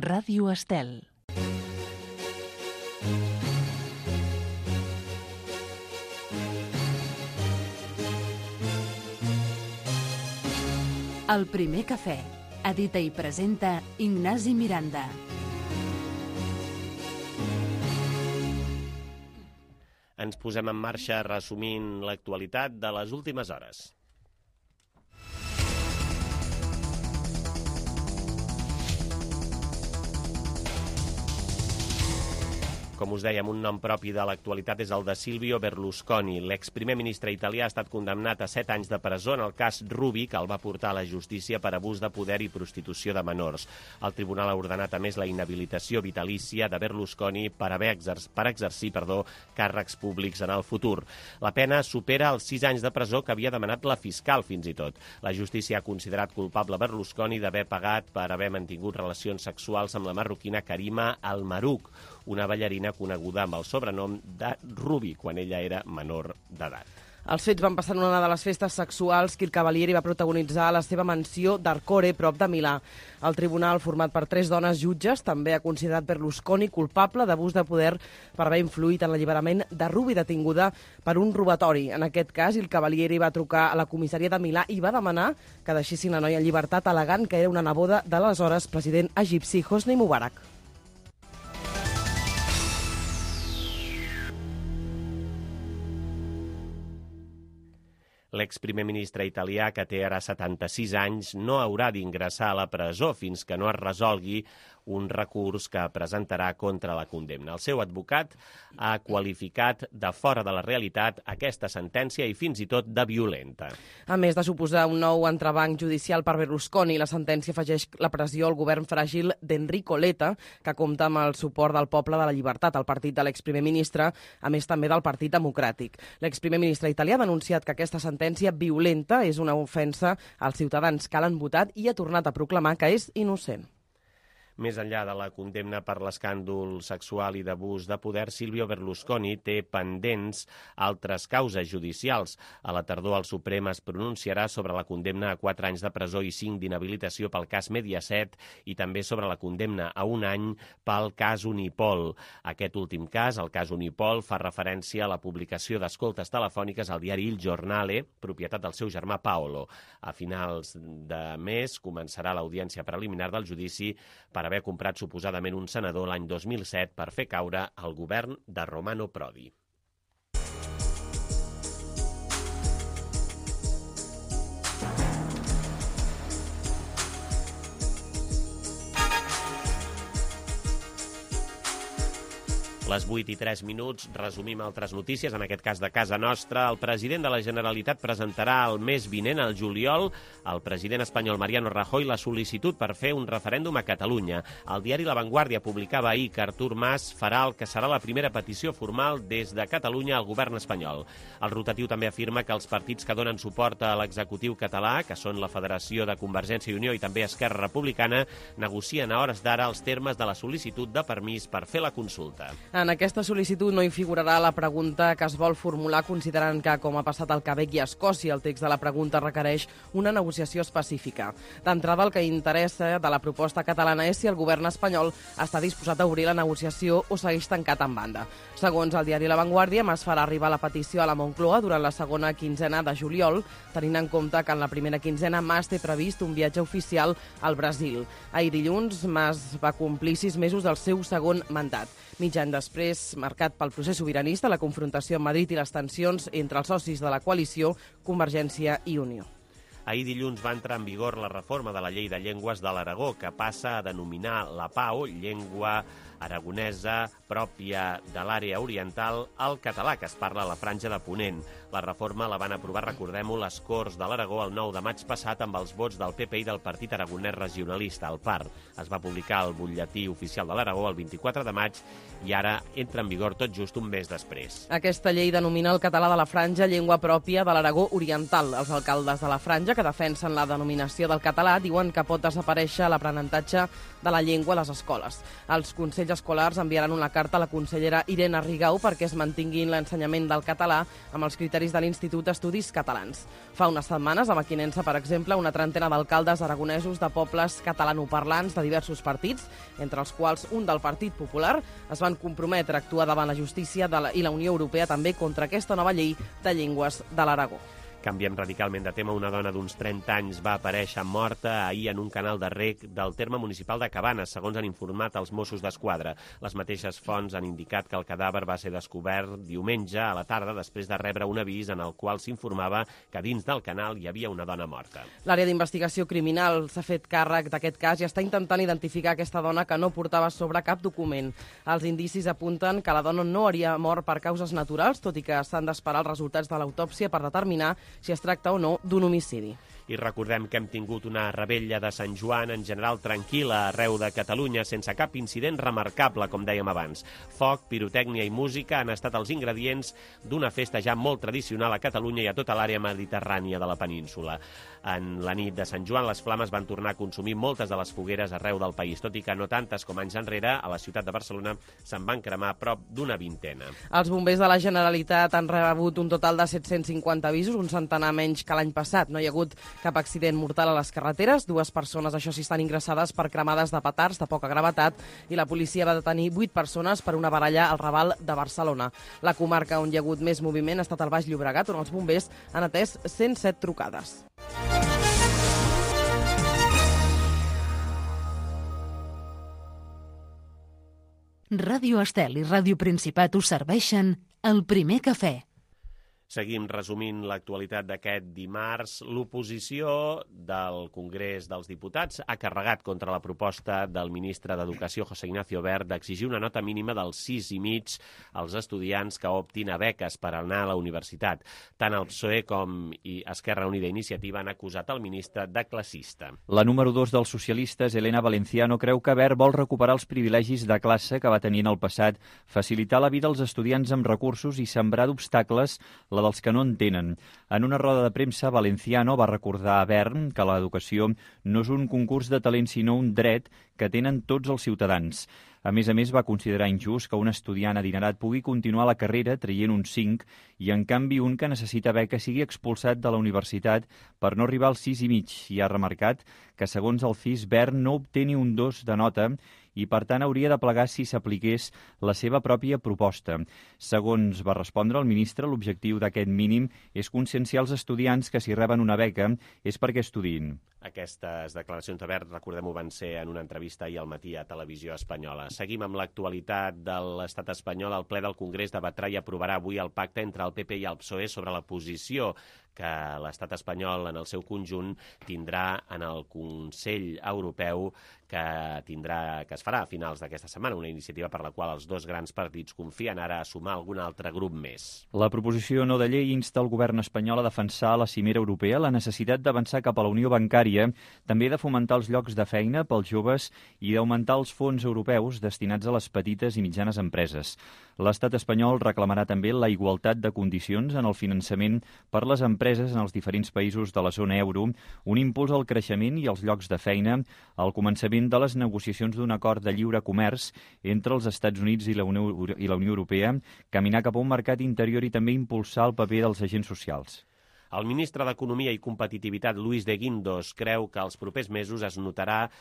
Ràdio Estel. El primer cafè. Edita i presenta Ignasi Miranda. Ens posem en marxa resumint l'actualitat de les últimes hores. Com us dèiem, un nom propi de l'actualitat és el de Silvio Berlusconi. L'exprimer ministre italià ha estat condemnat a 7 anys de presó en el cas Ruby, que el va portar a la justícia per abús de poder i prostitució de menors. El tribunal ha ordenat, a més, la inhabilitació vitalícia de Berlusconi per exercir càrrecs públics en el futur. La pena supera els 6 anys de presó que havia demanat la fiscal, fins i tot. La justícia ha considerat culpable Berlusconi d'haver pagat per haver mantingut relacions sexuals amb la marroquina Karima Al-Marouk, una ballarina coneguda amb el sobrenom de Ruby, quan ella era menor d'edat. Els fets van passar en una de les festes sexuals que el Cavalieri va protagonitzar a la seva mansió d'Arcore, prop de Milà. El tribunal, format per 3 dones jutges, també ha considerat Berlusconi culpable d'abús de poder per haver influït en l'alliberament de Ruby, detinguda per un robatori. En aquest cas, el Cavalieri va trucar a la comissaria de Milà i va demanar que deixessin la noia en llibertat, al·legant que era una neboda de l'aleshores president egipci Hosni Mubarak. L'exprimer ministre italià, que té ara 76 anys, no haurà d'ingressar a la presó fins que no es resolgui un recurs que presentarà contra la condemna. El seu advocat ha qualificat de fora de la realitat aquesta sentència i fins i tot de violenta. A més de suposar un nou entrebanc judicial per Berlusconi, la sentència afegeix la pressió al govern fràgil d'Enrico Letta, que compta amb el suport del Poble de la Llibertat, el partit de l'exprimer ministre, a més també del Partit Democràtic. L'exprimer ministre italià ha denunciat que aquesta sentència violenta és una ofensa als ciutadans que l'han votat i ha tornat a proclamar que és innocent. Més enllà de la condemna per l'escàndol sexual i d'abús de poder, Silvio Berlusconi té pendents altres causes judicials. A la tardor, el Suprem es pronunciarà sobre la condemna a 4 anys de presó i 5 d'inhabilitació pel cas Mediaset i també sobre la condemna a 1 any pel cas Unipol. Aquest últim cas, el cas Unipol, fa referència a la publicació d'escoltes telefòniques al diari Il Giornale, propietat del seu germà Paolo. A finals de mes començarà l'audiència preliminar del judici per haver comprat suposadament un senador l'any 2007 per fer caure el govern de Romano Prodi. Les 8:03, resumim altres notícies, en aquest cas de casa nostra. El president de la Generalitat presentarà el mes vinent, al juliol, al president espanyol Mariano Rajoy la sol·licitud per fer un referèndum a Catalunya. El diari La Vanguardia publicava ahir que Artur Mas farà el que serà la primera petició formal des de Catalunya al govern espanyol. El rotatiu també afirma que els partits que donen suport a l'executiu català, que són la Federació de Convergència i Unió i també Esquerra Republicana, negocien a hores d'ara els termes de la sol·licitud de permís per fer la consulta. En aquesta sol·licitud no hi figurarà la pregunta que es vol formular, considerant que, com ha passat al Quebec i a Escòcia, el text de la pregunta requereix una negociació específica. D'entrada, el que interessa de la proposta catalana és si el govern espanyol està disposat a obrir la negociació o segueix tancat en banda. Segons el diari La Vanguardia, Mas farà arribar la petició a la Moncloa durant la segona quinzena de juliol, tenint en compte que en la primera quinzena Mas té previst un viatge oficial al Brasil. Ahir dilluns, Mas va complir 6 mesos del seu segon mandat. Mig any després, marcat pel procés sobiranista, la confrontació amb Madrid i les tensions entre els socis de la coalició, Convergència i Unió. Ahir dilluns va entrar en vigor la reforma de la Llei de Llengües de l'Aragó, que passa a denominar la PAO, llengua aragonesa pròpia de l'àrea oriental, al català, que es parla a la Franja de Ponent. La reforma la van aprovar, recordem-ho, les Corts de l'Aragó el 9 de maig passat amb els vots del PP i del Partit Aragonès Regionalista, el PAR. Es va publicar al butlletí oficial de l'Aragó el 24 de maig i ara entra en vigor tot just un mes després. Aquesta llei denomina el català de la Franja llengua pròpia de l'Aragó oriental. Els alcaldes de la Franja, que defensen la denominació del català diuen que pot desaparèixer l'aprenentatge de la llengua a les escoles. Els consells escolars enviaran una carta a la consellera Irene Rigau perquè es mantinguin l'ensenyament del català amb els criteris de l'Institut d'Estudis Catalans. Fa unes setmanes, a Mequinensa, per exemple, una trentena d'alcaldes aragonesos de pobles catalanoparlants de diversos partits, entre els quals un del Partit Popular, es van comprometre a actuar davant la justícia i la Unió Europea també contra aquesta nova llei de llengües de l'Aragó. Canviem radicalment de tema. Una dona d'uns 30 anys va aparèixer morta ahir en un canal de rec del terme municipal de Cabanes, segons han informat els Mossos d'Esquadra. Les mateixes fonts han indicat que el cadàver va ser descobert diumenge a la tarda després de rebre un avís en el qual s'informava que dins del canal hi havia una dona morta. L'àrea d'investigació criminal s'ha fet càrrec d'aquest cas i està intentant identificar aquesta dona que no portava sobre cap document. Els indicis apunten que la dona no hauria mort per causes naturals, tot i que s'han d'esperar els resultats de l'autòpsia per determinar si es tracta o no d'un homicidi. I recordem que hem tingut una revetlla de Sant Joan en general tranquil·la arreu de Catalunya, sense cap incident remarcable, com dèiem abans. Foc, pirotècnia i música han estat els ingredients d'una festa ja molt tradicional a Catalunya i a tota l'àrea mediterrània de la península. En la nit de Sant Joan, les flames van tornar a consumir moltes de les fogueres arreu del país, tot i que no tantes com anys enrere, a la ciutat de Barcelona se'n van cremar prop d'una vintena. Els bombers de la Generalitat han rebut un total de 750 avisos, un centenar menys que l'any passat. No hi ha hagut cap accident mortal a les carreteres. 2 persones, això sí, estan ingressades per cremades de petards de poca gravetat i la policia va detenir 8 persones per una baralla al Raval de Barcelona. La comarca on hi ha hagut més moviment ha estat el Baix Llobregat, on els bombers han atès 107 trucades. Ràdio Estel i Ràdio Principat us serveixen el primer cafè. Seguim resumint l'actualitat d'aquest dimarts. L'oposició del Congrés dels Diputats ha carregat contra la proposta del ministre d'Educació, José Ignacio Wert, d'exigir una nota mínima del 6,5 als estudiants que optin a beques per anar a la universitat. Tant el PSOE com Esquerra Unida i Iniciativa han acusat el ministre de classista. La número 2 dels socialistes, Elena Valenciano, creu que Wert vol recuperar els privilegis de classe que va tenir en el passat, facilitar la vida als estudiants amb recursos i sembrar d'obstacles la dels que no en tenen. En una roda de premsa, Valenciano va recordar a Wert que l'educació no és un concurs de talent, sinó un dret que tenen tots els ciutadans. A més, va considerar injust que un estudiant adinerat pugui continuar la carrera traient un 5 i, en canvi, un que necessita beca sigui expulsat de la universitat per no arribar al 6,5 i ha remarcat que, segons el CIS, Wert no obté ni un 2 de nota i, per tant, hauria de plegar si s'apliqués la seva pròpia proposta. Segons va respondre el ministre, l'objectiu d'aquest mínim és conscienciar els estudiants que si reben una beca és perquè estudiïn. Aquestes declaracions de Wert, recordem-ho, van ser en una entrevista ahir al matí a Televisió Espanyola. Seguim amb l'actualitat de l'estat espanyol. El ple del Congrés debatrà i aprovarà avui el pacte entre el PP i el PSOE sobre la posició que l'estat espanyol en el seu conjunt tindrà en el Consell Europeu que es farà a finals d'aquesta setmana, una iniciativa per la qual els dos grans partits confien ara a sumar algun altre grup més. La proposició no de llei insta el govern espanyol a defensar a la cimera europea la necessitat d'avançar cap a la unió bancària, també de fomentar els llocs de feina pels joves i d'augmentar els fons europeus destinats a les petites i mitjanes empreses. L'estat espanyol reclamarà també la igualtat de condicions en el finançament per les empreses en els diferents països de la zona euro, un impuls al creixement i als llocs de feina, al començament de les negociacions d'un acord de lliure comerç entre els Estats Units i la Unió Europea, caminar cap a un mercat interior i també impulsar el paper dels agents socials. El ministre d'Economia i Competitivitat, Luis de Guindos, creu que els propers mesos es notarà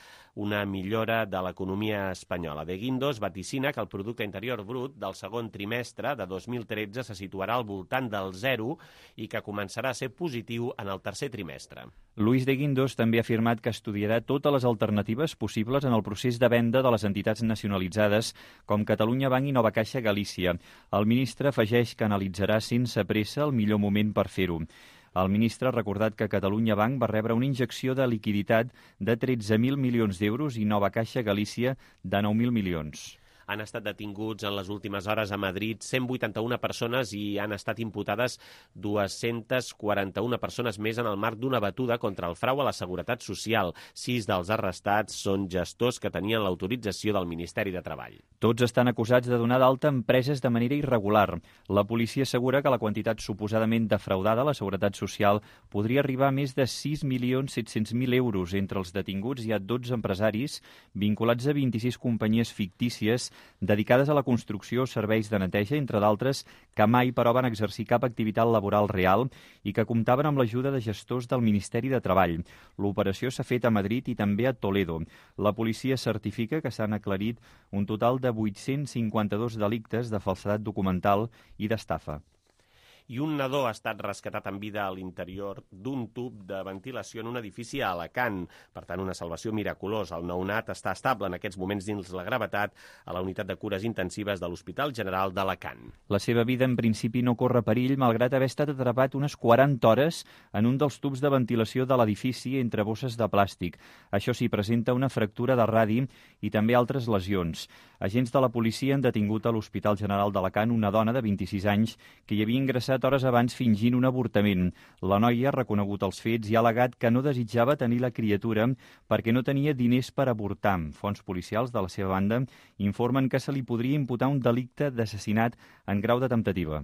una millora de l'economia espanyola. De Guindos vaticina que el producte interior brut del segon trimestre de 2013 se situarà al voltant del 0 i que començarà a ser positiu en el tercer trimestre. Luis de Guindos també ha afirmat que estudiarà totes les alternatives possibles en el procés de venda de les entitats nacionalitzades com Catalunya Banc i Nova Caixa Galícia. El ministre afegeix que analitzarà sense pressa el millor moment per fer-ho. El ministre ha recordat que Catalunya Banc va rebre una injecció de liquiditat de 13.000 milions d'euros i Nova Caixa Galícia de 9.000 milions. Han estat detinguts en les últimes hores a Madrid 181 persones i han estat imputades 241 persones més en el marc d'una batuda contra el frau a la Seguretat Social. 6 dels arrestats són gestors que tenien l'autorització del Ministeri de Treball. Tots estan acusats de donar d'alta empreses de manera irregular. La policia assegura que la quantitat suposadament defraudada a la Seguretat Social podria arribar a més de 6.700.000 euros. Entre els detinguts hi ha 12 empresaris vinculats a 26 companyies fictícies dedicades a la construcció o serveis de neteja, entre d'altres, que mai, però, van exercir cap activitat laboral real i que comptaven amb l'ajuda de gestors del Ministeri de Treball. L'operació s'ha fet a Madrid i també a Toledo. La policia certifica que s'han aclarit un total de 852 delictes de falsedat documental i d'estafa. I un nadó ha estat rescatat en vida a l'interior d'un tub de ventilació en un edifici a Alacant. Per tant, una salvació miraculosa. El nounat està estable en aquests moments dins la gravetat a la unitat de cures intensives de l'Hospital General d'Alacant. La seva vida, en principi, no corre perill, malgrat haver estat atrapat unes 40 hores en un dels tubs de ventilació de l'edifici entre bosses de plàstic. Això sí, presenta una fractura de radi i també altres lesions. Agents de la policia han detingut a l'Hospital General d'Alacant una dona de 26 anys que hi havia ingressat hores abans fingint un avortament. La noia ha reconegut els fets i ha al·legat que no desitjava tenir la criatura perquè no tenia diners per avortar. Fonts policials, de la seva banda, informen que se li podria imputar un delicte d'assassinat en grau de temptativa.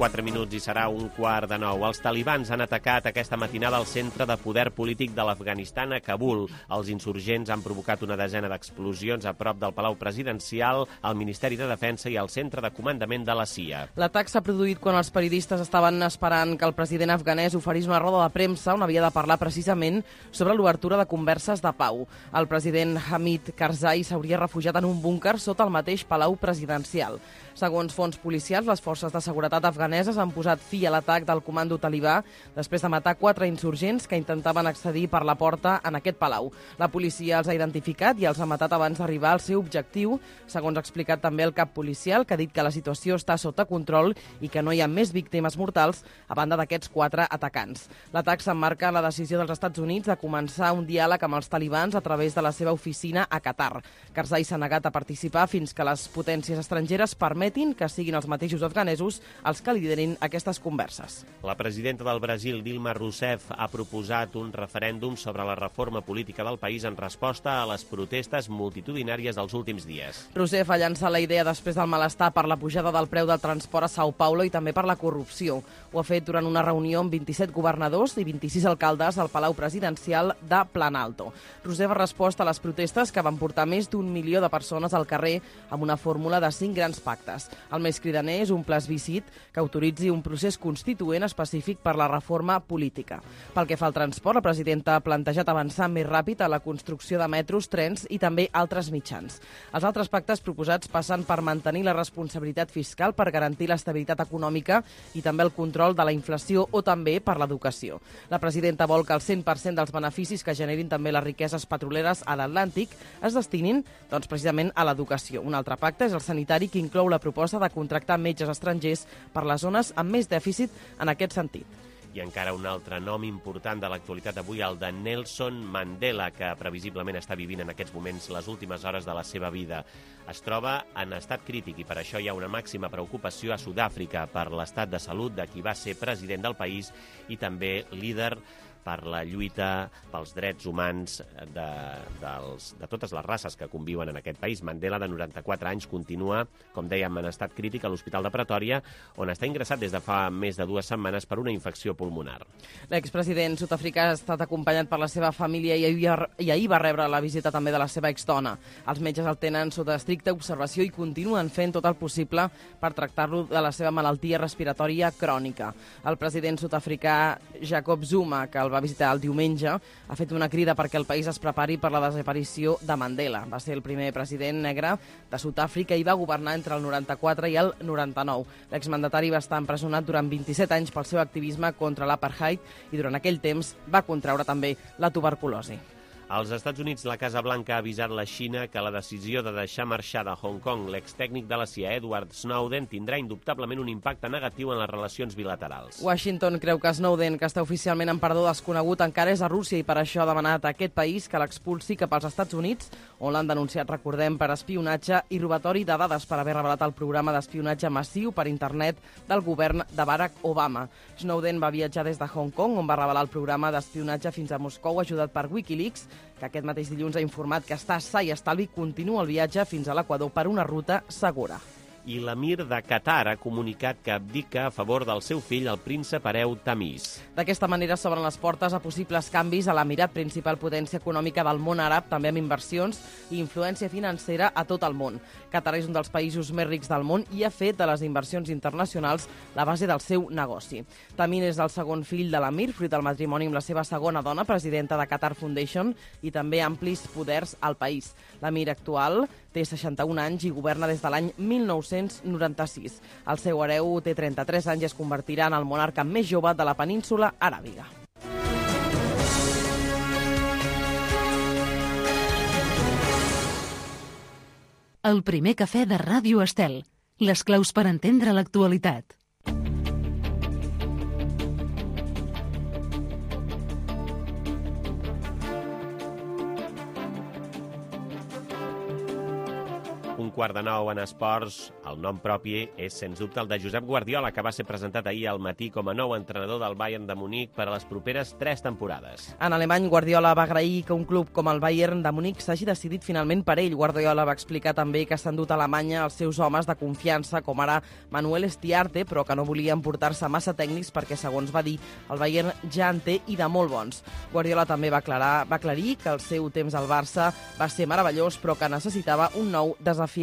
Quatre minuts i serà 8:45. Els talibans han atacat aquesta matinada el centre de poder polític de l'Afganistan a Kabul. Els insurgents han provocat una desena d'explosions a prop del Palau Presidencial, al Ministeri de Defensa i al centre de comandament de la CIA. L'atac s'ha produït quan els periodistes estaven esperant que el president afganès oferís una roda de premsa on havia de parlar precisament sobre l'obertura de converses de pau. El president Hamid Karzai s'hauria refugiat en un búnquer sota el mateix Palau Presidencial. Segons fonts policials, les forces de seguretat afganeses han posat fi a l'atac del comando talibà després de matar 4 insurgents que intentaven accedir per la porta en aquest palau. La policia els ha identificat i els ha matat abans d'arribar al seu objectiu, segons ha explicat també el cap policial, que ha dit que la situació està sota control i que no hi ha més víctimes mortals a banda d'aquests 4 atacants. L'atac s'emmarca en la decisió dels Estats Units de començar un diàleg amb els talibans a través de la seva oficina a Qatar. Karzai s'ha negat a participar fins que les potències estrangeres permetin que siguin els mateixos afganesos els que liderin aquestes converses. La presidenta del Brasil, Dilma Rousseff, ha proposat un referèndum sobre la reforma política del país en resposta a les protestes multitudinàries dels últims dies. Rousseff ha llançat la idea després del malestar per la pujada del preu del transport a Sao Paulo i també per la corrupció. Ho ha fet durant una reunió amb 27 governadors i 26 alcaldes al Palau Presidencial de Planalto. Rousseff ha respost a les protestes que van portar més d'1 milió de persones al carrer amb una fórmula de 5 grans pactes. El més cridaner és un plebiscit que autoritzi un procés constituent específic per la reforma política. Pel que fa al transport, la presidenta ha plantejat avançar més ràpid a la construcció de metros, trens i també altres mitjans. Els altres pactes proposats passen per mantenir la responsabilitat fiscal per garantir l'estabilitat econòmica i també el control de la inflació o també per l'educació. La presidenta vol que el 100% dels beneficis que generin també les riqueses petroleres a l'Atlàntic es destinin precisament a l'educació. Un altre pacte és el sanitari, que inclou la proposta de contractar metges estrangers per les zones amb més dèficit en aquest sentit. I encara un altre nom important de l'actualitat d'avui, el de Nelson Mandela, que previsiblement està vivint en aquests moments les últimes hores de la seva vida. Es troba en estat crític i per això hi ha una màxima preocupació a Sud-àfrica per l'estat de salut de qui va ser president del país i també líder per la lluita pels drets humans de totes les races que conviuen en aquest país. Mandela, de 94 anys, continua, com dèiem, en estat crític a l'Hospital de Pretòria, on està ingressat des de fa més de 2 setmanes per una infecció pulmonar. L'expresident sud-africà ha estat acompanyat per la seva família i ahir va rebre la visita també de la seva exdona. Els metges el tenen sota estricta observació i continuen fent tot el possible per tractar-lo de la seva malaltia respiratòria crònica. El president sud-africà Jacob Zuma, que el va visitar el diumenge, ha fet una crida perquè el país es prepari per la desaparició de Mandela. Va ser el primer president negre de Sud-àfrica i va governar entre el 94 i el 99. L'exmandatari va estar empresonat durant 27 anys pel seu activisme contra l'apartheid i durant aquell temps va contraure també la tuberculosi. Als Estats Units, la Casa Blanca ha avisat la Xina que la decisió de deixar marxar de Hong Kong l'extècnic de la CIA, Edward Snowden, tindrà indubtablement un impacte negatiu en les relacions bilaterals. Washington creu que Snowden, que està oficialment en perdó desconegut, encara és a Rússia i per això ha demanat a aquest país que l'expulsi cap als Estats Units, on l'han denunciat, recordem, per espionatge i robatori de dades per haver revelat el programa d'espionatge massiu per internet del govern de Barack Obama. Snowden va viatjar des de Hong Kong, on va revelar el programa d'espionatge fins a Moscou, ajudat per Wikileaks, que aquest mateix dilluns ha informat que està sa i estalvi i continua el viatge fins a l'Equador per una ruta segura. I l'emir de Qatar ha comunicat que abdica a favor del seu fill, el príncep hereu Tamis. D'aquesta manera s'obren les portes a possibles canvis a l'emirat, principal potència econòmica del món àrab, també amb inversions i influència financera a tot el món. Qatar és un dels països més rics del món i ha fet de les inversions internacionals la base del seu negoci. Tamin és el segon fill de l'emir, fruit del matrimoni amb la seva segona dona, presidenta de Qatar Foundation, i també amplis poders al país. L'emir actual té 61 anys i governa des de l'any 1996. El seu hereu té 33 anys i es convertirà en el monarca més jove de la península aràbiga. El primer cafè de Ràdio Estel. Les claus per entendre l'actualitat. Un quart de nou en esports, el nom propi és, sens dubte, el de Josep Guardiola, que va ser presentat ahir al matí com a nou entrenador del Bayern de Munic per a les properes 3 temporades. En alemany, Guardiola va agrair que un club com el Bayern de Munic s'hagi decidit finalment per ell. Guardiola va explicar també que s'han dut a Alemanya els seus homes de confiança, com ara Manuel Stiarte, però que no volien portar-se massa tècnics perquè, segons va dir, el Bayern ja en té i de molt bons. Guardiola també va aclarir que el seu temps al Barça va ser meravellós, però que necessitava un nou desafiament.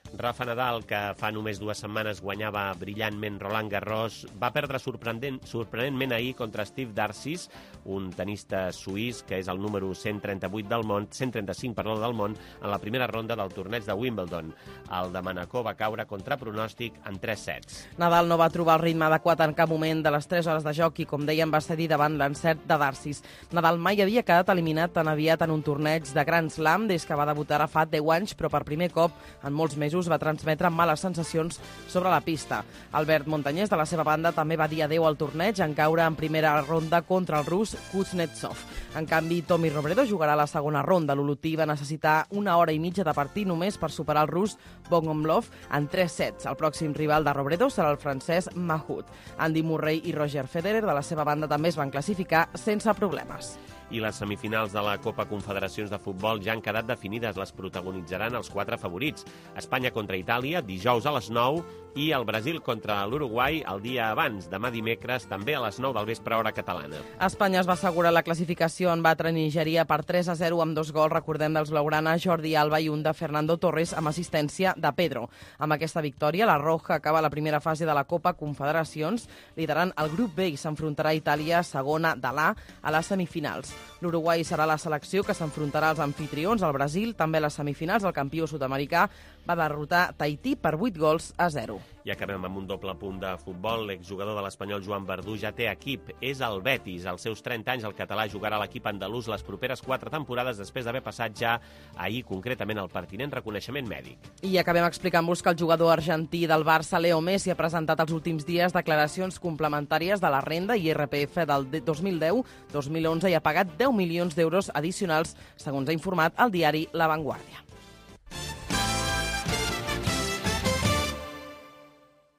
Rafa Nadal, que fa només 2 setmanes guanyava brillantment Roland Garros, va perdre sorprenentment ahir contra Steve Darcis, un tenista suís que és el número 135 del món, en la primera ronda del torneig de Wimbledon. El de Manacor va caure contra pronòstic en 3 sets. Nadal no va trobar el ritme adequat en cap moment de les 3 hores de joc i, com dèiem, va cedir davant l'encert de Darcis. Nadal mai havia quedat eliminat tan aviat en un torneig de Grand Slam des que va debutar fa 10 anys, però per primer cop en molts mesos va transmetre males sensacions sobre la pista. Albert Montañés, de la seva banda, també va dir adeu al torneig en caure en primera ronda contra el rus Kuznetsov. En canvi, Tommy Robredo jugarà a la segona ronda. L'olotí va necessitar 1 hora i mitja de partit només per superar el rus Bogomolov en 3 sets. El pròxim rival de Robredo serà el francès Mahut. Andy Murray i Roger Federer, de la seva banda, també es van classificar sense problemes. I les semifinals de la Copa Confederacions de Futbol ja han quedat definides. Les protagonitzaran els 4 favorits. Espanya contra Itàlia, dijous a les 9, i el Brasil contra l'Uruguai el dia abans, demà dimecres, també a les 9 del vespre, hora catalana. Espanya es va assegurar la classificació en batre Nigèria per 3-0 amb 2 gols, recordem, dels blaugrana Jordi Alba i un de Fernando Torres amb assistència de Pedro. Amb aquesta victòria, la Roja acaba la primera fase de la Copa Confederacions, liderant el grup B i s'enfrontarà a Itàlia, segona de l'A, a les semifinals. L'Uruguai serà la selecció que s'enfrontarà als anfitrions. El Brasil, també a les semifinals, el campió sud-americà, va derrotar Tahití per 8-0. I acabem amb un doble punt de futbol. L'exjugador de l'Espanyol Joan Verdú ja té equip. És el Betis. Als seus 30 anys, el català jugarà a l'equip andalús les properes 4 temporades després d'haver passat ja ahir, concretament, el pertinent reconeixement mèdic. I acabem explicant-vos que el jugador argentí del Barça, Leo Messi, ha presentat els últims dies declaracions complementàries de la renda i IRPF del 2010-2011 i ha pagat 10 milions d'euros addicionals, segons ha informat el diari La Vanguardia.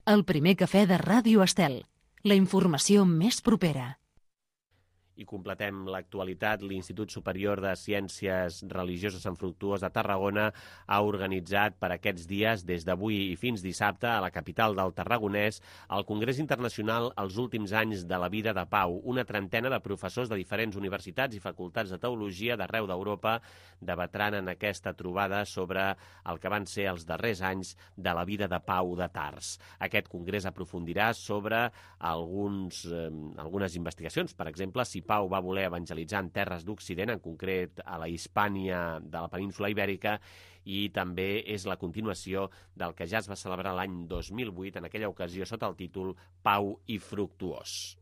El primer cafè de Ràdio Estel. La informació més propera. I completem l'actualitat. L'Institut Superior de Ciències Religioses Sant Fructuós de Tarragona ha organitzat per aquests dies, des d'avui i fins dissabte, a la capital del Tarragonès, el Congrés Internacional Els últims anys de la vida de Pau. Una trentena de professors de diferents universitats i facultats de teologia d'arreu d'Europa debatran en aquesta trobada sobre el que van ser els darrers anys de la vida de Pau de Tars. Aquest congrés aprofundirà sobre algunes investigacions. Per exemple, si Pau va voler evangelitzar en terres d'Occident, en concret a la Hispània de la península Ibèrica, i també és la continuació del que ja es va celebrar l'any 2008, en aquella ocasió sota el títol Pau i Fructuós.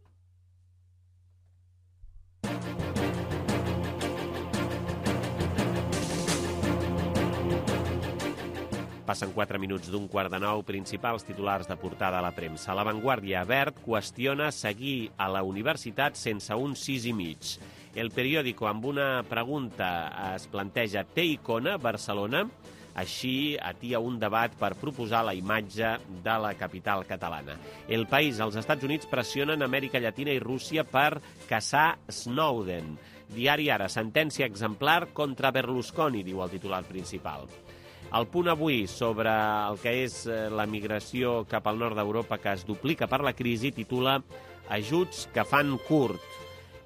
Passen 4 minuts d'15:45, principals titulars de portada a la premsa. La Vanguardia, Wert qüestiona seguir a la universitat sense un 6,5. El Periódico, amb una pregunta, es planteja: té icona Barcelona? Així atia un debat per proposar la imatge de la capital catalana. El País, els Estats Units pressionen Amèrica Llatina i Rússia per caçar Snowden. Diari Ara, sentència exemplar contra Berlusconi, diu el titular principal. El Punt Avui, sobre el que és la migració cap al nord d'Europa que es duplica per la crisi, titula Ajuts que fan curt.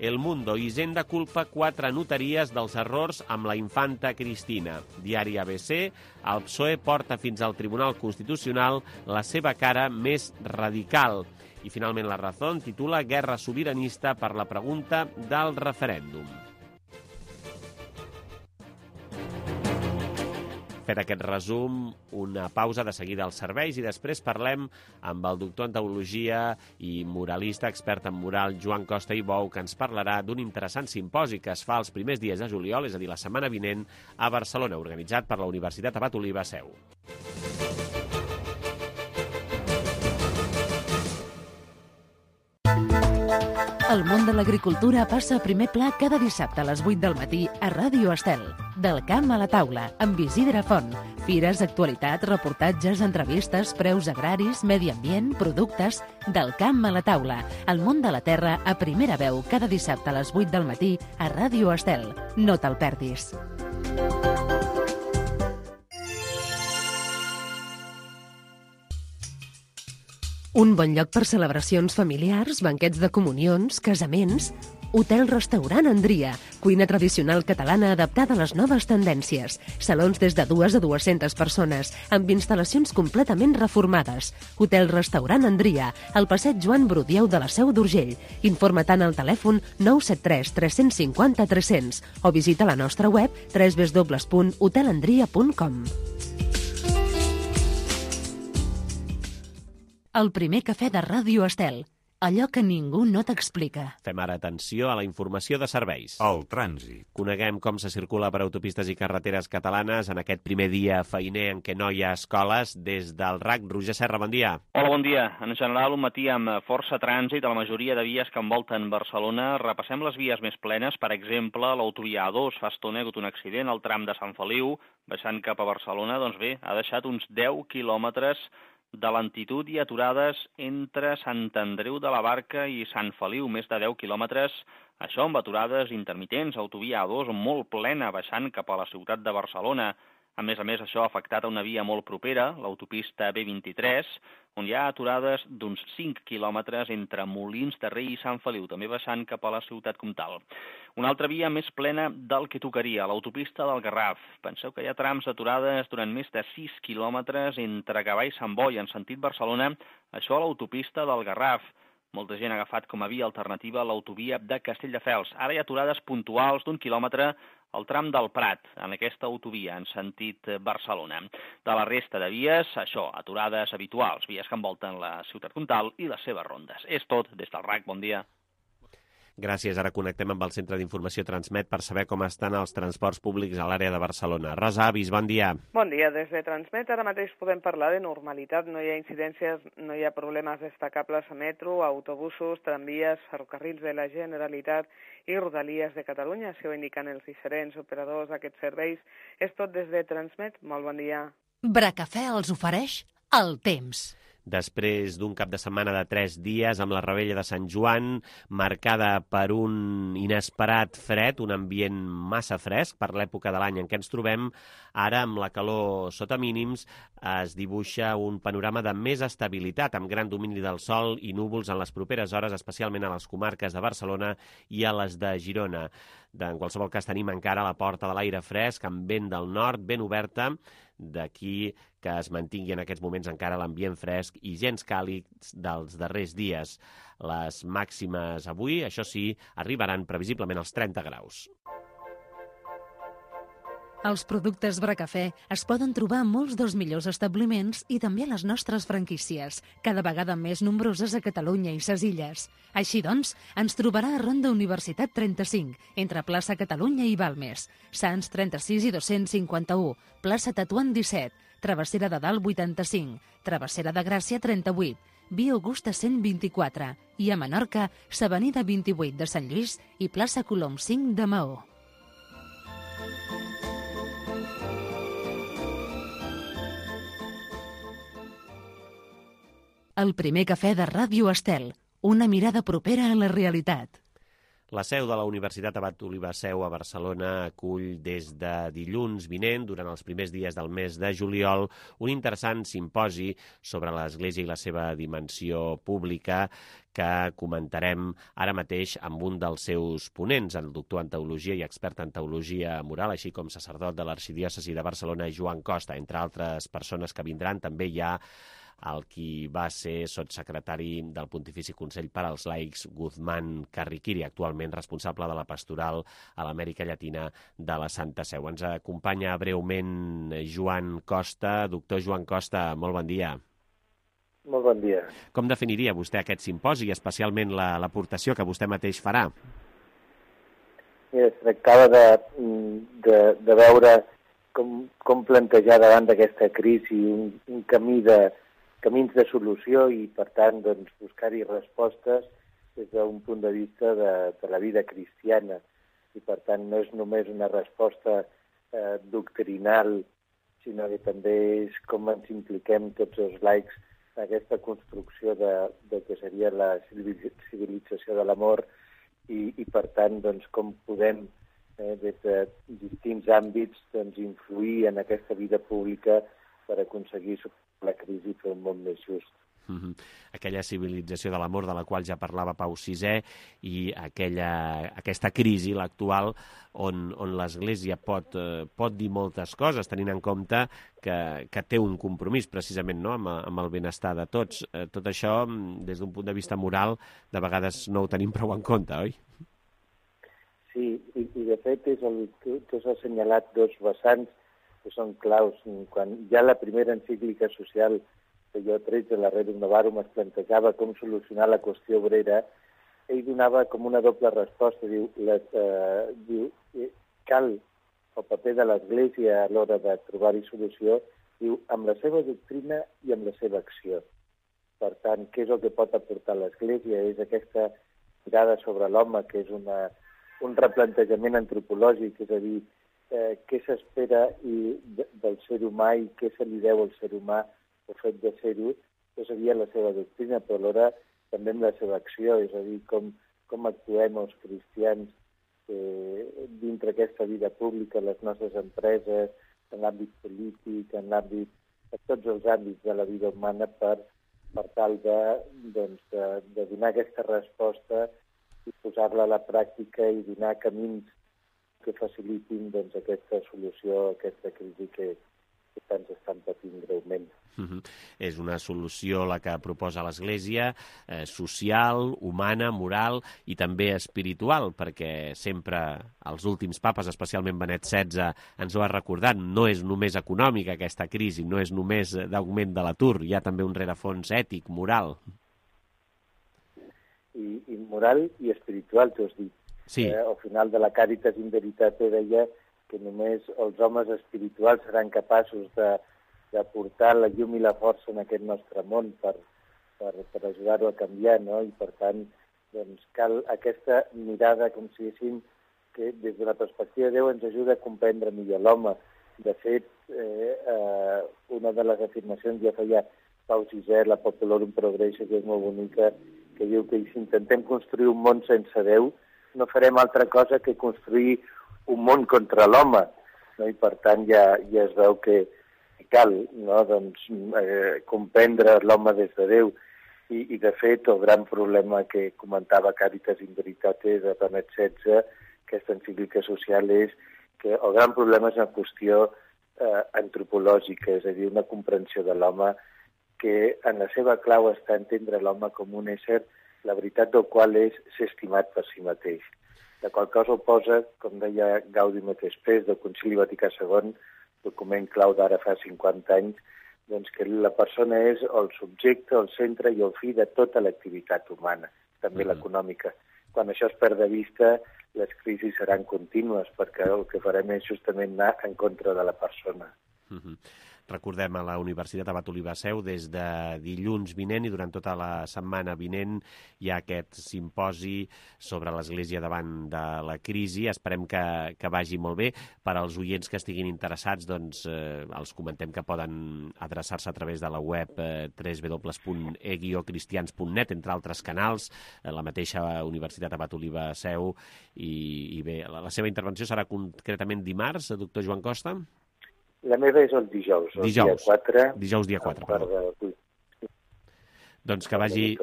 El Mundo, Hisenda culpa 4 notaries dels errors amb la infanta Cristina. Diari ABC, el PSOE porta fins al Tribunal Constitucional la seva cara més radical. I finalment La Razón titula Guerra sobiranista per la pregunta del referèndum. Fet aquest resum, una pausa de seguida als serveis i després parlem amb el doctor en teologia i moralista, expert en moral, Joan Costa i Bou, que ens parlarà d'un interessant simposi que es fa els primers dies de juliol, és a dir, la setmana vinent, a Barcelona, organitzat per la Universitat Abat Oliba Seu. El món de l'agricultura passa a primer pla cada dissabte a les 8 del matí a Ràdio Estel. Del camp a la taula, amb Isidre Font. Fires, actualitat, reportatges, entrevistes, preus agraris, medi ambient, productes... Del camp a la taula. El món de la terra a primera veu cada dissabte a les 8 del matí a Ràdio Estel. No te'l perdis. Un bon lloc per celebracions familiars, banquets de comunions, casaments... Hotel-restaurant Andria, cuina tradicional catalana adaptada a les noves tendències. Salons des de 2 a 200 persones, amb instal·lacions completament reformades. Hotel-restaurant Andria, al passeig Joan Brudieu de la Seu d'Urgell. Informa-te'n al telèfon 973 350 300 o visita la nostra web www.hotelandria.com. El primer cafè de Ràdio Estel. Allò que ningú no t'explica. Fem ara atenció a la informació de serveis. El trànsit. Coneguem com se circula per autopistes i carreteres catalanes en aquest primer dia feiner en què no hi ha escoles. Des del RAC, Roger Serra, bon dia. Hola, bon dia. En general, un matí amb força trànsit a la majoria de vies que envolten Barcelona. Repassem les vies més plenes. Per exemple, l'autovia A2 fa estona ha hagut un accident al tram de Sant Feliu, baixant cap a Barcelona. Doncs bé, ha deixat uns 10 quilòmetres de lentitud i aturades entre Sant Andreu de la Barca i Sant Feliu, més de 10 quilòmetres, això amb aturades intermitents, autovia A2 molt plena baixant cap a la ciutat de Barcelona. A més, això ha afectat a una via molt propera, l'autopista B23, on hi ha aturades d'uns 5 quilòmetres entre Molins de Rei i Sant Feliu, també baixant cap a la ciutat comtal. Una altra via més plena del que tocaria, l'autopista del Garraf. Penseu que hi ha trams aturades durant més de 6 quilòmetres entre Gavà i Sant Boi, en sentit Barcelona, això a l'autopista del Garraf. Molta gent ha agafat com a via alternativa l'autovia de Castelldefels. Ara hi ha aturades puntuals d'1 quilòmetre al tram del Prat, en aquesta autovia, en sentit Barcelona. De la resta de vies, això, aturades habituals, vies que envolten la ciutat comtal i les seves rondes. És tot des del RAC, bon dia. Gràcies. Ara connectem amb el Centre d'Informació Transmet per saber com estan els transports públics a l'àrea de Barcelona. Rosa Avis, bon dia. Bon dia. Des de Transmet ara mateix podem parlar de normalitat. No hi ha incidències, no hi ha problemes destacables a metro, autobusos, tramvies, ferrocarrils de la Generalitat i Rodalies de Catalunya. Això ho indiquen els diferents operadors d'aquests serveis. És tot des de Transmet. Molt bon dia. Bracafè els ofereix el temps. Després d'un cap de setmana de 3 dies amb la revetlla de Sant Joan, marcada per un inesperat fred, un ambient massa fresc per l'època de l'any en què ens trobem, ara amb la calor sota mínims es dibuixa un panorama de més estabilitat, amb gran domini del sol i núvols en les properes hores, especialment a les comarques de Barcelona i a les de Girona. En qualsevol cas tenim encara la porta de l'aire fresc, amb vent del nord, ben oberta, d'aquí que es mantingui en aquests moments encara l'ambient fresc i gens càlids dels darrers dies. Les màximes avui, això sí, arribaran previsiblement als 30 graus. Els productes Bracafè es poden trobar a molts dels millors establiments i també a les nostres franquícies, cada vegada més nombroses a Catalunya i ses Illes. Així doncs, ens trobarà a Ronda Universitat 35, entre plaça Catalunya i Balmes, Sants 36 i 251, plaça Tetuan 17, Travessera de Dalt 85, Travessera de Gràcia 38, Via Augusta 124 i a Menorca, s'Avenida 28 de Sant Lluís i plaça Colom 5 de Maó. El primer cafè de Ràdio Estel, una mirada propera a la realitat. La seu de la Universitat Abat Oliba Seu a Barcelona acull des de dilluns vinent, durant els primers dies del mes de juliol, un interessant simposi sobre l'Església i la seva dimensió pública que comentarem ara mateix amb un dels seus ponents, el doctor en teologia i expert en teologia moral, així com sacerdot de l'Arxidiòcesi de Barcelona, Joan Costa. Entre altres persones que vindran, també hi ha el qui va ser sotssecretari del Pontifici Consell per als Laics, Guzmán Carriquiri, actualment responsable de la pastoral a l'Amèrica Llatina de la Santa Seu. Ens acompanya breument Joan Costa. Doctor Joan Costa, molt bon dia. Molt bon dia. Com definiria vostè aquest simposi i especialment l'aportació que vostè mateix farà? Es tractava de veure com plantejar davant d'aquesta crisi un camins de solució i, per tant, doncs, buscar-hi respostes des d'un punt de vista de la vida cristiana. I, per tant, no és només una resposta doctrinal, sinó que també és com ens impliquem tots els laics en aquesta construcció de que seria la civilització de l'amor i, per tant, doncs, com podem, des de distints àmbits, doncs, influir en aquesta vida pública per aconseguir la crisi i fer un món més just. Aquella civilització de l'amor de la qual ja parlava Pau VI i aquesta crisi, l'actual, on l'Església pot dir moltes coses, tenint en compte que té un compromís precisament, no?, amb el benestar de tots. Tot això, des d'un punt de vista moral, de vegades no ho tenim prou en compte, oi? Sí, i de fet tu has assenyalat dos vessants que són claus. Quan ja la primera encíclica social que jo 13, la Rerum Novarum, es plantejava com solucionar la qüestió obrera, ell donava com una doble resposta. Diu cal el paper de l'Església a l'hora de trobar-hi solució, diu, amb la seva doctrina i amb la seva acció. Per tant, què és el que pot aportar l'Església? És aquesta mirada sobre l'home, que és un replantejament antropològic, és a dir, què s'espera del ser humà i què se li deu al ser humà el fet de ser-ho. Això seria la seva doctrina, però alhora també amb la seva acció, és a dir, com actuem els cristians dintre aquesta vida pública, les nostres empreses, en l'àmbit polític, en tots els àmbits de la vida humana per tal de donar aquesta resposta i posar-la a la pràctica i donar camins que facilitin aquesta solució a aquesta crisi que tants estan patint greument. És una solució la que proposa l'Església, social, humana, moral i també espiritual, perquè sempre els últims papes, especialment Benet XVI, ens ho ha recordat, no és només econòmica aquesta crisi, no és només d'augment de l'atur, hi ha també un rerefons ètic, moral. I moral i espiritual, t'ho has dit. Sí. Al final de la Caritas in Veritate deia que només els homes espirituals seran capaços d'aportar la llum i la força en aquest nostre món per ajudar-ho a canviar, no? I per tant, doncs, cal aquesta mirada, com si diguéssim, que des de la perspectiva de Déu ens ajuda a comprendre millor l'home. De fet, una de les afirmacions ja feia Pau VI, la Populorum Progresso, que és molt bonica, que diu que si intentem construir un món sense Déu, no farem altra cosa que construir un món contra l'home, no? I per tant ja es veu que cal, no? Doncs, comprendre l'home des de Déu. I de fet el gran problema que comentava Caritas in Veritate de Benet XVI, aquesta encíclica social, és que el gran problema és una qüestió antropològica, és a dir, una comprensió de l'home que en la seva clau està entendre l'home com un ésser la veritat del qual és ser estimat per si mateix. La qual cosa ho posa, com deia Gaudium et Spes, del Concili Vaticà II, document clau d'ara fa 50 anys, doncs que la persona és el subjecte, el centre i el fi de tota l'activitat humana, també l'econòmica. Quan això es perd de vista, les crisis seran contínues, perquè el que farem és justament anar en contra de la persona. recordem, a la Universitat Abat Oliba Seu des de dilluns vinent, i durant tota la setmana vinent hi ha aquest simposi sobre l'Església davant de la crisi. Esperem que vagi molt bé. Per als oients que estiguin interessats, doncs els comentem que poden adreçar-se a través de la web www.e-cristians.net, entre altres canals, la mateixa Universitat Abat Oliba Seu, i bé, la seva intervenció serà concretament dimarts, doctor Joan Costa? La meva és el dijous, dia 4. Dijous, dia 4, perdó. Doncs que vagi...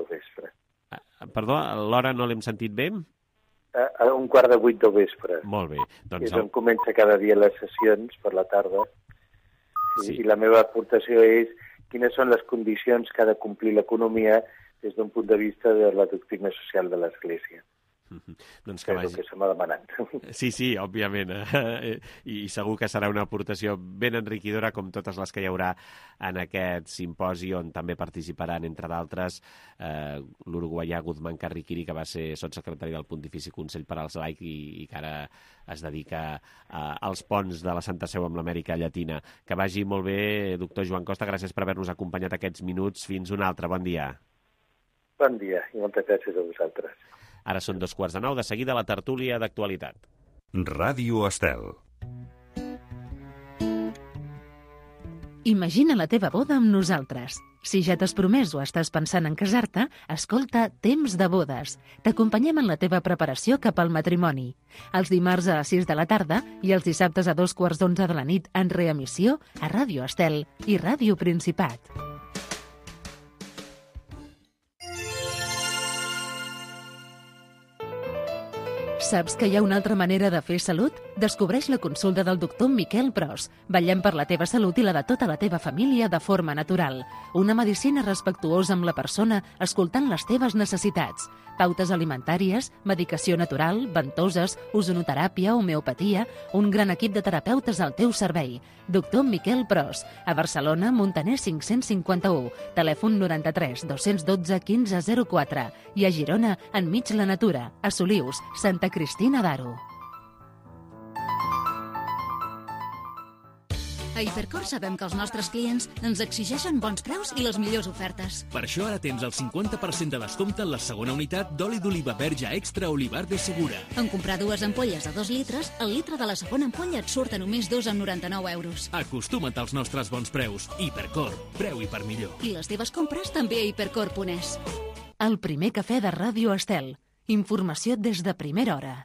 Perdó, l'hora no l'hem sentit bé? A 7:15 del vespre. Molt bé. Doncs és on comença cada dia les sessions, per la tarda. I la meva aportació és quines són les condicions que ha de complir l'economia des d'un punt de vista de la doctrina social de l'Església. Doncs que és el que se m'ha demanat. Sí, òbviament. I segur que serà una aportació ben enriquidora, com totes les que hi haurà en aquest simposi, on també participaran, entre d'altres, l'uruguaià Guzmán Carriquiri, que va ser sotssecretari del Pontifici Consell per als Laics i que ara es dedica als ponts de la Santa Seu amb l'Amèrica Llatina. Que vagi molt bé, doctor Joan Costa. Gràcies per haver-nos acompanyat aquests minuts. Fins un altre. Bon dia. Bon dia i moltes gràcies a vosaltres. Ara són 8:45, de seguida la tertúlia d'actualitat. Ràdio Estel. Imagina la teva boda amb nosaltres. Si ja t'has promès o estàs pensant en casar-te, escolta Temps de bodes. T'acompanyem en la teva preparació cap al matrimoni. Els dimarts a les 6 de la tarda i els dissabtes a 2:15 de la nit en reemissió a Ràdio Estel i Ràdio Principat. Saps que hi ha una altra manera de fer salut? Descobreix la consulta del doctor Miquel Pros. Vetllem per la teva salut i la de tota la teva família de forma natural. Una medicina respectuosa amb la persona, escoltant les teves necessitats. Pautes alimentàries, medicació natural, ventoses, ozonoteràpia, homeopatia, un gran equip de terapeutes al teu servei. Doctor Miquel Pros, a Barcelona, Montaner 551, telèfon 93 212 1504 i a Girona, enmig la natura, a Solius, Santa Cristina d'Aro. A Hipercor sabem que els nostres clients ens exigeixen bons preus i les millors ofertes. Per això ara tens el 50% de descompte en la segona unitat d'oli d'oliva verge extra Olivar de Segura. En comprar 2 ampolles de 2 litres, el litre de la segona ampolla et surt a només 2,99 euros. Acostuma't als nostres bons preus. Hipercor, preu i per millor. I les teves compres també a hipercor.es. El primer cafè de Ràdio Estel. Informació des de primera hora.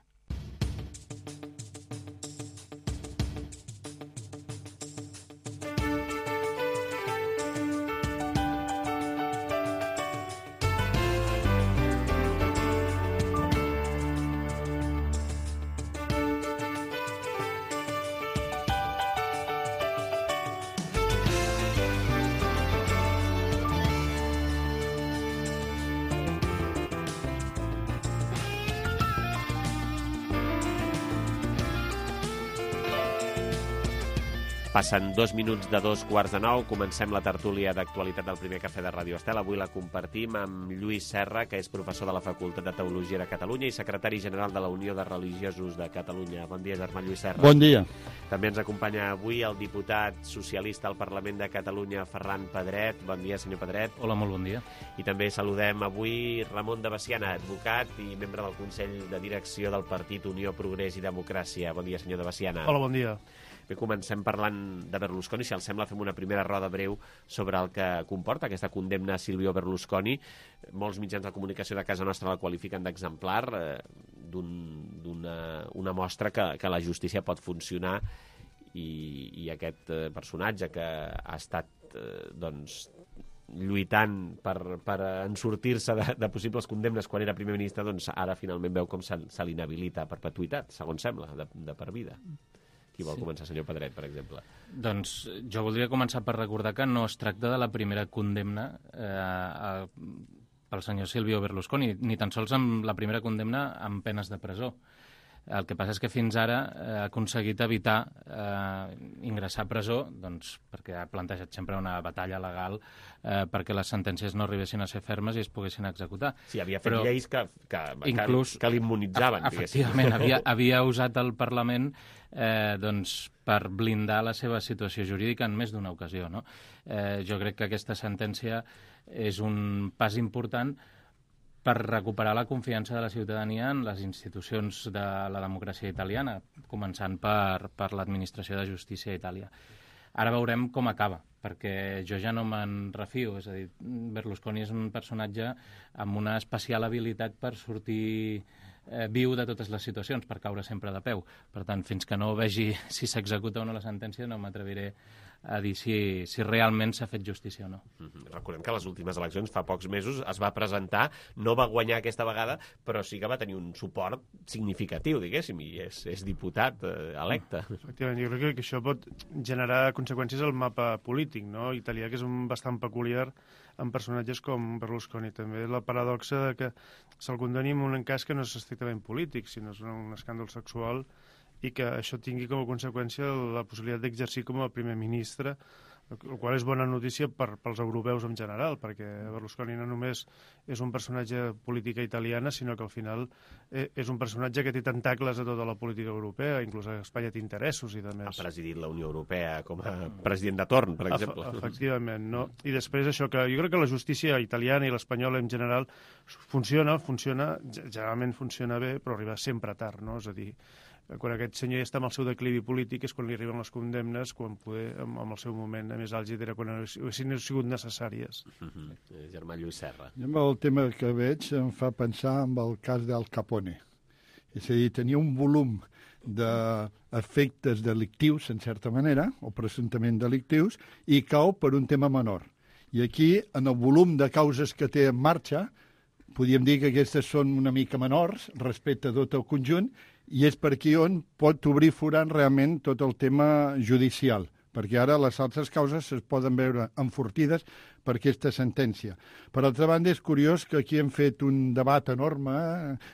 Passen 2 minuts de 8:45, comencem la tertúlia d'actualitat del primer cafè de Ràdio Estel. Avui la compartim amb Lluís Serra, que és professor de la Facultat de Teologia de Catalunya i secretari general de la Unió de Religiosos de Catalunya. Bon dia, germà Lluís Serra. Bon dia. També ens acompanya avui el diputat socialista al Parlament de Catalunya, Ferran Pedret. Bon dia, senyor Pedret. Hola, molt bon dia. I també saludem avui Ramon de Baciana, advocat i membre del Consell de Direcció del Partit Unió, Progrés i Democràcia. Bon dia, senyor de Baciana. Hola, bon dia. Bé, comencem parlant de Berlusconi. Si els sembla, fem una primera roda breu sobre el que comporta aquesta condemna a Silvio Berlusconi. Molts mitjans de comunicació de casa nostra la qualifiquen d'exemplar, d'una mostra que la justícia pot funcionar i aquest personatge que ha estat lluitant per ensortir-se de possibles condemnes quan era primer ministre, doncs ara finalment veu com se l'inhabilita a perpetuïtat, segons sembla, de per vida. Qui vol començar, senyor Pedret, per exemple? Doncs jo voldria començar per recordar que no es tracta de la primera condemna pel senyor Silvio Berlusconi, ni tan sols amb la primera condemna amb penes de presó. El que passa és que fins ara ha aconseguit evitar ingressar a presó, doncs, perquè ha plantejat sempre una batalla legal perquè les sentències no arribessin a ser fermes i es poguessin executar. Sí, havia fet lleis que l'immunitzaven. Efectivament, havia usat el Parlament per blindar la seva situació jurídica en més d'una ocasió. No? Jo crec que aquesta sentència és un pas important per recuperar la confiança de la ciutadania en les institucions de la democràcia italiana, començant per l'administració de justícia a Itàlia. Ara veurem com acaba, perquè jo ja no me'n refio, és a dir, Berlusconi és un personatge amb una especial habilitat per sortir viu de totes les situacions, per caure sempre de peu. Per tant, fins que no vegi si s'executa o no la sentència, no m'atreviré a dir si realment s'ha fet justícia o no. Recordem que a les últimes eleccions, fa pocs mesos, es va presentar, no va guanyar aquesta vegada, però sí que va tenir un suport significatiu, diguéssim, i és diputat electe. Efectivament, jo crec que això pot generar conseqüències al mapa polític, no? Italià, que és bastant peculiar amb personatges com Berlusconi. També la paradoxa que se'l condoni en un cas que no és estrictament polític, sinó és un escàndol sexual, i que això tingui com a conseqüència la possibilitat d'exercir com a primer ministre, el qual és bona notícia pels europeus en general, perquè Berlusconi no només és un personatge política italiana, sinó que al final és un personatge que té tentacles a tota la política europea, inclús a Espanya té interessos i de més. Ha presidit la Unió Europea com a president de torn, per exemple. Efectivament, no? I després això, que jo crec que la justícia italiana i l'espanyola en general funciona, generalment funciona bé, però arriba sempre tard, no? És a dir, quan aquest senyor ja està amb el seu declivi polític és quan li arriben les condemnes, quan poder, amb el seu moment més àlgid era quan haguessin sigut necessàries. Germà Lluís Serra. Amb el tema que veig em fa pensar en el cas d'Al Capone. És a dir, tenia un volum d'efectes delictius, en certa manera, o presumptament delictius, i cau per un tema menor. I aquí, en el volum de causes que té en marxa, podríem dir que aquestes són una mica menors respecte a tot el conjunt, i és per aquí on pot obrir forant realment tot el tema judicial, perquè ara les altres causes es poden veure enfortides per aquesta sentència. Per altra banda, és curiós que aquí hem fet un debat enorme,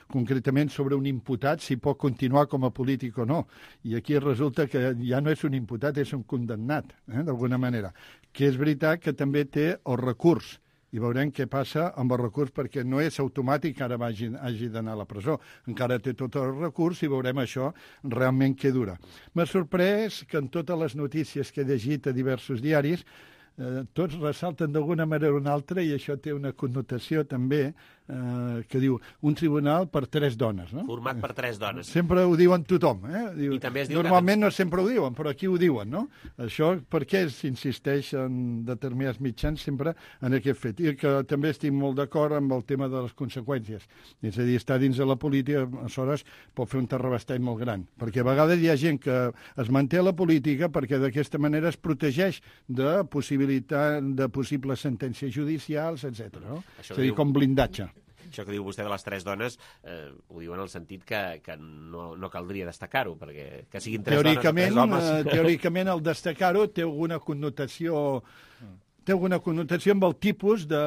concretament sobre un imputat, si pot continuar com a polític o no. I aquí resulta que ja no és un imputat, és un condemnat, d'alguna manera. Que és veritat que també té el recurs, i veurem què passa amb el recurs, perquè no és automàtic que ara hagi d'anar a la presó. Encara té tot el recurs i veurem això realment què dura. M'ha sorprès que en totes les notícies que he llegit a diversos diaris tots ressalten d'alguna manera o una altra, i això té una connotació també que diu un tribunal per 3 dones. No? Format per 3 dones. Sempre ho diuen tothom. Diu, i també es diu normalment no sempre ho diuen, però aquí ho diuen. No? Això per què s'insisteix en determinats mitjans sempre en aquest fet? I que també estic molt d'acord amb el tema de les conseqüències. És a dir, estar dins de la política, aleshores, pot fer un terrabastall molt gran. Perquè a vegades hi ha gent que es manté a la política perquè d'aquesta manera es protegeix de possibles sentències judicials, etc. No? És a dir, com blindatge. Això que diu vostè de les 3 dones, ho diu en el sentit que no caldria destacar-ho, perquè que siguin 3 dones o 3 homes... Teòricament, el destacar-ho té alguna connotació amb el tipus de...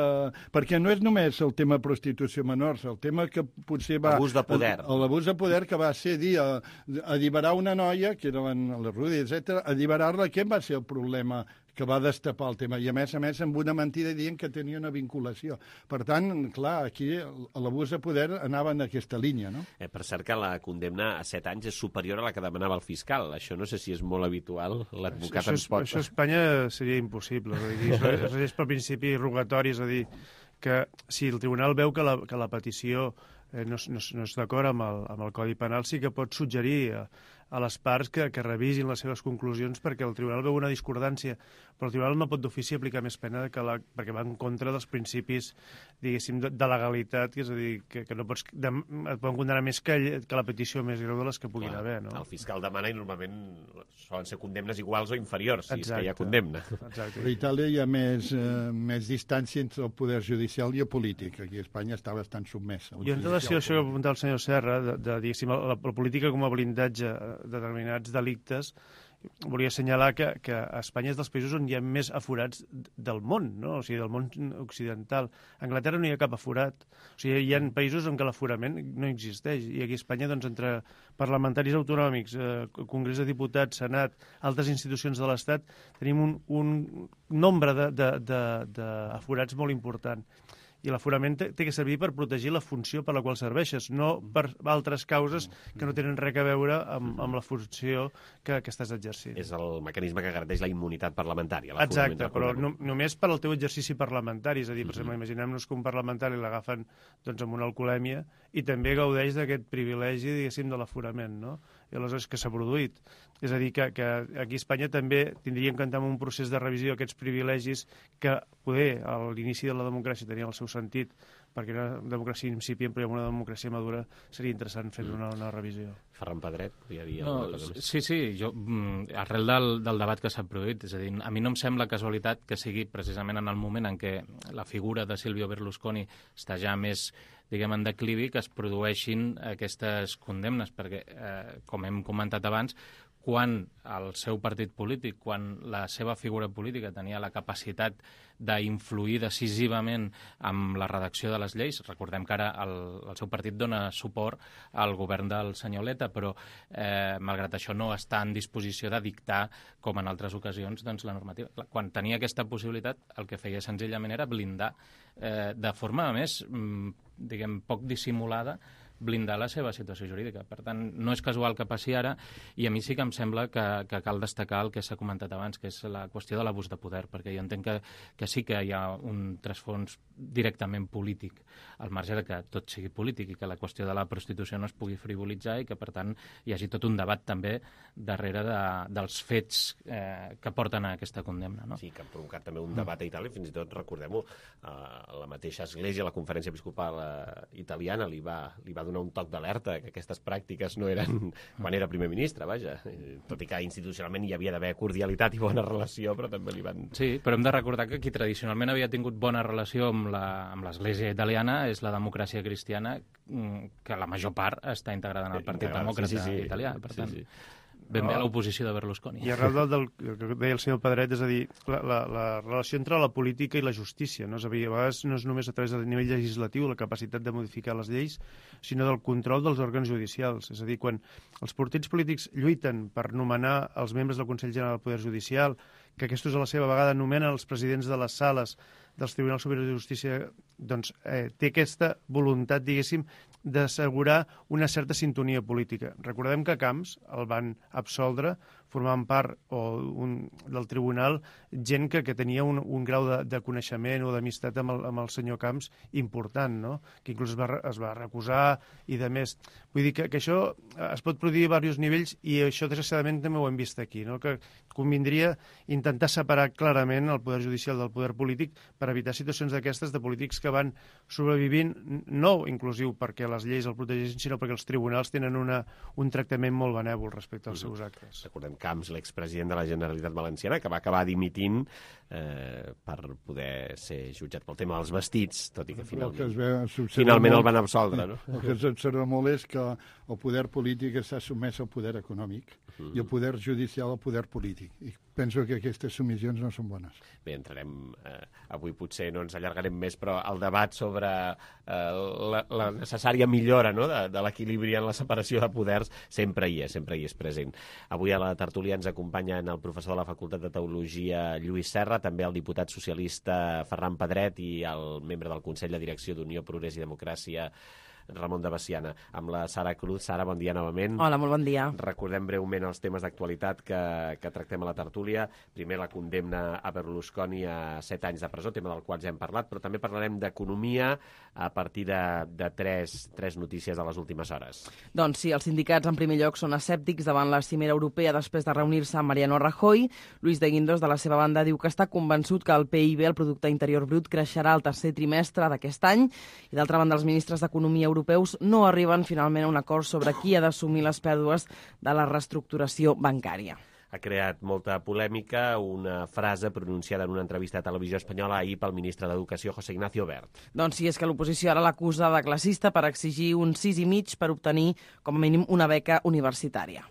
Perquè no és només el tema prostitució menors, el tema que potser va... Abús de poder. L'abús de poder que va ser dir alliberar una noia, que era la Rudi, etc., alliberar-la, què va ser el problema que va destapar el tema? I a més, amb una mentida dient que tenia una vinculació. Per tant, clar, aquí l'abús de poder anava en aquesta línia, no? Per cert que la condemna a 7 anys és superior a la que demanava el fiscal. Això no sé si és molt habitual. L'advocat ens pot... Això a Espanya seria impossible. Es regeix per principi rogatori, és a dir, que si el tribunal veu que la petició no és d'acord amb el Codi Penal, sí que pot suggerir a les parts que revisin les seves conclusions, perquè el tribunal veu una discordància, però el tribunal no pot d'ofici aplicar més pena perquè va en contra dels principis, diguéssim, de legalitat, és a dir, que no pots, et poden condenar més que la petició més greu de les que puguin haver. No? El fiscal demana i normalment solen ser condemnes iguals o inferiors, si és que hi ha condemna. Exacte. A Itàlia hi ha més distància entre el poder judicial i el polític. Aquí a Espanya està bastant submès. I en relació a això que apuntava el senyor Serra, de diguéssim, la política com a blindatge determinats delictes, volia assenyalar que Espanya és dels països on hi ha més aforats del món, no? O sigui, del món occidental. A Anglaterra no hi ha cap aforat. O sigui, hi ha països on l'aforament no existeix. I aquí a Espanya, doncs, entre parlamentaris autonòmics, Congrés de Diputats, Senat, altres institucions de l'Estat, tenim un nombre d'aforats molt important. I l'aforament té que servir per protegir la funció per la qual serveixes, no per altres causes que no tenen res a veure amb la funció que estàs exercint. És el mecanisme que garanteix la immunitat parlamentària. Exacte, però només per al teu exercici parlamentari. És a dir, per exemple, imaginem-nos que un parlamentari l'agafen amb una alcoholèmia i també gaudeix d'aquest privilegi, diguéssim, de l'aforament, no? I aleshores que s'ha produït. És a dir, que aquí a Espanya també tindríem que entrar en un procés de revisió d'aquests privilegis que poder a l'inici de la democràcia tenia el seu sentit, perquè una democràcia incipient, però una democràcia madura seria interessant fer una revisió. Ferran Pedret, podria dir alguna cosa més? Sí, jo, arrel del debat que s'ha produït, és a dir, a mi no em sembla casualitat que sigui precisament en el moment en què la figura de Silvio Berlusconi està ja més, diguem, en declivi, que es produeixin aquestes condemnes, perquè, com hem comentat abans, quan el seu partit polític, quan la seva figura política tenia la capacitat d'influir decisivament amb la redacció de les lleis, recordem que ara el seu partit dona suport al govern del senyor Letta, però malgrat això no està en disposició de dictar, com en altres ocasions, doncs, la normativa. Quan tenia aquesta possibilitat, el que feia senzillament era blindar de forma més, diguem, poc dissimulada, blindar la seva situació jurídica. Per tant, no és casual que passi ara, i a mi sí que em sembla que cal destacar el que s'ha comentat abans, que és la qüestió de l'abús de poder, perquè jo entenc que sí que hi ha un trasfons directament polític, al marge de que tot sigui polític i que la qüestió de la prostitució no es pugui frivolitzar i que, per tant, hi hagi tot un debat també darrere dels fets que porten a aquesta condemna. No? Sí, que han provocat també un debat a Itàlia, fins i tot, recordem-ho, la mateixa Església, la Conferència Episcopal Italiana, li va donar un toc d'alerta, que aquestes pràctiques no eren quan era primer ministre, vaja. Tot i que institucionalment hi havia d'haver cordialitat i bona relació, però també li van... Sí, però hem de recordar que qui tradicionalment havia tingut bona relació amb l'Església italiana és la democràcia cristiana, que la major part està integrada en el Partit Demòcrata italià. Per tant, ben bé a l'oposició de Berlusconi. I arrel del que deia el senyor Pedret, és a dir, la relació entre la política i la justícia, no? És a dir, a vegades no és només a través del nivell legislatiu la capacitat de modificar les lleis, sinó del control dels òrgans judicials. És a dir, quan els partits polítics lluiten per nomenar els membres del Consell General del Poder Judicial, que aquests a la seva vegada nomenen els presidents de les sales dels Tribunals Superiors de Justícia, doncs té aquesta voluntat, diguéssim, d'assegurar una certa sintonia política. Recordem que Camps el van absoldre formant part del tribunal gent que tenia un grau de coneixement o d'amistat amb el senyor Camps important, no? Que inclús es va recusar i de més. Vull dir que això es pot produir a diversos nivells i això desgraciadament també ho hem vist aquí, no? Que convindria intentar separar clarament el poder judicial del poder polític per evitar situacions d'aquestes de polítics que van sobrevivint, no inclusiu perquè les lleis el protegeixin, sinó perquè els tribunals tenen un tractament molt benèvol respecte als seus actes. Recordem Camps, l'expresident de la Generalitat Valenciana, que va acabar dimitint per poder ser jutjat pel tema dels vestits, tot i que finalment el van absoldre. No? El que s'observa molt és que el poder polític està sotmès al poder econòmic i el poder judicial al poder polític. I penso que aquestes submissions no són bones. Bé, entrarem, avui potser no ens allargarem més, però el debat sobre la necessària millora, no?, de l'equilibri en la separació de poders sempre hi és present. Avui a la tertúlia ens acompanyen el professor de la Facultat de Teologia Lluís Serra, també el diputat socialista Ferran Pedret i el membre del Consell de Direcció d'Unió, Progrés i Democràcia, Ramon de Baciana. Amb la Sara Cruz. Sara, bon dia novament. Hola, molt bon dia. Recordem breument els temes d'actualitat que tractem a la tertúlia. Primer, la condemna a Berlusconi a 7 anys de presó, tema del qual ja hem parlat, però també parlarem d'economia a partir de tres notícies de les últimes hores. Doncs sí, els sindicats en primer lloc són escèptics davant la cimera europea després de reunir-se amb Mariano Rajoy. Luis de Guindos, de la seva banda, diu que està convençut que el PIB, el Producte Interior Brut, creixerà al tercer trimestre d'aquest any. I d'altra banda, els ministres d'Economia europeus no arriben finalment a un acord sobre qui ha d'assumir les pèrdues de la reestructuració bancària. Ha creat molta polèmica una frase pronunciada en una entrevista de Televisió Espanyola ahir pel ministre d'Educació, José Ignacio Wert. Doncs sí, és que l'oposició ara l'acusa de classista per exigir un 6,5 per obtenir, com a mínim, una beca universitària.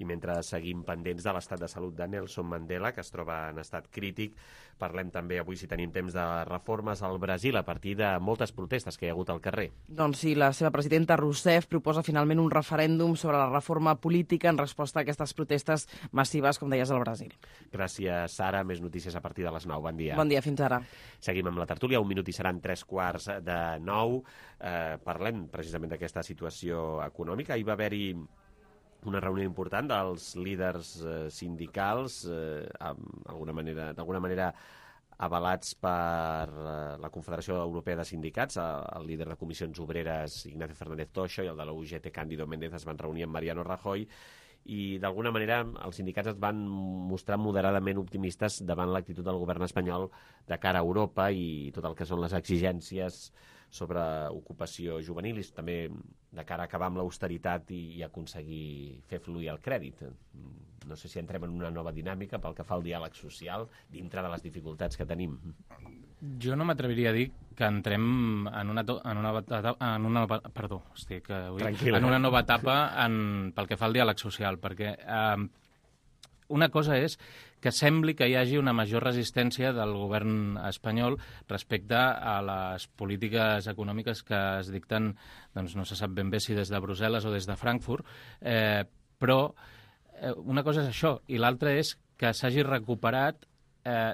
I mentre seguim pendents de l'estat de salut de Nelson Mandela, que es troba en estat crític, parlem també avui, si tenim temps, de reformes al Brasil a partir de moltes protestes que hi ha hagut al carrer. Doncs sí, la seva presidenta Rousseff proposa finalment un referèndum sobre la reforma política en resposta a aquestes protestes massives, com deies, al Brasil. Gràcies, Sara. Més notícies a partir de les 9. Bon dia. Bon dia, fins ara. Seguim amb la tertúlia. Un minut i seran 3:45. Parlem precisament d'aquesta situació econòmica. Hi va haver-hi una reunió important dels líders sindicals, d'alguna manera avalats per la Confederació Europea de Sindicats. El líder de Comissions Obreres, Ignacio Fernández Toixo, i el de la UGT, Cándido Méndez, es van reunir amb Mariano Rajoy, i d'alguna manera els sindicats es van mostrar moderadament optimistes davant l'actitud del govern espanyol de cara a Europa i tot el que són les exigències sobre ocupació juvenil i també de cara a acabar amb l'austeritat i aconseguir fer fluir el crèdit. No sé si entrem en una nova dinàmica pel que fa al diàleg social dintre de les dificultats que tenim. Jo no m'atreviria a dir que entrem en una nova etapa pel que fa al diàleg social, perquè una cosa és que sembli que hi hagi una major resistència del govern espanyol respecte a les polítiques econòmiques que es dicten, doncs no se sap ben bé si des de Brussel·les o des de Frankfurt, però una cosa és això, i l'altra és que s'hagi recuperat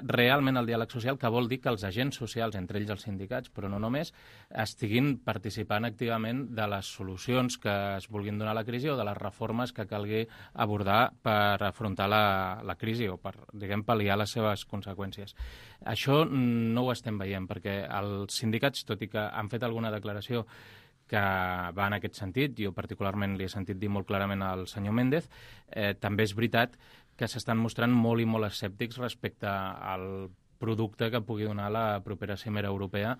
realment el diàleg social, que vol dir que els agents socials, entre ells els sindicats, però no només, estiguin participant activament de les solucions que es vulguin donar a la crisi o de les reformes que calgui abordar per afrontar la crisi o per, diguem, pal·liar les seves conseqüències. Això no ho estem veient, perquè els sindicats, tot i que han fet alguna declaració que va en aquest sentit, jo particularment li he sentit dir molt clarament al senyor Méndez, també és veritat que s'estan mostrant molt i molt escèptics respecte al producte que pugui donar la propera cimera europea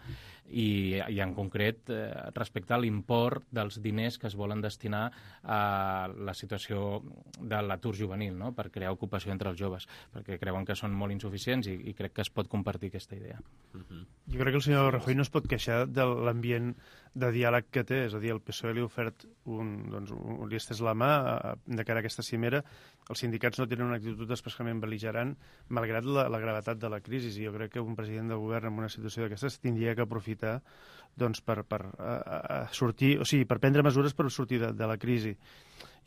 i en concret respecte a l'import dels diners que es volen destinar a la situació de l'atur juvenil, no? Per crear ocupació entre els joves, perquè creuen que són molt insuficients i crec que es pot compartir aquesta idea. Jo crec que el senyor Rajoy no es pot queixar de l'ambient de diàleg que té, és a dir, el PSOE li ha ofert li ha estès la mà de cara a aquesta cimera. Els sindicats no tenen una actitud especialment bel·ligerant, malgrat la gravetat de la crisi, i jo crec que un president de govern en una situació d'aquestes tindria que aprofitar doncs, per sortir, o sigui, per prendre mesures per sortir de la crisi.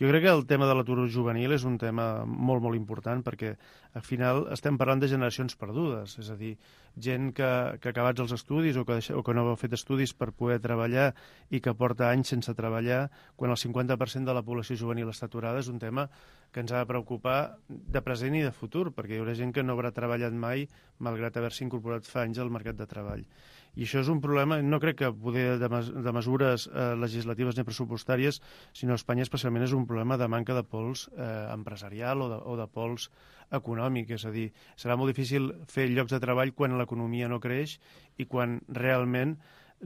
Jo crec que el tema de l'atur juvenil és un tema molt, molt important perquè al final estem parlant de generacions perdudes, és a dir, gent que ha acabat els estudis o que no ha fet estudis per poder treballar i que porta anys sense treballar, quan el 50% de la població juvenil està aturada, és un tema que ens ha de preocupar de present i de futur, perquè hi haurà gent que no haurà treballat mai malgrat haver-se incorporat fa anys al mercat de treball. I això és un problema, no crec que poder de mesures legislatives ni pressupostàries, sinó a Espanya especialment és un problema de manca de pols empresarial o de pols econòmic, és a dir, serà molt difícil fer llocs de treball quan l'economia no creix i quan realment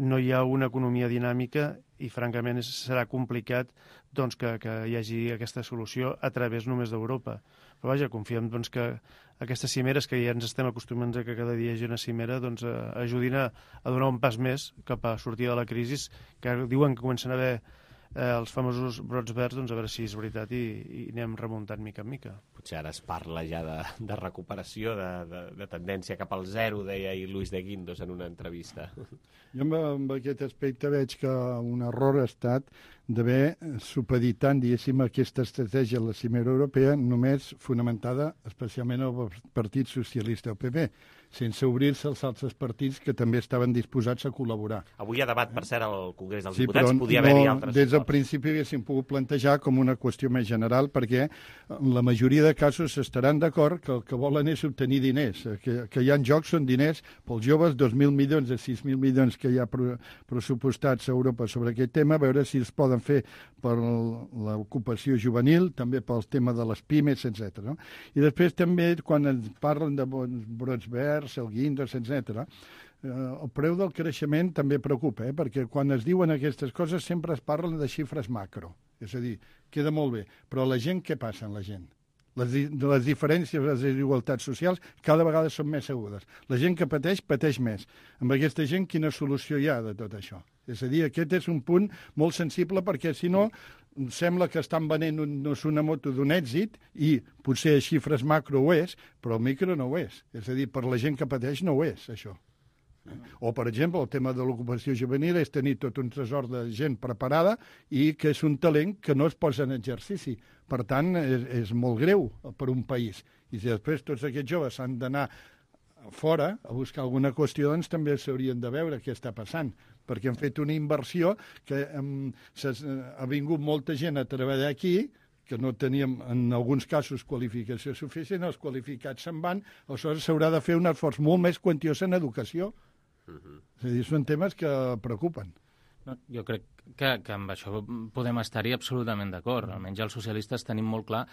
no hi ha una economia dinàmica i francament serà complicat doncs, que hi hagi aquesta solució a través només d'Europa. Però vaja, confiem doncs, que aquestes cimeres que ja ens estem acostumant a que cada dia hi hagi una cimera doncs, ajudin a donar un pas més cap a sortir de la crisi, que diuen que comencen a haver els famosos brots verds, doncs a veure si és veritat i anem remuntant mica en mica. Potser ara es parla ja de recuperació, de tendència cap al zero, deia Luis de Guindos en una entrevista. Jo amb aquest aspecte veig que un error ha estat d'haver supeditant, diguéssim, aquesta estratègia a la cimera europea només fonamentada especialment al Partit Socialista, el PP, sense obrir-se als altres partits que també estaven disposats a col·laborar. Avui hi ha debat, per cert, al Congrés dels Diputats, podia haver-hi altres des del principi haguéssim pogut plantejar com una qüestió més general, perquè en la majoria de casos estaran d'acord que el que volen és obtenir diners, que hi ha en joc són diners pels joves, 2.000 milions de 6.000 milions que hi ha pressupostats a Europa sobre aquest tema, a veure si es poden fer per l'ocupació juvenil, també pel tema de les pimes, etc. No? I després també, quan ens parlen de brots verds, el Guindos, etc., el preu del creixement també preocupa, perquè quan es diuen aquestes coses sempre es parlen de xifres macro. És a dir, queda molt bé, però la gent, què passa amb la gent? Les diferències, les desigualtats socials cada vegada són més agudes. La gent que pateix més. Amb aquesta gent, quina solució hi ha de tot això? És a dir, aquest és un punt molt sensible perquè, si no, sembla que estan venent una moto d'un èxit i potser a xifres macro ho és, però el micro no ho és. És a dir, per la gent que pateix no ho és, això. O, per exemple, el tema de l'ocupació juvenil és tenir tot un tresor de gent preparada i que és un talent que no es posa en exercici. Per tant, és molt greu per un país. I si després tots aquests joves han d'anar fora a buscar alguna qüestió, doncs també s'haurien de veure què està passant, perquè han fet una inversió que ha vingut molta gent a treballar aquí, que no teníem, en alguns casos, qualificació suficient, els qualificats se'n van, aleshores s'haurà de fer un esforç molt més quantiós en educació. És a dir, són temes que preocupen. No, jo crec que amb això podem estar-hi absolutament d'acord. Almenys els socialistes tenim molt clar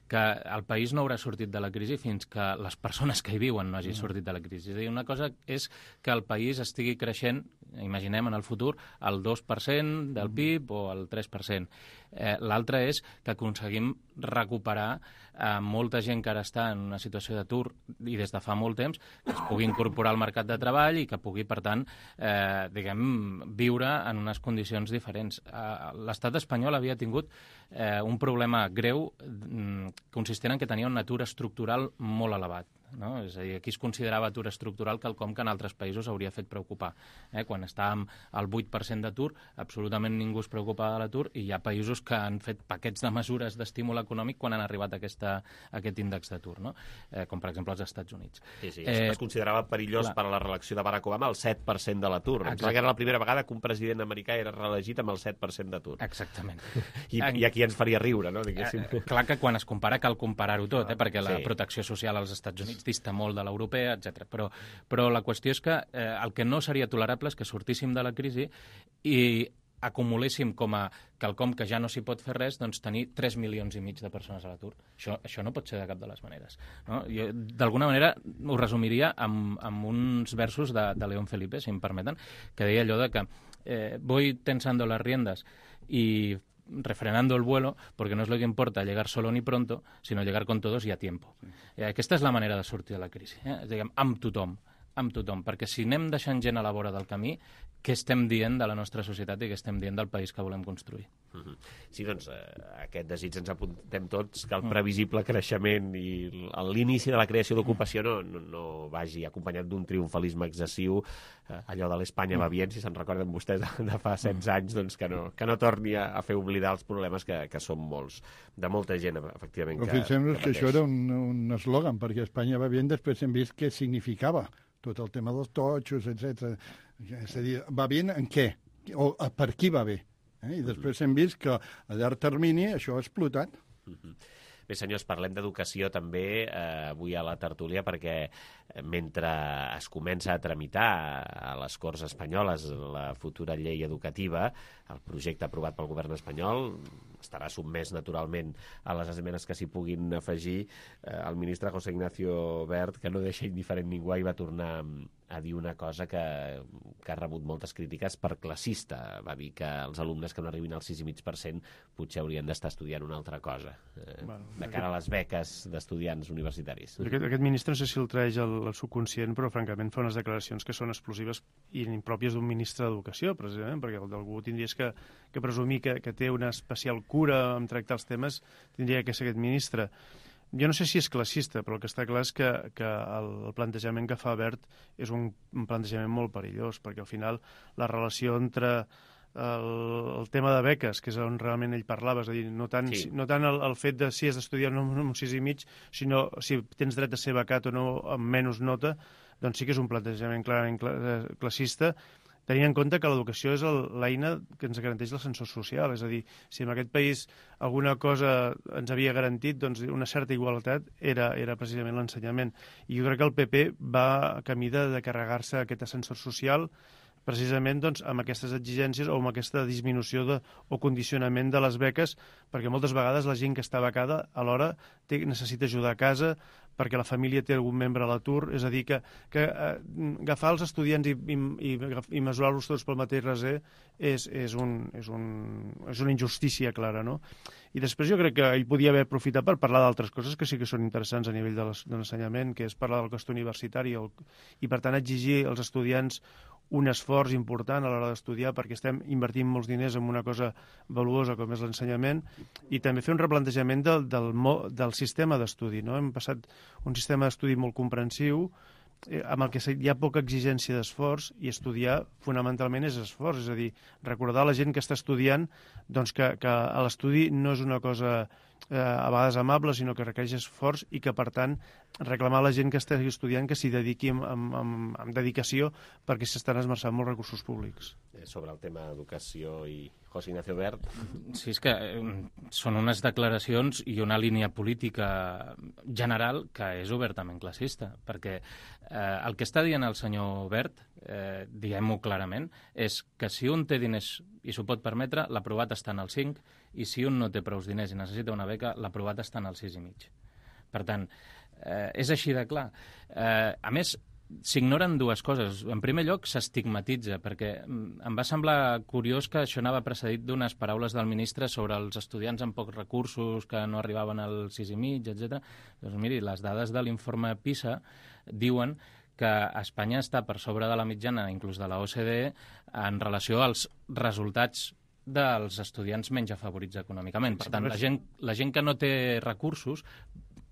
que el país no haurà sortit de la crisi fins que les persones que hi viuen no hagin sortit de la crisi. És a dir, una cosa és que el país estigui creixent, imaginem en el futur, al 2% del PIB o al 3%. L'altre és que aconseguim recuperar molta gent que ara està en una situació d'atur i des de fa molt temps, que es pugui incorporar al mercat de treball i que pugui, per tant, viure en unes condicions diferents. L'estat espanyol havia tingut un problema greu consistent en que tenia un atur estructural molt elevat. No? És a dir, aquí es considerava atur estructural quelcom que en altres països hauria fet preocupar. Quan estàvem al 8% d'atur, absolutament ningú es preocupava de l'atur i hi ha països que han fet paquets de mesures d'estímul econòmic quan han arribat a aquest índex d'atur, no? Com per exemple els Estats Units. Sí, es considerava perillós per a la reelecció de Barack Obama el 7% de l'atur. Em sembla que era la primera vegada que un president americà era reelegit amb el 7% d'atur. Exactament. I aquí ens faria riure, no? Clar que quan es compara cal comparar-ho tot, perquè la protecció social als Estats Units dista molt de l'europea, etc. Però la qüestió és que el que no seria tolerable és que sortíssim de la crisi i acumuléssim com a quelcom que ja no s'hi pot fer res, doncs tenir 3 milions i mig de persones a l'atur. Això no pot ser de cap de les maneres. No? Jo, d'alguna manera, ho resumiria amb uns versos de León Felipe, si em permeten, que deia allò de que voy tensando las riendas y refrenando el vuelo, porque no es lo que importa llegar solo ni pronto, sino llegar con todos y a tiempo. Aquesta és la manera de sortir de la crisi, diguem, amb tothom, perquè si anem deixant gent a la vora del camí, què estem dient de la nostra societat i què estem dient del país que volem construir? Sí, doncs, aquest desig ens apuntem tots, que el previsible creixement i l'inici de la creació d'ocupació no vagi acompanyat d'un triomfalisme excessiu, allò de l'Espanya va bien, si se'n recorden vostès de fa 16 anys, doncs que no torni a fer oblidar els problemes que són molts, de molta gent, efectivament. Però fixem-nos que això era un eslògan, perquè Espanya va bien, després hem vist què significava tot el tema dels totxos, etc. És a dir, va bé en què? O per qui va bé? I després hem vist que a llarg termini això ha explotat. Bé, senyors, parlem d'educació també avui a la tertúlia perquè mentre es comença a tramitar a les Corts Espanyoles la futura llei educativa, el projecte aprovat pel govern espanyol estarà sotmès naturalment a les esmenes que s'hi puguin afegir. El ministre José Ignacio Wert, que no deixa indiferent ningú, i va tornar a dir una cosa que ha rebut moltes crítiques per classista. Va dir que els alumnes que no arribin al 6,5% potser haurien d'estar estudiant una altra cosa, de cara a les beques d'estudiants universitaris. Aquest ministre, no sé si el traeix el subconscient, però francament fa unes declaracions que són explosives i impròpies d'un ministre d'Educació, precisament, perquè algú tindries que presumir que té una especial cura en tractar els temes, tindria que ser aquest ministre. Jo no sé si és classista, però el que està clar és que el plantejament que fa Wert és un plantejament molt perillós, perquè al final la relació entre el tema de beques, que és on realment ell parlava, és a dir, no tant el fet de si has d'estudiar amb un 6,5, sinó si tens dret a ser becat o no amb menys nota, doncs sí que és un plantejament clarament classista, tenint en compte que l'educació és l'eina que ens garanteix l'ascensor social. És a dir, si en aquest país alguna cosa ens havia garantit, doncs una certa igualtat era precisament l'ensenyament. I jo crec que el PP va camí de carregar-se aquest ascensor social precisament doncs, amb aquestes exigències o amb aquesta disminució o condicionament de les beques, perquè moltes vegades la gent que està becada alhora necessita ajudar a casa, perquè la família té algun membre a l'atur, és a dir, que agafar els estudiants i mesurar-los tots pel mateix raser és una injustícia clara, no? I després jo crec que ell podia haver aprofitat per parlar d'altres coses que sí que són interessants a nivell de l'ensenyament, que és parlar del cost universitari i, per tant, exigir als estudiants un esforç important a l'hora d'estudiar perquè estem invertint molts diners en una cosa valuosa com és l'ensenyament, i també fer un replantejament del sistema d'estudi. No? Hem passat un sistema d'estudi molt comprensiu, amb el que hi ha poca exigència d'esforç, i estudiar fonamentalment és esforç, és a dir, recordar a la gent que està estudiant doncs que l'estudi no és una cosa a vegades amable, sinó que requereix esforç, i que, per tant, reclamar a la gent que estigui estudiant que s'hi dediqui amb dedicació, perquè s'estan esmerçant molts recursos públics. Sobre el tema d'educació i José Ignacio Wert. Sí, és que són unes declaracions i una línia política general que és obertament classista, perquè el que està dient el senyor Wert, diguem-ho clarament, és que si un té diners i s'ho pot permetre, l'aprovat està en el 5, i si un no té prous diners i necessita una beca, l'aprovat està en el 6,5. Per tant, és així de clar. A més, s'ignoren dues coses. En primer lloc, s'estigmatitza, perquè em va semblar curiós que això anava precedit d'unes paraules del ministre sobre els estudiants amb pocs recursos que no arribaven al 6,5, etc. Doncs miri, les dades de l'informe PISA diuen que Espanya està per sobre de la mitjana, inclús de la OCDE, en relació als resultats dels estudiants menys afavorits econòmicament. Per tant, la gent que no té recursos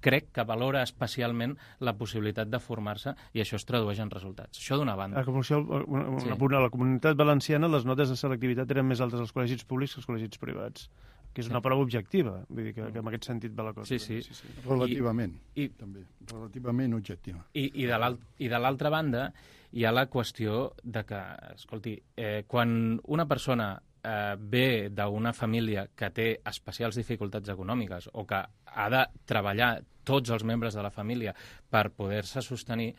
crec que valora especialment la possibilitat de formar-se, i això es tradueix en resultats. Això d'una banda. A la Comunitat Valenciana les notes de selectivitat eren més altes als col·legis públics que als col·legis privats, que és una prova objectiva, vull dir que en aquest sentit va la cosa. Sí. Relativament, també. Relativament objectiva. I de l'altra banda hi ha la qüestió de que, escolti, quan una persona ve d'una família que té especials dificultats econòmiques o que ha de treballar tots els membres de la família per poder-se sostenir,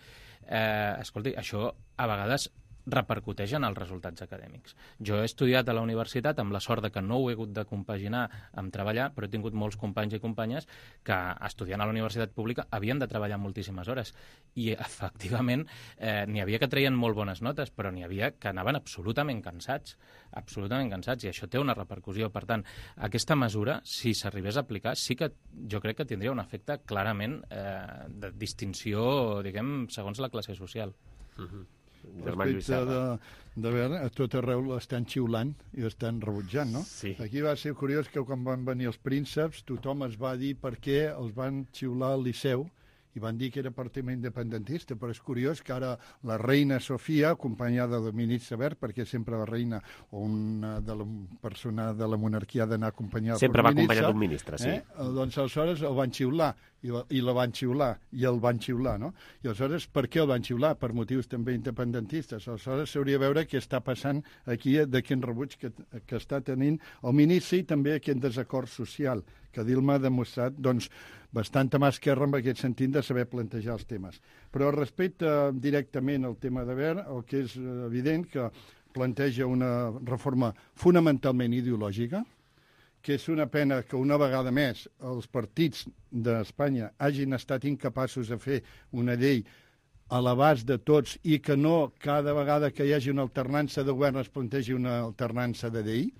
escolti, això a vegades repercuteix en els resultats acadèmics. Jo he estudiat a la universitat amb la sort de que no ho he hagut de compaginar amb treballar, però he tingut molts companys i companyes que estudiant a la universitat pública havien de treballar moltíssimes hores, i efectivament n'hi havia que treien molt bones notes, però n'hi havia que anaven absolutament cansats, i això té una repercussió. Per tant, aquesta mesura, si s'arribés a aplicar, sí que jo crec que tindria un efecte clarament de distinció, diguem, segons la classe social. Respecte de veure, a tot arreu l'estan xiulant i l'estan rebutjant, no? Sí. Aquí va ser curiós que quan van venir els prínceps tothom es va dir per què els van xiular al Liceu, i van dir que era per tema independentista, però és curiós que ara la reina Sofia, acompanyada del ministre Wert, perquè sempre la reina o una de la persona de la monarquia ha d'anar acompanyada sempre va acompanyat d'un ministre, sí. Doncs aleshores el van xiular, i la van xiular, i el van xiular, no? I aleshores, per què el van xiular? Per motius també independentistes. Aleshores s'hauria de veure què està passant aquí, de quin rebuig que està tenint el ministre, i també aquest desacord social, que Dilma ha demostrat, doncs, bastanta mà esquerra en aquest sentit de saber plantejar els temes. Però respecte directament al tema de Wert, el que és evident que planteja una reforma fonamentalment ideològica, que és una pena que una vegada més els partits d'Espanya hagin estat incapaços de fer una llei a l'abast de tots, i que no cada vegada que hi hagi una alternança de govern es plantegi una alternança de llei.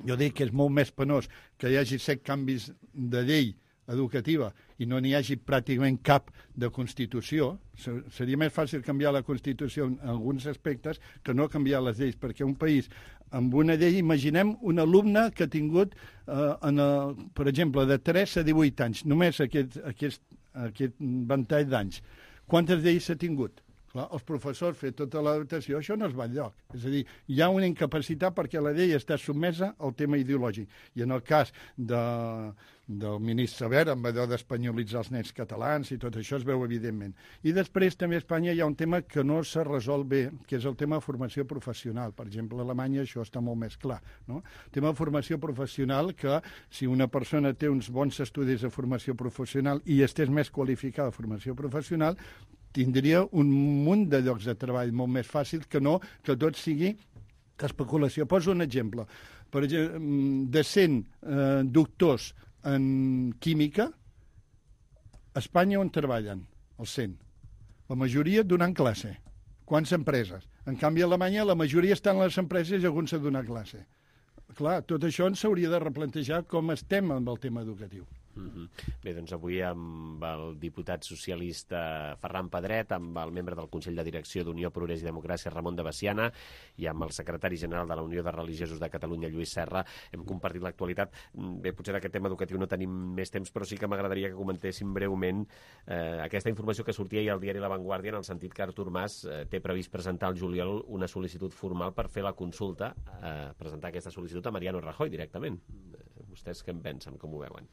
Jo dic que és molt més penós que hi hagi 7 canvis de llei educativa i no n'hi hagi pràcticament cap de Constitució. Seria més fàcil canviar la Constitució en alguns aspectes que no canviar les lleis, perquè un país amb una llei, imaginem un alumne que ha tingut, per exemple, de 3 a 18 anys, només aquest ventall d'anys. Quantes lleis s'ha tingut? Clar, els professors fer tota l'adaptació, això no es va enlloc. És a dir, hi ha una incapacitat perquè la llei està sotmesa al tema ideològic. I en el cas del ministre Wert, amb allò d'espanyolitzar els nens catalans i tot això es veu evidentment. I després també a Espanya hi ha un tema que no s'ha resolt bé, que és el tema de formació professional. Per exemple, a Alemanya això està molt més clar, no? El tema de formació professional, que si una persona té uns bons estudis de formació professional i estés més qualificada de formació professional, tindria un munt de llocs de treball molt més fàcils que no que tot sigui especulació. Poso un exemple. Per exemple, de 100 doctors en química, a Espanya on treballen? Els 100. La majoria donant classe. Quants empreses? En canvi, a Alemanya la majoria estan a les empreses i alguns a donar classe. Clar, tot això ens s'hauria de replantejar com estem amb el tema educatiu. Bé, doncs avui amb el diputat socialista Ferran Pedret, amb el membre del Consell de Direcció d'Unió, Progrés i Democràcia, Ramon de Bessiana, i amb el secretari general de la Unió de Religiosos de Catalunya, Lluís Serra, hem compartit l'actualitat. Bé, potser d'aquest tema educatiu no tenim més temps, però sí que m'agradaria que comentéssim breument aquesta informació que sortia ahir al diari La Vanguardia, en el sentit que Artur Mas té previst presentar al juliol una sol·licitud formal per fer la consulta, presentar aquesta sol·licitud a Mariano Rajoy directament. Vostès què en pensen, com ho veuen?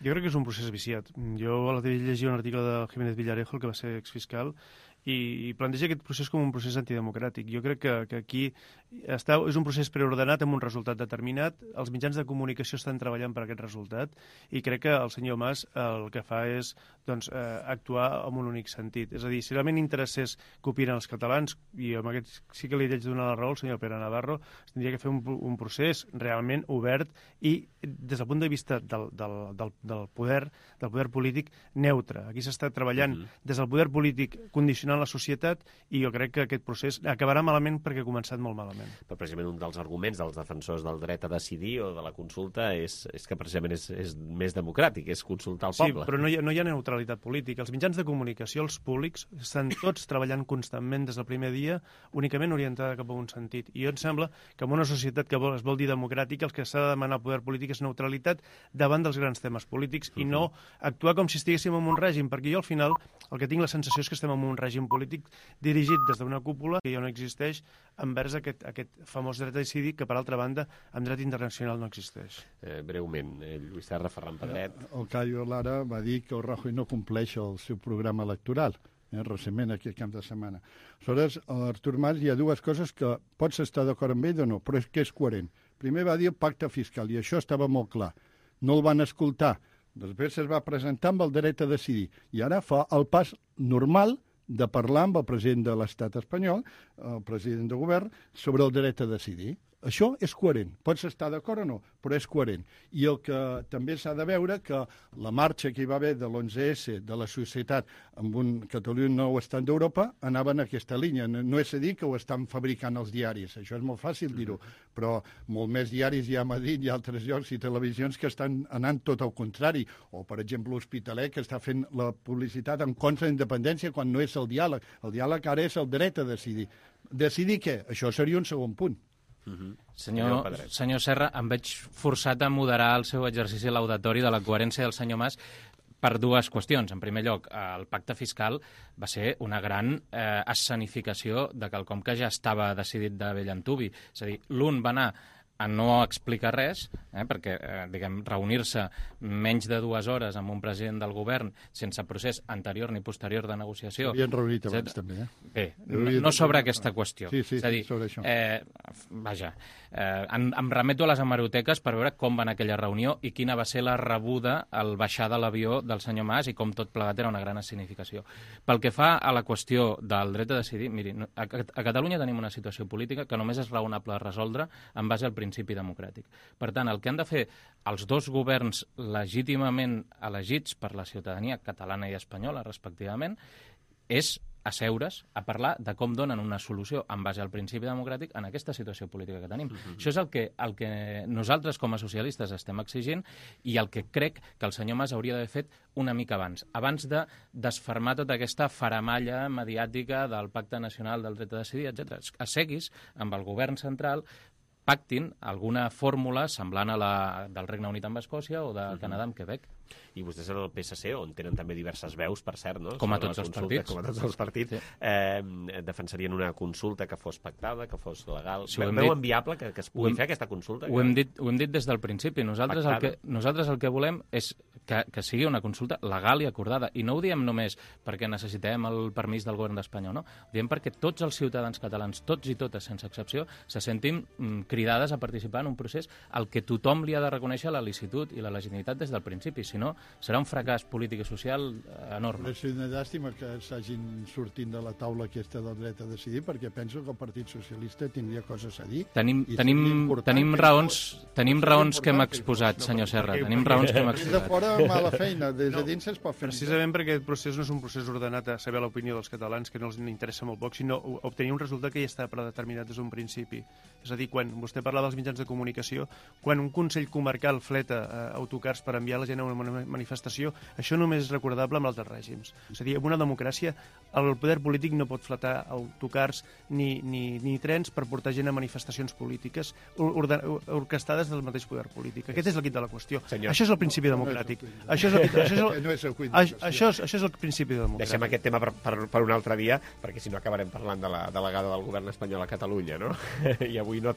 Jo crec que és un procés viciat. Jo l'altre dia llegia un article de Jiménez Villarejo, el que va ser exfiscal, i planteja aquest procés com un procés antidemocràtic. Jo crec que aquí és un procés preordenat amb un resultat determinat. Els mitjans de comunicació estan treballant per aquest resultat i crec que el senyor Mas el que fa és actuar en un únic sentit. És a dir, si realment interessés que opinen els catalans, i amb aquest sí que li haig de donar la raó al senyor Pere Navarro, es tindria que fer un procés realment obert i des del punt de vista del poder polític neutre. Aquí s'està treballant des del poder polític condicionant la societat i jo crec que aquest procés acabarà malament perquè ha començat molt malament. Però precisament un dels arguments dels defensors del dret a decidir o de la consulta és que precisament és més democràtic, és consultar el poble. Sí, però no hi ha neutralitat política. Els mitjans de comunicació, els públics, estan tots treballant constantment des del primer dia, únicament orientada cap a un sentit. I jo em sembla que en una societat que es vol dir democràtica, el que s'ha de demanar al poder polític és neutralitat davant dels grans temes polítics i no actuar com si estiguéssim en un règim, perquè jo al final el que tinc la sensació és que estem en un règim polític dirigit des d'una cúpula que ja no existeix envers aquest famós dret a decidir que, per altra banda, en dret internacional no existeix. Breument, Lluís Serra, Ferran Pedret. El Cayo Lara va dir que el Rajoy no compleix el seu programa electoral, recentment aquest cap de setmana. Aleshores, a Artur Mas hi ha dues coses que pots estar d'acord amb ell o no, però és que és coherent. Primer va dir el pacte fiscal, i això estava molt clar. No el van escoltar. Després es va presentar amb el dret a decidir. I ara fa el pas normal de parlar amb el president de l'Estat espanyol, el president de govern, sobre el dret a decidir. Això és coherent. Pots estar d'acord o no, però és coherent. I el que també s'ha de veure que la marxa que hi va haver de l'11S de la societat amb un Catalunya nou estat d'Europa anava en aquesta línia. No és a dir que ho estan fabricant els diaris, això és molt fàcil dir-ho, però molt més diaris hi ha a Madrid i altres llocs i televisions que estan anant tot al contrari. O, per exemple, l'Hospitalet, que està fent la publicitat en contra de la independència quan no és el diàleg. El diàleg ara és el dret a decidir. Decidir què? Això seria un segon punt. Senyor Serra, em veig forçat a moderar el seu exercici laudatori de la coherència del senyor Mas per dues qüestions. En primer lloc, el pacte fiscal va ser una gran escenificació de quelcom que ja estava decidit de bell antuvi. És a dir, l'un va anar a no explicar res, perquè, diguem, reunir-se menys de 2 hores amb un president del govern sense procés anterior ni posterior de negociació. S'havien reunit abans, també, Bé, no sobre aquesta qüestió. Sí, és a dir, sobre això. Vaja, em remeto a les hemeroteques per veure com va anar aquella reunió i quina va ser la rebuda al baixar de l'avió del senyor Mas i com tot plegat era una gran escenificació. Pel que fa a la qüestió del dret a decidir, miri, a Catalunya tenim una situació política que només és raonable resoldre en base al principi democràtic. Per tant, el que han de fer els dos governs legítimament elegits per la ciutadania catalana i espanyola, respectivament, és asseure's a parlar de com donen una solució en base al principi democràtic en aquesta situació política que tenim. Això és el que nosaltres com a socialistes estem exigint i el que crec que el senyor Mas hauria d'haver fet una mica abans de desfermar tota aquesta faramalla mediàtica del Pacte Nacional del Dret a Decidir, etc. Asseguis amb el govern central, pactin alguna fórmula semblant a la del Regne Unit amb Escòcia o de Canadà amb Quebec. I vostès en el PSC, on tenen també diverses veus, per cert, no? Com a tots els partits. Com a tots els partits, defensarien una consulta que fos pactada, que fos legal. Veuen viable que es pugui fer aquesta consulta? Ho hem dit des del principi. Nosaltres el que volem és que sigui una consulta legal i acordada. I no ho diem només perquè necessitem el permís del govern d'Espanya, no? Ho diem perquè tots els ciutadans catalans, tots i totes, sense excepció, se sentim cridades a participar en un procés al que tothom li ha de reconèixer la licitud i la legitimitat des del principi. Si no, serà un fracàs polític i social enorme. És una llàstima que s'hagin sortint de la taula aquesta del dret a decidir, perquè penso que el Partit Socialista tindria coses a dir. Tenim raons que hem exposat, senyor Serra. Tenim raons que hem exposat. Des de fora, mala feina. Des de dins es pot fer. Precisament perquè aquest procés no és un procés ordenat a saber l'opinió dels catalans, que no els interessa molt poc, sinó obtenir un resultat que ja està predeterminat des d'un principi. És a dir, quan vostè parla dels mitjans de comunicació, quan un Consell Comarcal fleta autocars per enviar la gent a una una manifestació, això només és recordable amb altres règims. És a dir, en una democràcia el poder polític no pot flatar autocars ni trens per portar gent a manifestacions polítiques orquestades del mateix poder polític. Aquest és el quid de la qüestió. Senyor. Això és el principi democràtic. Això és el principi democràtic. Deixem aquest tema per un altre dia, perquè si no acabarem parlant de la delegada del govern espanyol a Catalunya, no? I avui no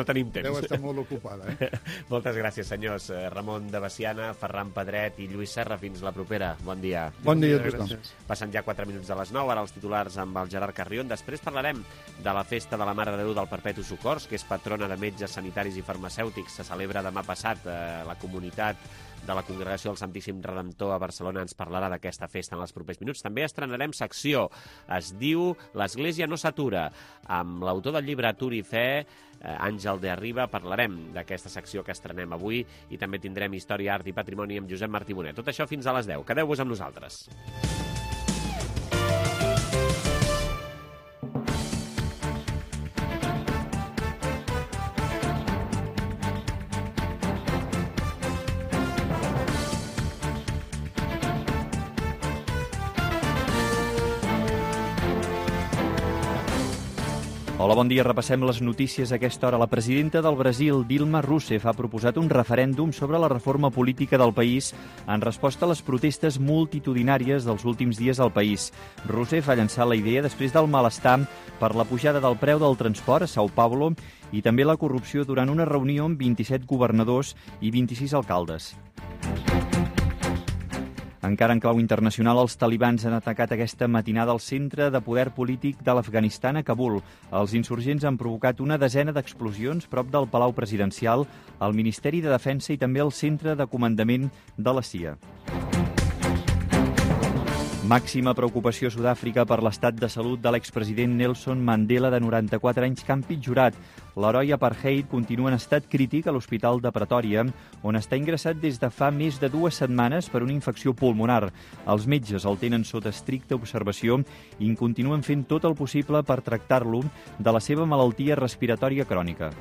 tenim temps. Deu estar molt ocupada, Moltes gràcies, senyors. Ramon de Veciana, Ferran Pedret i Lluís Serra. Fins la propera. Bon dia. Bon dia a tothom. Passen ja 4 minuts de les 9, ara els titulars amb el Gerard Carrion. Després parlarem de la festa de la Mare de Déu del Perpetu Socors, que és patrona de metges, sanitaris i farmacèutics. Se celebra demà passat. La comunitat de la Congregació del Santíssim Redemptor a Barcelona ens parlarà d'aquesta festa en els propers minuts. També estrenarem secció. Es diu L'Església no s'atura. Amb l'autor del llibre Atur i Fe, Àngel de Arriba, parlarem d'aquesta secció que estrenem avui i també tindrem Història, Art i Patrimoni amb Josep Martí Bonet. Tot això fins a les 10. Quedeu-vos amb nosaltres. Hola, bon dia. Repassem les notícies a aquesta hora. La presidenta del Brasil, Dilma Rousseff, ha proposat un referèndum sobre la reforma política del país en resposta a les protestes multitudinàries dels últims dies al país. Rousseff ha llançat la idea després del malestar per la pujada del preu del transport a São Paulo i també la corrupció durant una reunió amb 27 governadors i 26 alcaldes. Encara en clau internacional, els talibans han atacat aquesta matinada el centre de poder polític de l'Afganistan a Kabul. Els insurgents han provocat una desena d'explosions prop del Palau Presidencial, el Ministeri de Defensa i també el centre de comandament de la CIA. Màxima preocupació a Sud-àfrica per l'estat de salut de l'expresident Nelson Mandela, de 94 anys, que ha empitjorat. L'heroi apartheid continua en estat crític a l'Hospital de Pretòria, on està ingressat des de fa més de 2 setmanes per una infecció pulmonar. Els metges el tenen sota estricta observació i continuen fent tot el possible per tractar-lo de la seva malaltia respiratòria crònica.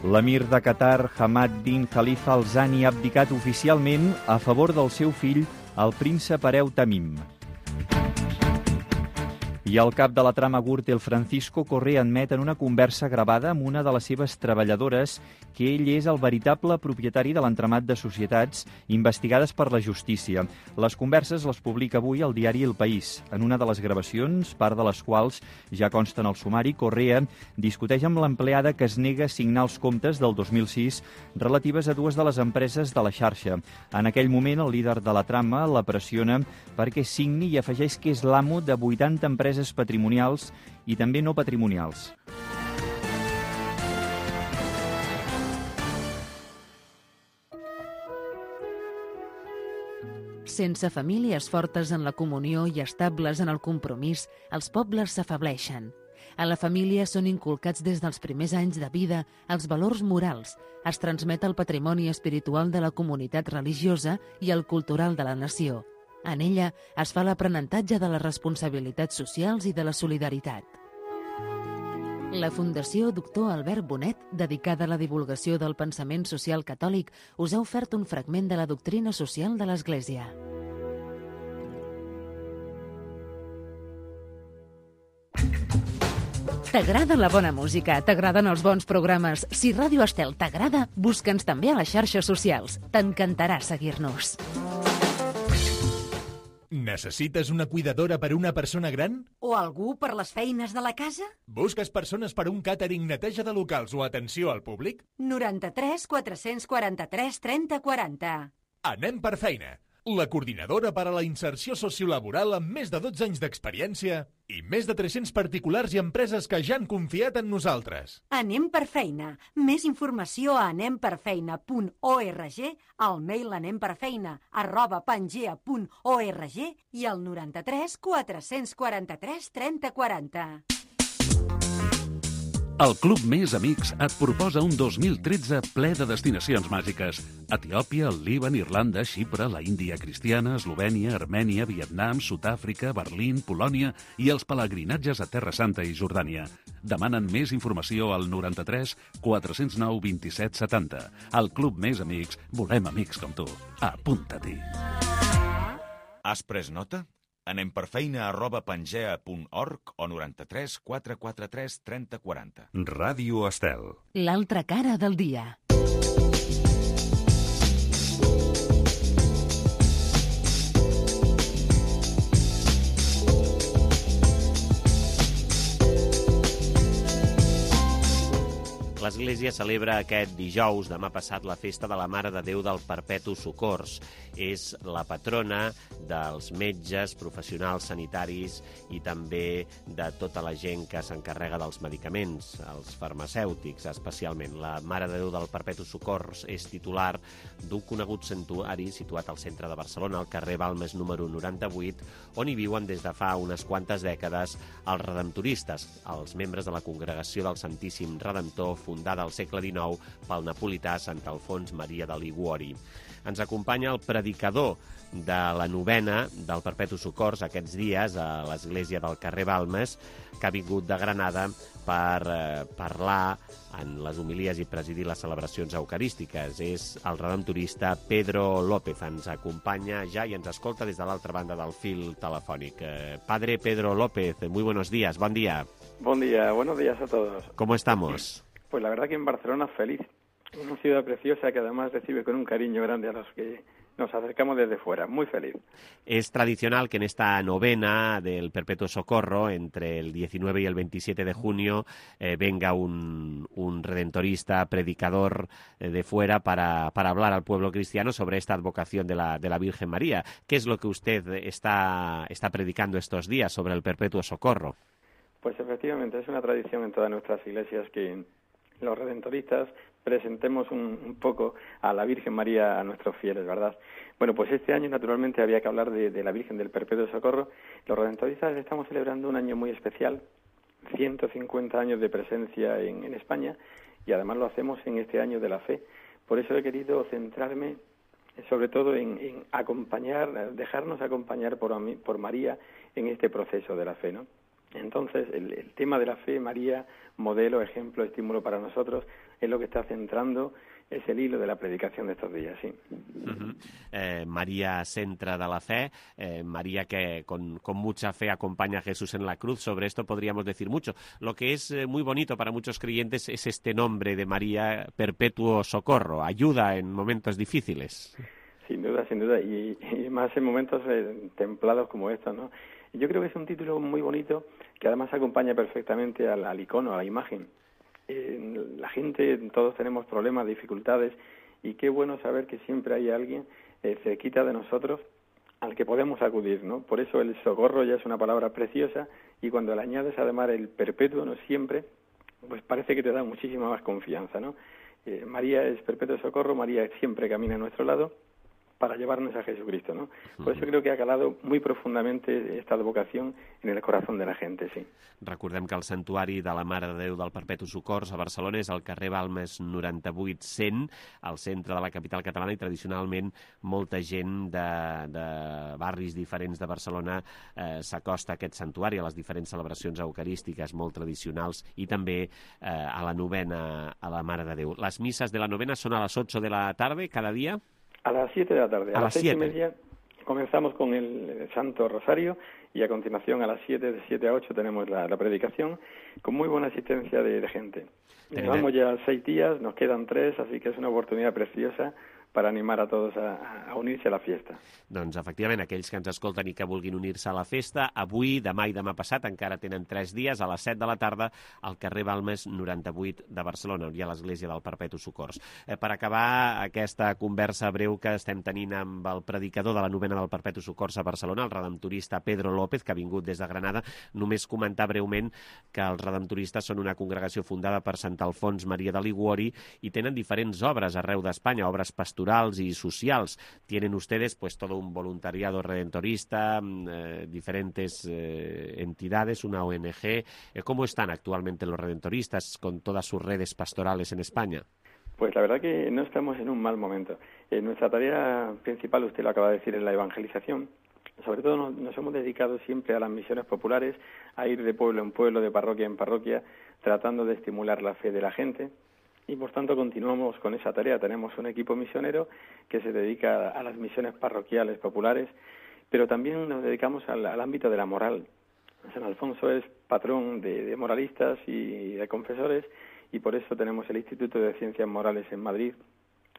L'emir de Qatar, Hamad bin Khalifa Al Thani, ha abdicat oficialment a favor del seu fill, el príncep hereu Tamim. I el cap de la trama Gürtel, Francisco Correa, admet en una conversa gravada amb una de les seves treballadores que ell és el veritable propietari de l'entramat de societats investigades per la justícia. Les converses les publica avui el diari El País. En una de les gravacions, part de les quals ja consten al sumari, Correa discuteix amb l'empleada que es nega a signar els comptes del 2006 relatives a 2 de les empreses de la xarxa. En aquell moment, el líder de la trama la pressiona perquè signi i afegeix que és l'amo de 80 empreses patrimonials i també no patrimonials. Sense famílies fortes en la comunió i estables en el compromís, els pobles s'afableixen. A la família són inculcats des dels primers anys de vida els valors morals, es transmet el patrimoni espiritual de la comunitat religiosa i el cultural de la nació. En ella es fa l'aprenentatge de les responsabilitats socials i de la solidaritat. La Fundació Doctor Albert Bonet, dedicada a la divulgació del pensament social catòlic, us ha ofert un fragment de la doctrina social de l'Església. T'agrada la bona música? T'agraden els bons programes? Si Ràdio Estel t'agrada, busca'ns també a les xarxes socials. T'encantarà seguir-nos. Necessites una cuidadora per a una persona gran? O algú per les feines de la casa? Busques persones per a un càtering, neteja de locals o atenció al públic? 93 443 30 40. Anem per feina. La coordinadora per a la inserció sociolaboral amb més de 12 anys d'experiència i més de 300 particulars i empreses que ja han confiat en nosaltres. Anem per feina. Més informació a anemperfeina.org, al mail anemperfeina@pangea.org i al 93 443 30 40. El Club Més Amics et proposa un 2013 ple de destinacions màgiques. Etiòpia, el Líban, Irlanda, Xipre, la Índia cristiana, Eslovènia, Armènia, Vietnam, Sud-àfrica, Berlín, Polònia i els pelegrinatges a Terra Santa i Jordània. Demanen més informació al 93 409 27 70. Al Club Més Amics volem amics com tu. Apunta-t'hi. Has pres nota? anemperfeina@pangea.org o 93 443 30 40. Ràdio Estel. L'altra cara del dia. L'Església celebra aquest dijous, demà passat, la festa de la Mare de Déu del Perpetu Socors. És la patrona dels metges, professionals sanitaris i també de tota la gent que s'encarrega dels medicaments, els farmacèutics especialment. La Mare de Déu del Perpetu Socors és titular d'un conegut santuari situat al centre de Barcelona, al carrer Balmes número 98, on hi viuen des de fa unes quantes dècades els redemptoristes, els membres de la Congregació del Santíssim Redemptor, fundada al segle XIX pel napolità Sant Alfons Maria de Liguori. Ens acompanya el predicador de la novena del Perpetu Socors aquests dies a l'església del carrer Balmes, que ha vingut de Granada per parlar en les homilies i presidir les celebracions eucarístiques. És el redemptorista Pedro López. Ens acompanya ja i ens escolta des de l'altra banda del fil telefònic. Padre Pedro López, muy buenos días, buen día. Buen día, buenos días a todos. ¿Cómo estamos? Pues la verdad que en Barcelona feliz. Una ciudad preciosa que además recibe con un cariño grande a los que nos acercamos desde fuera. Muy feliz. Es tradicional que en esta novena del Perpetuo Socorro, entre el 19 y el 27 de junio, venga un redentorista, predicador de fuera para hablar al pueblo cristiano sobre esta advocación de la Virgen María. ¿Qué es lo que usted está predicando estos días sobre el Perpetuo Socorro? Pues efectivamente es una tradición en todas nuestras iglesias que los redentoristas presentemos un poco a la Virgen María a nuestros fieles, ¿verdad? Bueno, pues este año naturalmente había que hablar de la Virgen del Perpetuo Socorro. Los redentoristas estamos celebrando un año muy especial, 150 años de presencia en España, y además lo hacemos en este año de la fe. Por eso he querido centrarme sobre todo en acompañar, dejarnos acompañar por María en este proceso de la fe, ¿no? Entonces, el tema de la fe, María, modelo, ejemplo, estímulo para nosotros, es lo que está centrando, es el hilo de la predicación de estos días, sí. María, centre de la fe, María que con mucha fe acompaña a Jesús en la cruz. Sobre esto podríamos decir mucho. Lo que es muy bonito para muchos creyentes es este nombre de María, Perpetuo Socorro, ayuda en momentos difíciles. Sin duda, y más en momentos templados como estos, ¿no? Yo creo que es un título muy bonito que además acompaña perfectamente al icono, a la imagen. La gente, todos tenemos problemas, dificultades, y qué bueno saber que siempre hay alguien cerquita de nosotros al que podemos acudir, ¿no? Por eso el socorro ya es una palabra preciosa, y cuando le añades además el perpetuo, no siempre, pues parece que te da muchísima más confianza, ¿no? María es perpetuo socorro, María siempre camina a nuestro lado para llevarnos a Jesucristo, ¿no? Por eso creo que ha calado muy profundamente esta advocación en el corazón de la gente, sí. Recordem que el santuari de la Mare de Déu del Perpetu Socors a Barcelona és al carrer Balmes 98-100, al centre de la capital catalana, i tradicionalment molta gent de barris diferents de Barcelona s'acosta a aquest santuari, a les diferents celebracions eucarístiques molt tradicionals, i també a la novena a la Mare de Déu. Les misses de la novena són a les 8 de la tarde cada dia? A las 7 de la tarde. A las 6:30 comenzamos con el Santo Rosario, y a continuación a las 7, de 7 a 8 tenemos la predicación, con muy buena asistencia de gente. Llevamos ya 6 días, nos quedan 3, así que es una oportunidad preciosa per animar a tots a unir-se a la fiesta. Doncs, efectivament, aquells que ens escolten i que vulguin unir-se a la festa, avui, demà i demà passat, encara tenen 3 dies, a les 7 de la tarda, al carrer Balmes 98 de Barcelona, on hi ha l'església del Perpetu Socors. Per acabar aquesta conversa breu que estem tenint amb el predicador de la novena del Perpetu Socors a Barcelona, el redemptorista Pedro López, que ha vingut des de Granada, només comentar breument que els redemptoristes són una congregació fundada per Sant Alfons Maria de Liguori i tenen diferents obres arreu d'Espanya, obres pastorals pastorals y socials. Tienen ustedes pues todo un voluntariado redentorista, diferentes entidades, una ONG. ¿Cómo están actualmente los redentoristas con todas sus redes pastorales en España? Pues la verdad que no estamos en un mal momento. Nuestra tarea principal, usted lo acaba de decir, es la evangelización. Sobre todo nos hemos dedicado siempre a las misiones populares, a ir de pueblo en pueblo, de parroquia en parroquia, tratando de estimular la fe de la gente. Y por tanto continuamos con esa tarea. Tenemos un equipo misionero que se dedica a las misiones parroquiales populares, pero también nos dedicamos al ámbito de la moral. San Alfonso es patrón de moralistas y de confesores, y por eso tenemos el Instituto de Ciencias Morales en Madrid,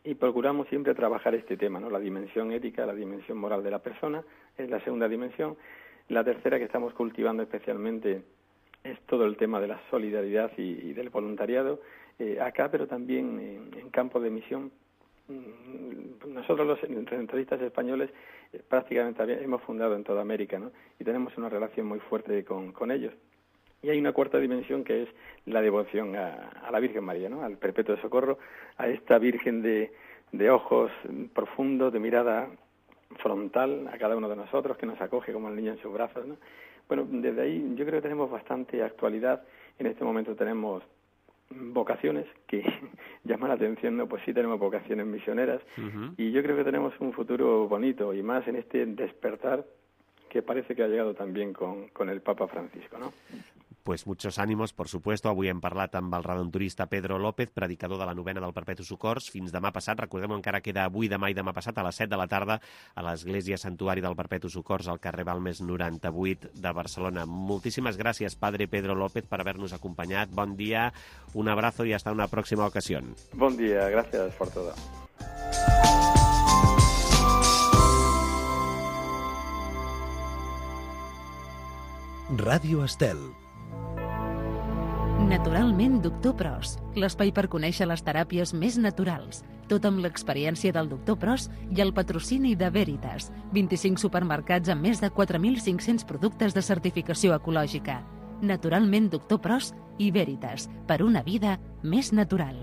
y procuramos siempre trabajar este tema, ¿no? La dimensión ética, la dimensión moral de la persona, es la segunda dimensión. La tercera que estamos cultivando especialmente es todo el tema de la solidaridad y del voluntariado, acá, pero también en campo de misión. Nosotros los redentoristas españoles prácticamente hemos fundado en toda América, ¿no? Y tenemos una relación muy fuerte con ellos. Y hay una cuarta dimensión que es la devoción a la Virgen María, ¿no? Al Perpetuo Socorro, a esta Virgen de ojos profundos, de mirada frontal a cada uno de nosotros, que nos acoge como el niño en sus brazos, ¿no? Bueno, desde ahí yo creo que tenemos bastante actualidad. En este momento tenemos vocaciones que llaman la atención, ¿no? Pues sí tenemos vocaciones misioneras, y yo creo que tenemos un futuro bonito, y más en este despertar que parece que ha llegado también con el Papa Francisco, ¿no? Pues muchos ánimos, por supuesto. Avui hem parlat amb el redentorista Pedro López, predicador de la novena del Perpetu Socors, fins demà passat. Recordem, encara queda avui, demà i demà passat, a les 7 de la tarda, a l'Església Santuari del Perpetu Socors, al carrer Balmes 98 de Barcelona. Moltíssimes gràcies, Padre Pedro López, per haver-nos acompanyat. Bon dia, un abrazo y hasta una próxima ocasión. Bon dia, gràcies por todo. Ràdio Estel. Naturalment, Doctor Pros, l'espai per conèixer les teràpies més naturals, tot amb l'experiència del Doctor Pros i el patrocini de Veritas, 25 supermercats amb més de 4.500 productes de certificació ecològica. Naturalment, Doctor Pros i Veritas, per una vida més natural.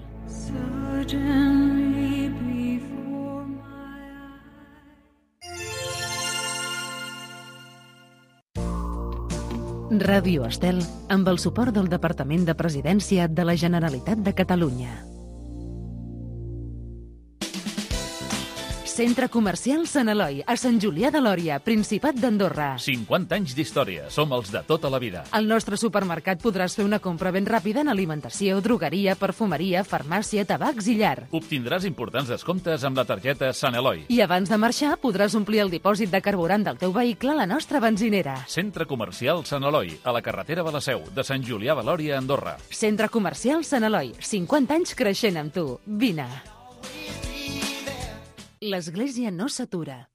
Ràdio Estel, amb el suport del Departament de Presidència de la Generalitat de Catalunya. Centre Comercial Sant Eloi, a Sant Julià de Lòria, Principat d'Andorra. 50 anys d'història, som els de tota la vida. Al nostre supermercat podràs fer una compra ben ràpida en alimentació, drogueria, perfumeria, farmàcia, tabacs i llar. Obtindràs importants descomptes amb la targeta Sant Eloi. I abans de marxar podràs omplir el dipòsit de carburant del teu vehicle a la nostra benzinera. Centre Comercial Sant Eloi, a la carretera de la Seu, de Sant Julià de Lòria, Andorra. Centre Comercial Sant Eloi, 50 anys creixent amb tu. Vine. L'Església no s'atura.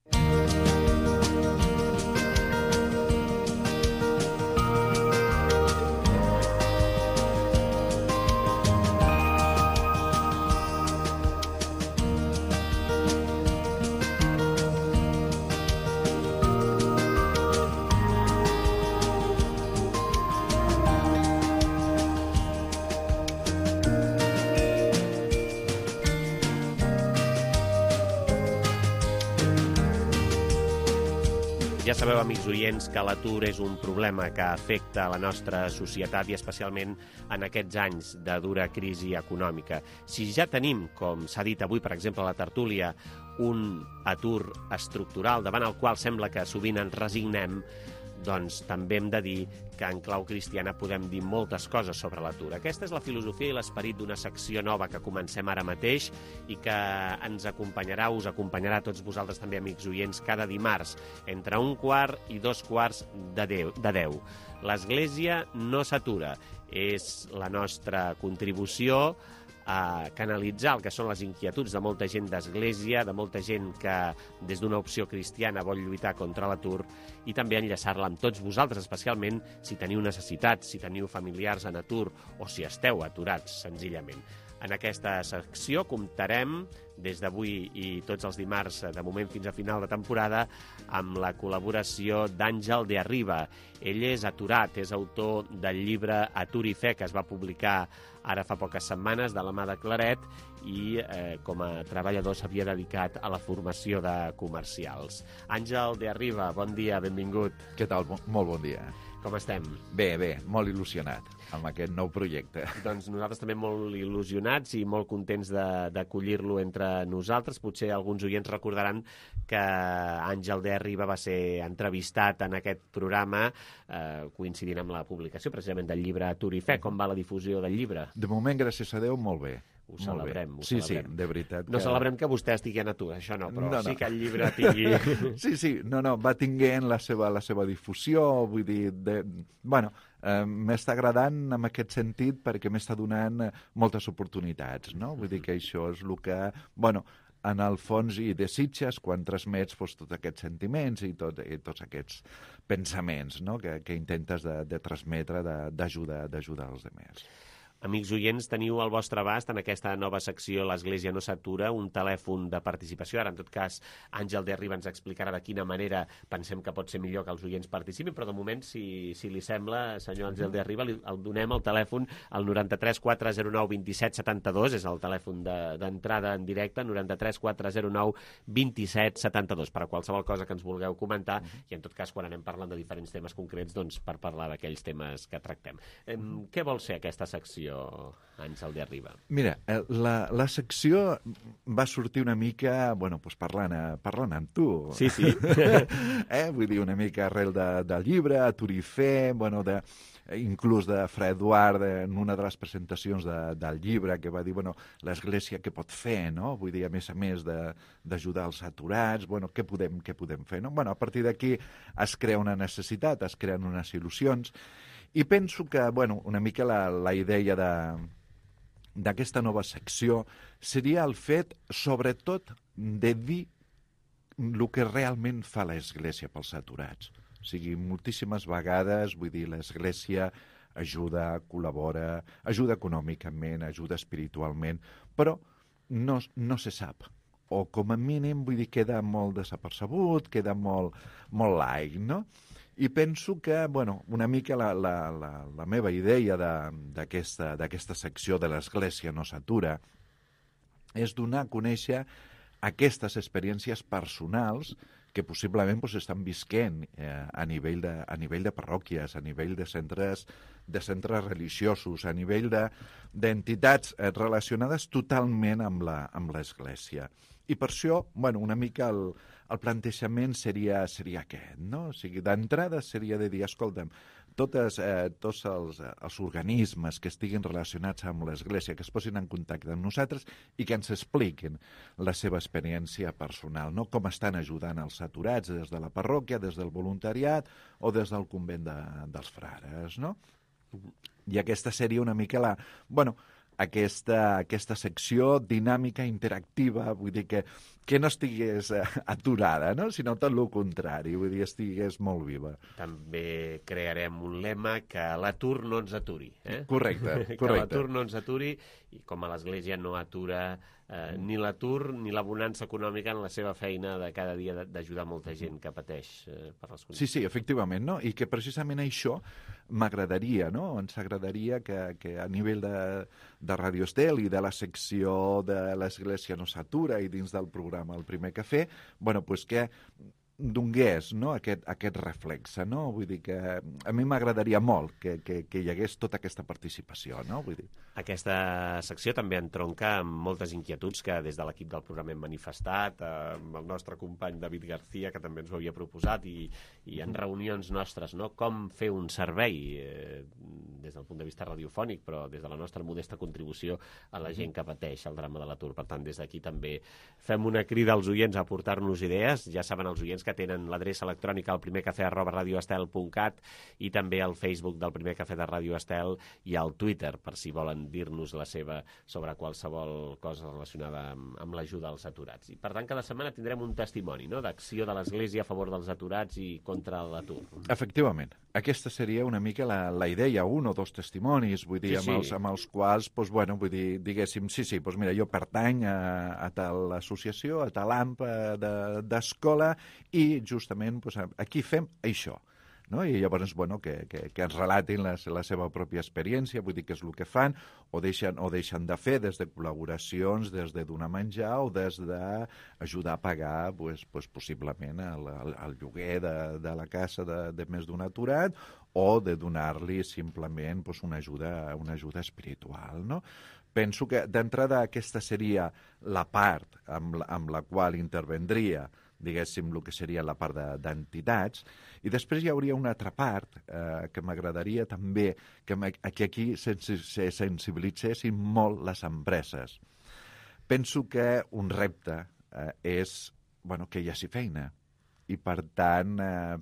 Ja sabeu, amics oients, que l'atur és un problema que afecta la nostra societat i especialment en aquests anys de dura crisi econòmica. Si ja tenim, com s'ha dit avui, per exemple, a la tertúlia, un atur estructural davant el qual sembla que sovint ens resignem, doncs també hem de dir que en clau cristiana podem dir moltes coses sobre l'atur. Aquesta és la filosofia i l'esperit d'una secció nova que comencem ara mateix i que ens acompanyarà, us acompanyarà a tots vosaltres també, amics oients, cada dimarts, entre 1:15 i 2:45. L'Església no s'atura. És la nostra contribució a canalitzar el que són les inquietuds de molta gent d'Església, de molta gent que des d'una opció cristiana vol lluitar contra l'atur i també enllaçar-la amb tots vosaltres, especialment si teniu necessitats, si teniu familiars en atur o si esteu aturats, senzillament. En aquesta secció comptarem des d'avui i tots els dimarts, de moment fins a final de temporada, amb la col·laboració d'Àngel de Arriba. Ell és aturat, és autor del llibre Atur i Fe, que es va publicar ara fa poques setmanes de la mà de Claret, i com a treballador s'havia dedicat a la formació de comercials. Àngel de Arriba, bon dia, benvingut. Què tal? Molt bon dia. Com estem? Bé, molt il·lusionat amb aquest nou projecte. Doncs nosaltres també molt il·lusionats i molt contents d'acollir-lo entre nosaltres. Potser alguns oients recordaran que Àngel de Arriba va ser entrevistat en aquest programa coincidint amb la publicació precisament del llibre Atur i Fe. Com va la difusió del llibre? De moment, gràcies a Déu, molt bé. Ho celebrem. Sí, de veritat. No celebrem que vostè estigui en atur, això no, però sí que el llibre tingui... Sí, va tinguent la seva difusió, vull dir... m'està agradant en aquest sentit perquè m'està donant moltes oportunitats, no? Vull dir que això és el que... en el fons hi desitges quan transmets tots aquests sentiments i tots aquests pensaments, no? que intentes de transmetre, d'ajudar els altres. Amics oients, teniu al vostre abast en aquesta nova secció L'Església no s'atura un telèfon de participació. Ara, en tot cas, Àngel de Arriba ens explicarà de quina manera pensem que pot ser millor que els oients participin, però de moment, si li sembla, senyor Àngel de Arriba, el donem el telèfon al 93 409 27 72, és el telèfon d'entrada en directe, 93 409 27 72, per a qualsevol cosa que ens vulgueu comentar, i en tot cas, quan anem parlant de diferents temes concrets, doncs per parlar d'aquells temes que tractem. Què vol ser aquesta secció, Àngel de Arriba? Mira, la secció va sortir una mica, parlant amb tu. Sí. Vull dir, una mica arrel del llibre, Atur i Fe, inclús de Fra Eduard, en una de les presentacions del llibre, que va dir, l'Església què pot fer, no? Vull dir, a més d'ajudar els aturats, què podem fer, no? A partir d'aquí es crea una necessitat, es creen unes il·lusions, i penso que, una mica la idea d'aquesta nova secció seria el fet, sobretot, de dir el que realment fa l'Església pels aturats. O sigui, moltíssimes vegades, l'Església ajuda, col·labora, ajuda econòmicament, ajuda espiritualment, però no se sap. O, com a mínim, queda molt desapercebut, queda molt laic, no? I penso que, una mica la meva idea d'aquesta secció de l'Església no s'atura és donar a conèixer aquestes experiències personals que possiblement estan visquent a nivell de parròquies, a nivell de centres religiosos, a nivell d'entitats relacionades totalment amb l'Església. I per això, una mica el plantejament seria aquest, no? O sigui, d'entrada seria de dir, escolta'm, tots els organismes que estiguin relacionats amb l'Església, que es posin en contacte amb nosaltres i que ens expliquin la seva experiència personal, no? Com estan ajudant els aturats des de la parròquia, des del voluntariat o des del convent dels frares, no? I aquesta seria una mica aquesta secció dinàmica, interactiva, vull dir que no estigués aturada, no? Sinó tot el contrari, vull dir, estigués molt viva. També crearem un lema que l'atur no ens aturi. Correcte. Que l'atur no ens aturi, i com a l'Església no atura ni l'atur ni la bonança econòmica en la seva feina de cada dia d'ajudar molta gent que pateix per les condicions. Sí, efectivament, no? I que precisament això m'agradaria, no? Ens agradaria que a nivell de Radio Estel i de la secció de l'Església no s'atura i dins del programa El primer cafè, que donés, no, aquest reflexe, no? Vull dir que a mi m'agradaria molt que hi hagués tota aquesta participació, no? Vull dir. Aquesta secció també entronca amb moltes inquietuds que des de l'equip del programa hem manifestat, amb el nostre company David García, que també ens ho havia proposat, i en reunions nostres, no? Com fer un servei des del punt de vista radiofònic, però des de la nostra modesta contribució a la gent que pateix el drama de l'atur. Per tant, des d'aquí també fem una crida als oients a aportar-nos idees. Ja saben els oients que tenen l'adreça electrònica al primercafè@radioestel.cat i també al Facebook del Primer Cafè de Ràdio Estel i al Twitter, per si volen dir-nos la seva sobre qualsevol cosa relacionada amb l'ajuda als aturats. I per tant, cada setmana tindrem un testimoni, no?, d'acció de l'Església a favor dels aturats i contra l'atur. Efectivament. Aquesta seria una mica la idea, un o dos testimonis, vull dir, amb els quals, doncs, bueno, vull dir, diguéssim, doncs mira, jo pertany a tal associació, a tal AMP d'escola i justament doncs, aquí fem això. No? I llavors, bueno, que ens relatin la seva pròpia experiència, vull dir que és el que fan, o deixen de fer des de col·laboracions, des de donar menjar o des d'ajudar a pagar possiblement el lloguer de la casa de més d'un aturat o de donar-li simplement una ajuda espiritual, no? Penso que d'entrada aquesta seria la part amb la qual intervendria, diguéssim, el que seria la part d'entitats, i després hi hauria una altra part que m'agradaria també que aquí se sensibilitzessin molt les empreses. Penso que un repte és que hi hagi feina, i per tant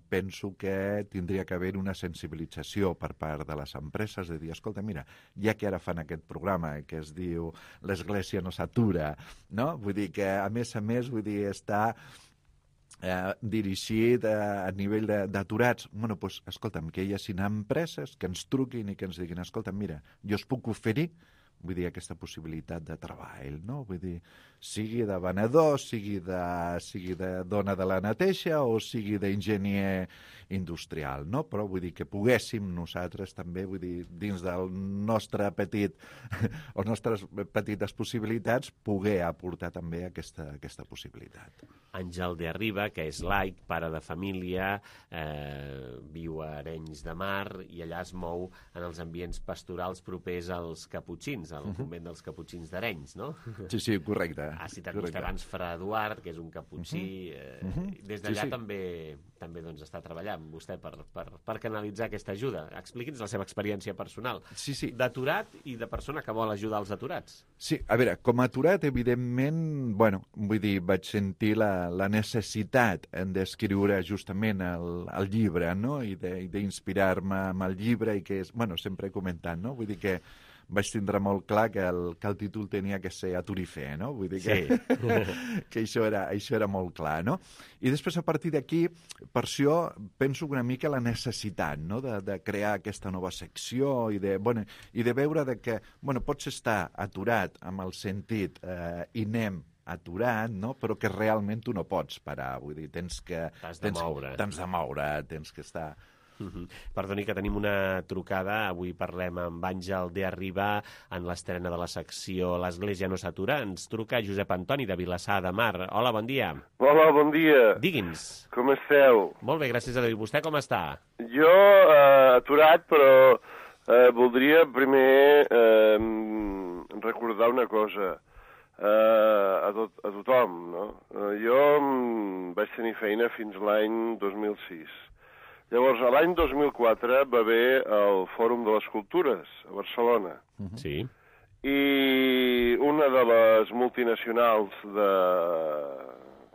penso que tindria que haver una sensibilització per part de les empreses de dir, escolta, mira, ja que ara fan aquest programa que es diu l'Església no s'atura, no? Vull dir que a més, vull dir, està dirigit a nivell d'aturats. Bueno, doncs, escolta'm, que hi hagi empreses que ens truquin i que ens diguin, escolta'm, mira, jo us puc oferir, vull dir, aquesta possibilitat de treball, no? Vull dir, sigui de venedor, sigui de dona de la neteja o sigui d'enginyer industrial, no? Però vull dir que poguéssim nosaltres també, vull dir, dins del nostre o nostres petites possibilitats, poder aportar també aquesta possibilitat. Àngel de Arriba, que és laic, pare de família, viu a Arenys de Mar i allà es mou en els ambients pastorals propers als caputxins, al convent dels caputxins d'Arenys, no? Sí, correcte. Ha citat vostè abans Fra Eduard, que és un caputxí. Des d'allà també doncs, està treballant vostè per canalitzar aquesta ajuda. Expliqui'ns la seva experiència personal. D'aturat i de persona que vol ajudar els aturats. Sí, a veure, com a aturat, evidentment, vull dir, vaig sentir la necessitat d'escriure justament el llibre, no?, i d'inspirar-me amb el llibre, i que és, sempre he comentat, no?, vull dir que vaig tindre molt clar que el títol tenia que ser Aturifé, no? Vull dir que això era molt clar, no? I després, a partir d'aquí, per això penso una mica la necessitat, no?, de crear aquesta nova secció i de veure que pots estar aturat amb el sentit i anem aturat, no?, però que realment tu no pots parar, vull dir, t'has de moure, tens que estar... Perdoni, que tenim una trucada. Avui parlem amb Àngel de Arriba en l'estrena de la secció L'Església no s'atura. Ens truca Josep Antoni de Vilassar de Mar. Hola, bon dia. Hola, bon dia. Digui'ns. Com esteu? Molt bé, gràcies a Déu. Vostè com està? Jo, aturat, però voldria primer recordar una cosa a tothom, no? Jo vaig tenir feina fins l'any 2006. Llavors, l'any 2004 va haver el Fòrum de les Cultures a Barcelona. Sí. I una de les multinacionals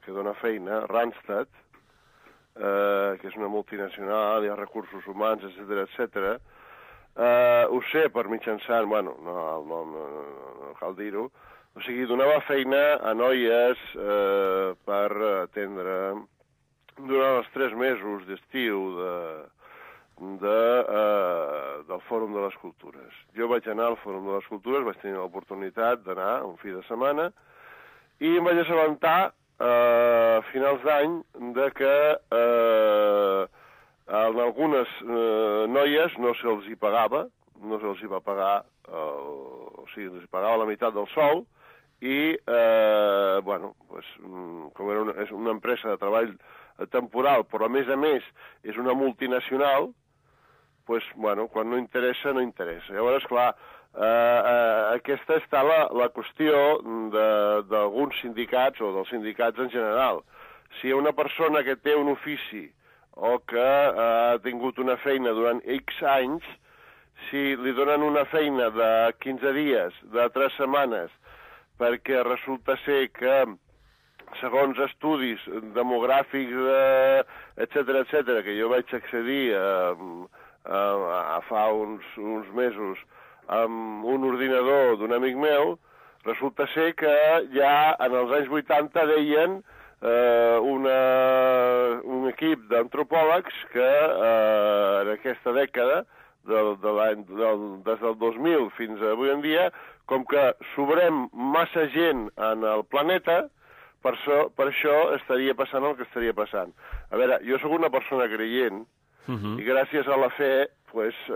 que dona feina, Randstad, que és una multinacional, hi ha recursos humans, etc. Ho sé per mitjançant, no cal dir-ho, o sigui, donava feina a noies per atendre durant els 3 mesos d'estiu del Fòrum de les Cultures. Jo vaig anar al Fòrum de les Cultures, vaig tenir l'oportunitat d'anar un fi de setmana i em vaig assabentar a finals d'any de que en algunes noies no se'ls hi pagava, no se'ls hi va pagar, o sigui, els hi pagava la meitat del sou i, com és una empresa de treball temporal, però a més és una multinacional, quan no interessa, no interessa. Llavors, clar, aquesta està la qüestió d'alguns sindicats o dels sindicats en general. Si hi ha una persona que té un ofici o que ha tingut una feina durant X anys, si li donen una feina de 15 dies, de 3 setmanes, perquè resulta ser que segons estudis demogràfics, etcètera, que jo vaig accedir fa uns mesos amb un ordinador d'un amic meu, resulta ser que ja en els anys 80 deien un equip d'antropòlegs que en aquesta dècada, des del 2000 fins avui en dia, com que sobrem massa gent en el planeta, per això estaria passant el que estaria passant. A veure, jo sóc una persona creient, i gràcies a la fe, pues, he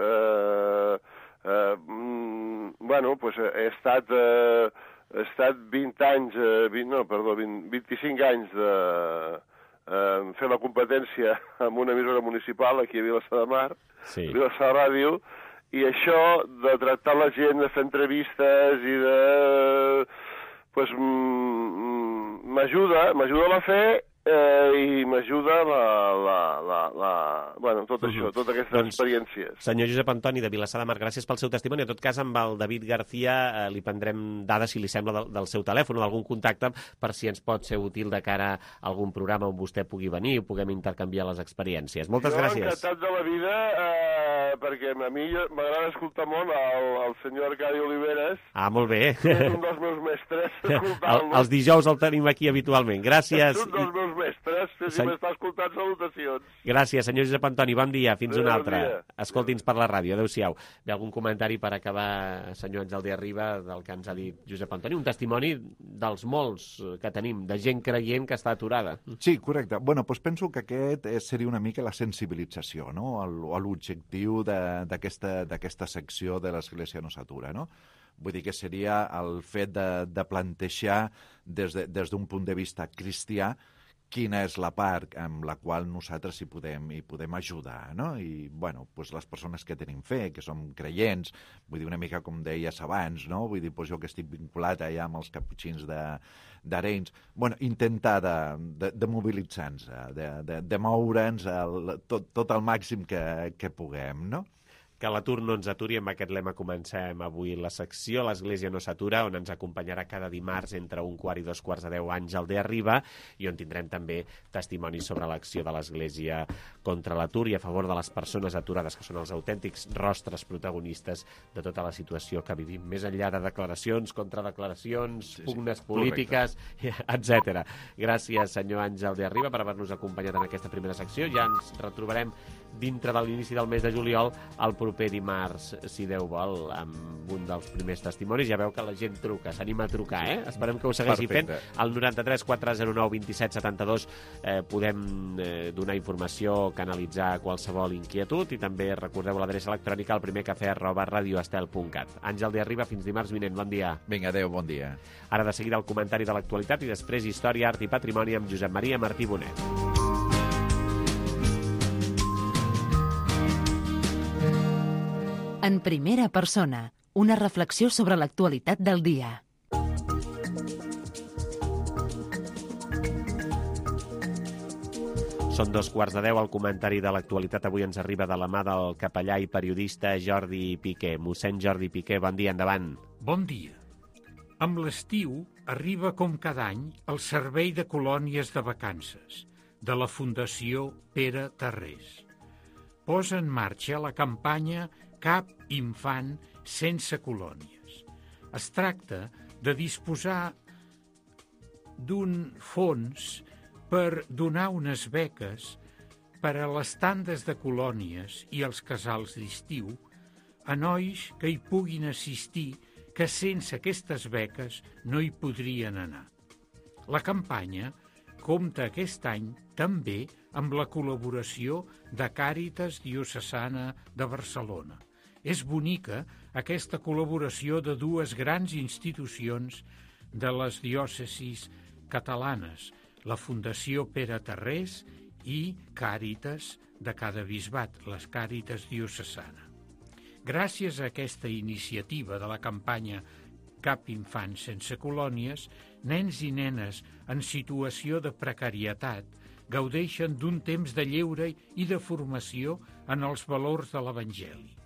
estat 25 anys fer la competència amb una emissora municipal aquí a Vilassar de Mar, Vilassar Ràdio, i això de tractar la gent, de fer entrevistes i de... m'ajuda la fe i m'ajuda tot això, totes aquestes experiències. Senyor Josep Antoni de Vilassar de Mar, gràcies pel seu testimoni. En tot cas, amb el David García li prendrem dades, si li sembla, del seu telèfon o d'algun contacte per si ens pot ser útil de cara a algun programa on vostè pugui venir i puguem intercanviar les experiències. Moltes gràcies. Jo encantat de la vida, perquè a mi m'agrada escoltar molt el senyor Arcadi Oliveres. Ah, molt bé. És un dels meus mestres. Els dijous el tenim aquí habitualment. Gràcies. És un dels meus mestres, si m'està escoltant, salutacions. Gràcies, senyor Josep Antoni. Bon dia, fins una altra. Escolti'ns per la ràdio, adéu-siau. Ve algun comentari per acabar, senyor Àngel de Arriba, del que ens ha dit Josep Antoni? Un testimoni dels molts que tenim, de gent creient que està aturada. Sí, correcte. Bueno, doncs penso que aquest seria una mica la sensibilització, no? L'objectiu d'aquesta secció de l'Església no s'atura, no? Vull dir que seria el fet de plantejar des d'un punt de vista cristià quina és la part amb la qual nosaltres hi podem ajudar, no? I, bueno, doncs les persones que tenim fe, que som creients, vull dir una mica com deies abans, no? Vull dir, doncs jo que estic vinculat allà amb els caputxins d'Arenys, bueno, intentar de mobilitzar-nos, de moure'ns tot el màxim que puguem, no? Que l'atur no ens aturi. Amb aquest lema comencem avui la secció l'Església no s'atura, on ens acompanyarà cada dimarts entre 1:15 i 2:45 Àngel de Arriba, i on tindrem també testimonis sobre l'acció de l'Església contra l'atur i a favor de les persones aturades, que són els autèntics rostres protagonistes de tota la situació que vivim, més enllà de declaracions, contradeclaracions, pugnes polítiques, etc. Gràcies, senyor Àngel de Arriba, per haver-nos acompanyat en aquesta primera secció. Ja ens retrobarem dintre de l'inici del mes de juliol, el proper dimarts, si Déu vol, amb un dels primers testimonis. Ja veu que la gent truca, s'anima a trucar, eh? Esperem que ho segueixi fent. Al 93 409 27 72 podem donar informació, canalitzar qualsevol inquietud, i també recordeu l'adreça electrònica alprimercafè@radioestel.cat. Àngel de Arriba, fins dimarts vinent. Bon dia. Vinga, adéu, bon dia. Ara de seguida el comentari de l'actualitat i després història, art i patrimoni amb Josep Maria Martí Bonet. En primera persona, una reflexió sobre l'actualitat del dia. Són 2:15. El comentari de l'actualitat avui ens arriba de la mà del capellà i periodista Jordi Piqué. Mossèn Jordi Piqué, bon dia, endavant. Bon dia. Amb l'estiu arriba com cada any el Servei de Colònies de Vacances de la Fundació Pere Tarrés. Posa en marxa la campanya Cap infant sense colònies. Es tracta de disposar d'un fons per donar unes beques per a les tandes de colònies i els casals d'estiu a nois que hi puguin assistir que sense aquestes beques no hi podrien anar. La campanya compta aquest any també amb la col·laboració de Càritas Diocesana de Barcelona. És bonica aquesta col·laboració de dues grans institucions de les diòcesis catalanes, la Fundació Pere Tarrés i Càritas de cada bisbat, les Càritas Diocesana. Gràcies a aquesta iniciativa de la campanya Cap infant sense colònies, nens i nenes en situació de precarietat gaudeixen d'un temps de lleure i de formació en els valors de l'Evangeli.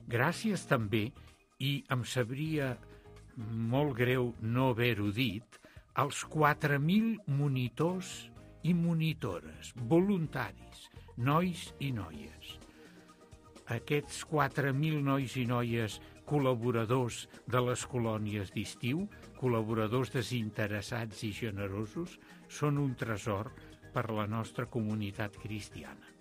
Gràcies també, i em sabria molt greu no haver-ho dit, als 4.000 monitors i monitores, voluntaris, nois i noies. Aquests 4.000 nois i noies col·laboradors de les colònies d'estiu, col·laboradors desinteressats i generosos, són un tresor per la nostra comunitat cristiana.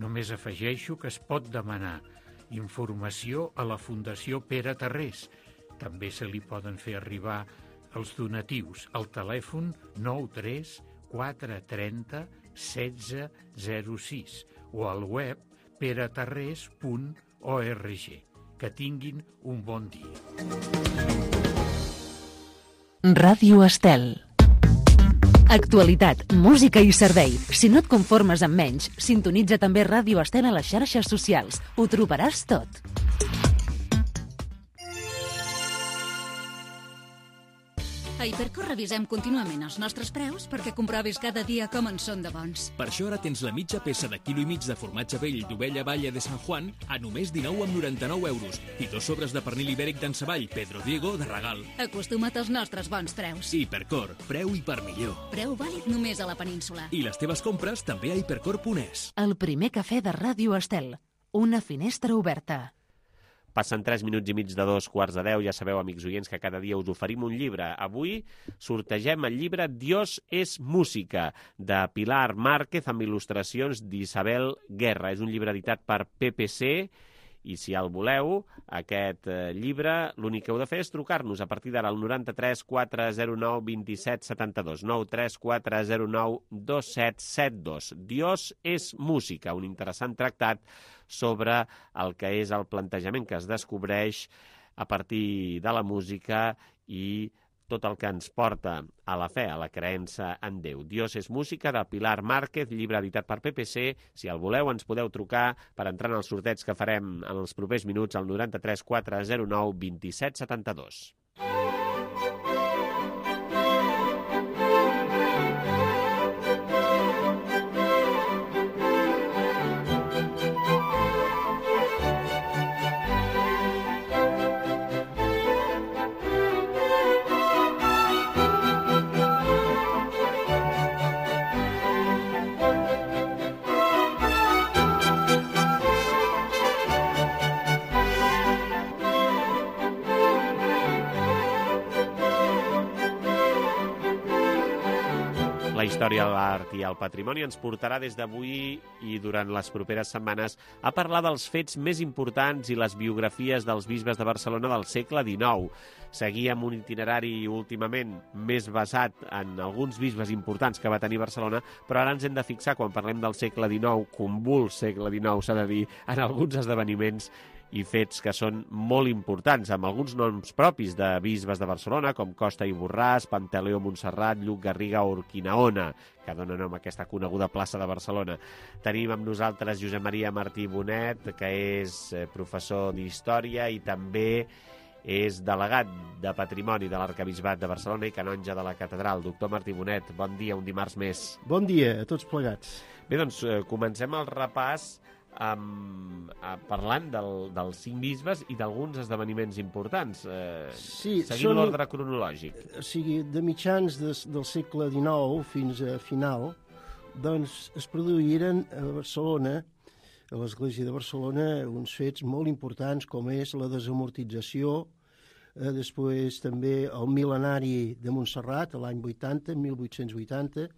Només afegeixo que es pot demanar informació a la Fundació Pere Tarrés. També se li poden fer arribar els donatius al telèfon 93 430 1606 o al web peretarrés.org. Que tinguin un bon dia. Ràdio Estel. Actualitat, música i servei. Si no et conformes amb menys, sintonitza també Ràdio Estel a les xarxes socials. Ho trobaràs tot. A Hipercor revisem contínuament els nostres preus perquè comprovis cada dia com en són de bons. Per això ara tens la mitja peça de quilo i mig de formatge vell d'ovella Valle de San Juan a només 19,99 euros i 2 sobres de pernil ibèric d'Ensavall Pedro Diego de regal. Acostuma't als nostres bons preus. Hipercor, preu i per millor. Preu vàlid només a la península. I les teves compres també a hipercor.es. El primer cafè de Ràdio Estel. Una finestra oberta. Passen 3 minuts i mig de 2:45. Ja sabeu, amics oients, que cada dia us oferim un llibre. Avui sortegem el llibre Dios es música, de Pilar Márquez, amb il·lustracions d'Isabel Guerra. És un llibre editat per PPC, i si el voleu, aquest llibre, l'únic que heu de fer és trucar-nos a partir d'ara al 93 409 27 72, 93 409 2772. Dios es música, un interessant tractat sobre el que és el plantejament que es descobreix a partir de la música i tot el que ens porta a la fe, a la creença en Déu. Dios es música, de Pilar Márquez, llibre editat per PPC. Si el voleu, ens podeu trucar per entrar en el sorteig que farem en els propers minuts al 93 409 27 72. La història de l'art i el patrimoni ens portarà des d'avui i durant les properes setmanes a parlar dels fets més importants i les biografies dels bisbes de Barcelona del segle XIX. Seguíem un itinerari últimament més basat en alguns bisbes importants que va tenir Barcelona, però ara ens hem de fixar, quan parlem del segle XIX, convuls segle XIX, s'ha de dir, en alguns esdeveniments i fets que són molt importants, amb alguns noms propis de bisbes de Barcelona, com Costa i Borràs, Pantaleó Montserrat, Lluc Garriga o Urquinaona, que dona nom a aquesta coneguda plaça de Barcelona. Tenim amb nosaltres Josep Maria Martí Bonet, que és professor d'Història i també és delegat de Patrimoni de l'Arquebisbat de Barcelona i canonge de la Catedral. Doctor Martí Bonet, bon dia, un dimarts més. Bon dia a tots plegats. Bé, doncs comencem el repàs parlant dels 5 bisbes i d'alguns esdeveniments importants, seguint l'ordre cronològic. O sigui, de mitjans del segle XIX fins a final, doncs es produïren a Barcelona, a l'Església de Barcelona, uns fets molt importants com és la desamortització, després també el mil·lenari de Montserrat, l'any 80, 1880,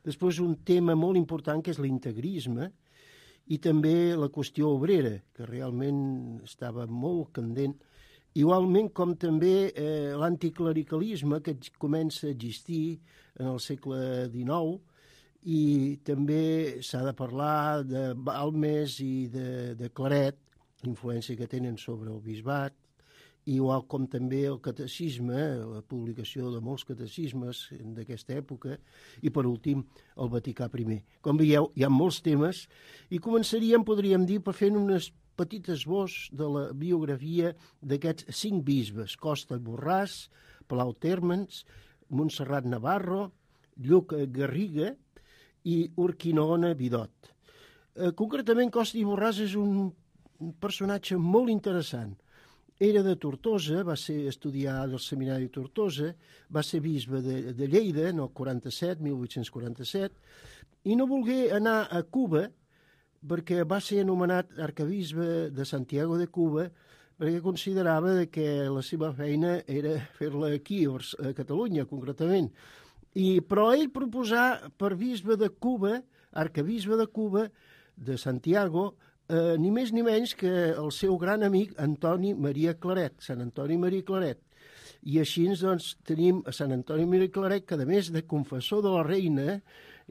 després un tema molt important que és l'integrisme, i també la qüestió obrera, que realment estava molt candent, igualment com també l'anticlericalisme que comença a existir en el segle XIX, i també s'ha de parlar de Balmes i de Claret, l'influència que tenen sobre el bisbat, igual com també el catecisme, la publicació de molts catecismes d'aquesta època, i per últim el Vaticà I. Com veieu, hi ha molts temes, i començaríem, podríem dir, per fer unes petites esbós de la biografia d'aquests 5 bisbes: Costa i Borràs, Palau Térmens, Montserrat Navarro, Lluc Garriga i Urquinaona Vidot. Concretament, Costa i Borràs és un personatge molt interessant. era de Tortosa, va estudiar al seminari de Tortosa, va ser bisbe de Lleida en el 1847, i no volgué anar a Cuba perquè va ser anomenat arquebisbe de Santiago de Cuba perquè considerava que la seva feina era fer-la aquí, a Catalunya, concretament. Però ell proposà per bisbe de Cuba, arquebisbe de Cuba, de Santiago, ni més ni menys que el seu gran amic Antoni Maria Claret, Sant Antoni Maria Claret. I així doncs, tenim a Sant Antoni Maria Claret, que a més de confessor de la reina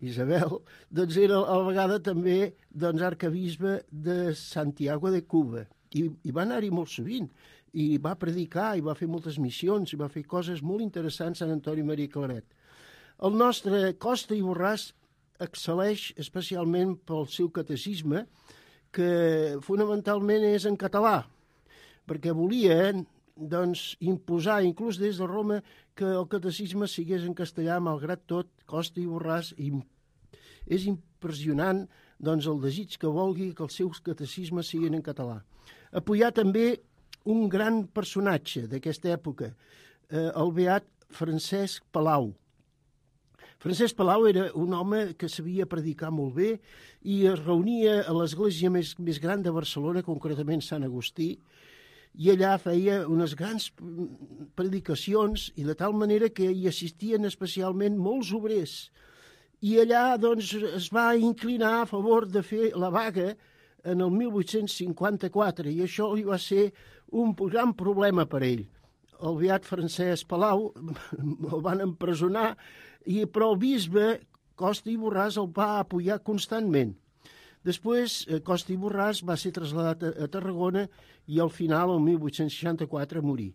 Isabel, doncs era a la vegada també arquebisbe de Santiago de Cuba. I va anar-hi molt sovint, i va predicar, i va fer moltes missions, i va fer coses molt interessants Sant Antoni Maria Claret. El nostre Costa i Borràs excel·leix especialment pel seu catecisme, que fonamentalment és en català, perquè volia imposar, inclús des de Roma, que el catecisme sigués en castellà, malgrat tot. Costa i Borràs és impressionant el desig que vulgui que els seus catecismes siguin en català. Apoyar també un gran personatge d'aquesta època, el beat Francesc Palau. Francesc Palau era un home que sabia predicar molt bé i es reunia a l'església més gran de Barcelona, concretament Sant Agustí, i allà feia unes grans predicacions i de tal manera que hi assistien especialment molts obrers. I allà es va inclinar a favor de fer la vaga en el 1854 i això li va ser un gran problema per ell. El beat Francesc Palau el van empresonar, però el bisbe Costa i Borràs el va apoyar constantment. Després, Costa i Borràs va ser traslladat a Tarragona i al final, el 1864, morí.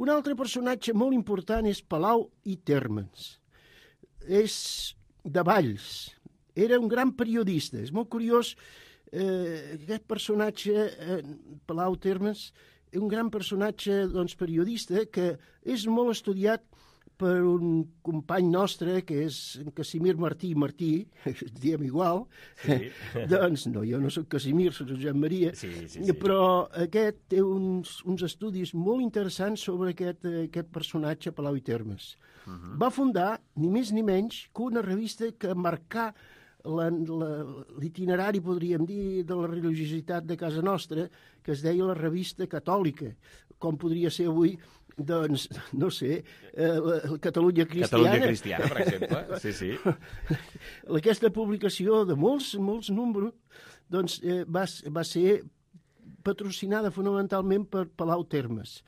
Un altre personatge molt important és Palau i Térmens. És de Valls. Era un gran periodista. És molt curiós, aquest personatge, Palau Térmens, un gran personatge periodista que és molt estudiat per un company nostre, que és en Casimir Martí, diem igual. Sí. Doncs no, jo no soc Casimir, soc Josep Maria, sí. Però aquest té uns estudis molt interessants sobre aquest personatge, Palau i Térmens. Va fundar, ni més ni menys, que una revista que marcà l'itinerari, podríem dir, de la religiositat de casa nostra, que es deia la Revista Catòlica, com podria ser avui, doncs, no sé, la Catalunya Cristiana. Catalunya Cristiana, per exemple, sí. Aquesta publicació de molts números doncs, va ser patrocinada fonamentalment per Palau Térmens.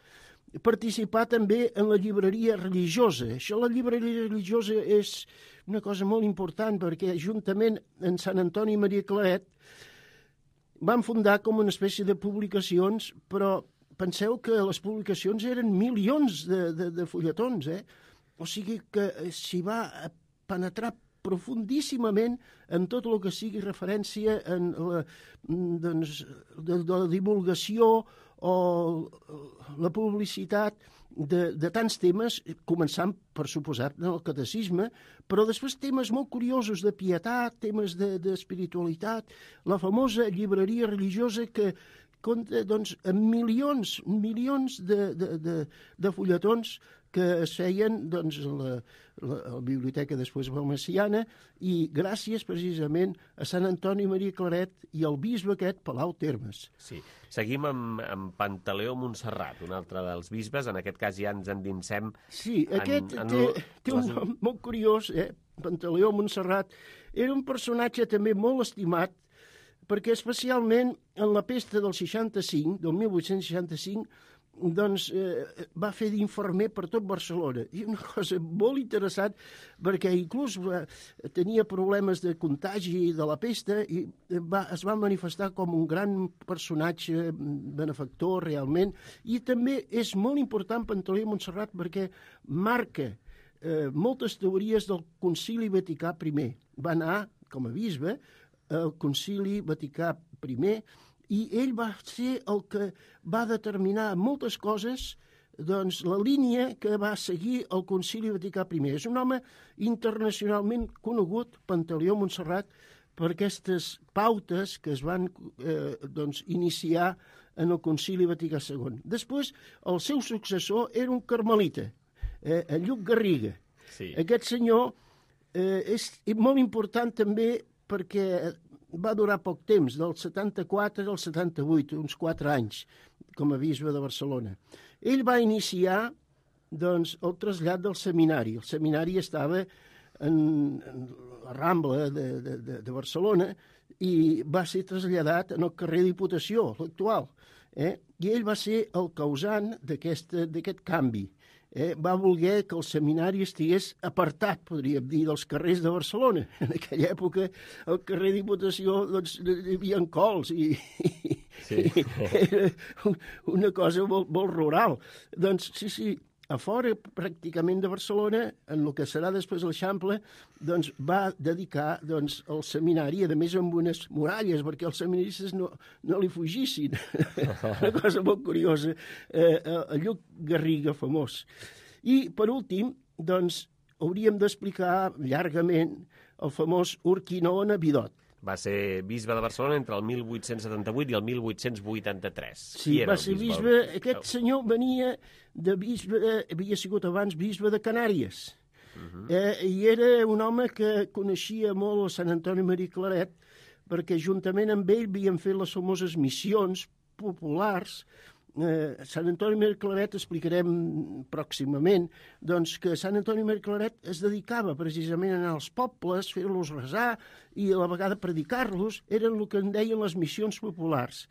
Participar també en la llibreria religiosa. Això, la llibreria religiosa, és una cosa molt important perquè juntament amb Sant Antoni Maria Claret van fundar com una espècie de publicacions, però penseu que les publicacions eren milions de fulletons, O sigui que s'hi va penetrar profundíssimament en tot el que sigui referència en la divulgació o la publicitat de tants temes, començant, per suposat, en el catecisme, però després temes molt curiosos de pietat, temes d'espiritualitat, la famosa llibreria religiosa que compta amb milions de fulletons que es feien a la biblioteca després valmesiana i gràcies precisament a Sant Antoni Maria Claret i al bisbe aquest, Palau Térmens. Sí. Seguim amb Pantaleó Montserrat, un altre dels bisbes. En aquest cas ja ens endinsem... Sí, aquest té un nom molt curiós, Pantaleó Montserrat. Era un personatge també molt estimat perquè especialment en la pesta del 65, del 1865, doncs va fer d'infermer per tot Barcelona. I una cosa molt interessant, perquè inclús tenia problemes de contagi de la pesta i es va manifestar com un gran personatge benefactor realment. I també és molt important Pantaleó Montserrat perquè marca moltes teories del Concili Vaticà I. Va anar, com a bisbe, al Concili Vaticà I, i ell va ser el que va determinar moltes coses, doncs, la línia que va seguir el Concili Vaticà I. És un home internacionalment conegut, Pantaleó Montserrat, per aquestes pautes que es van iniciar en el Concili Vaticà II. Després, el seu successor era un carmelita, en Lluc Garriga. Sí. Aquest senyor és molt important també perquè va durar poc temps, del 74 al 78, uns 4 anys, com a bisbe de Barcelona. Ell va iniciar doncs, el trasllat del seminari. El seminari estava en la Rambla de Barcelona i va ser traslladat en el carrer Diputació, l'actual. I ell va ser el causant d'aquest canvi. Va voler que el seminari estigués apartat, podríem dir, dels carrers de Barcelona. En aquella època, al carrer Diputació, doncs, hi havia cols i era una cosa molt rural. Doncs sí, a fora pràcticament de Barcelona, en el que serà després l'Eixample, doncs va dedicar doncs, el seminari, a més amb unes muralles, perquè els seminaristes no li fugissin. Una cosa molt curiosa, el Lluc Garriga famós. I, per últim, doncs, hauríem d'explicar llargament el famós Urquinaona Vidot. Va ser bisbe de Barcelona entre el 1878 i el 1883. Sí, va ser bisbe. Aquest senyor venia de bisbe, havia sigut abans bisbe de Canàries. I era un home que coneixia molt el Sant Antoni Maria Claret, perquè juntament amb ell havien fet les famoses missions populars. Sant Antoni Maria Claret, explicarem pròximament, doncs que Sant Antoni Maria Claret es dedicava precisament a anar als pobles, fer-los resar i a la vegada predicar-los, eren el que en deien les missions populars.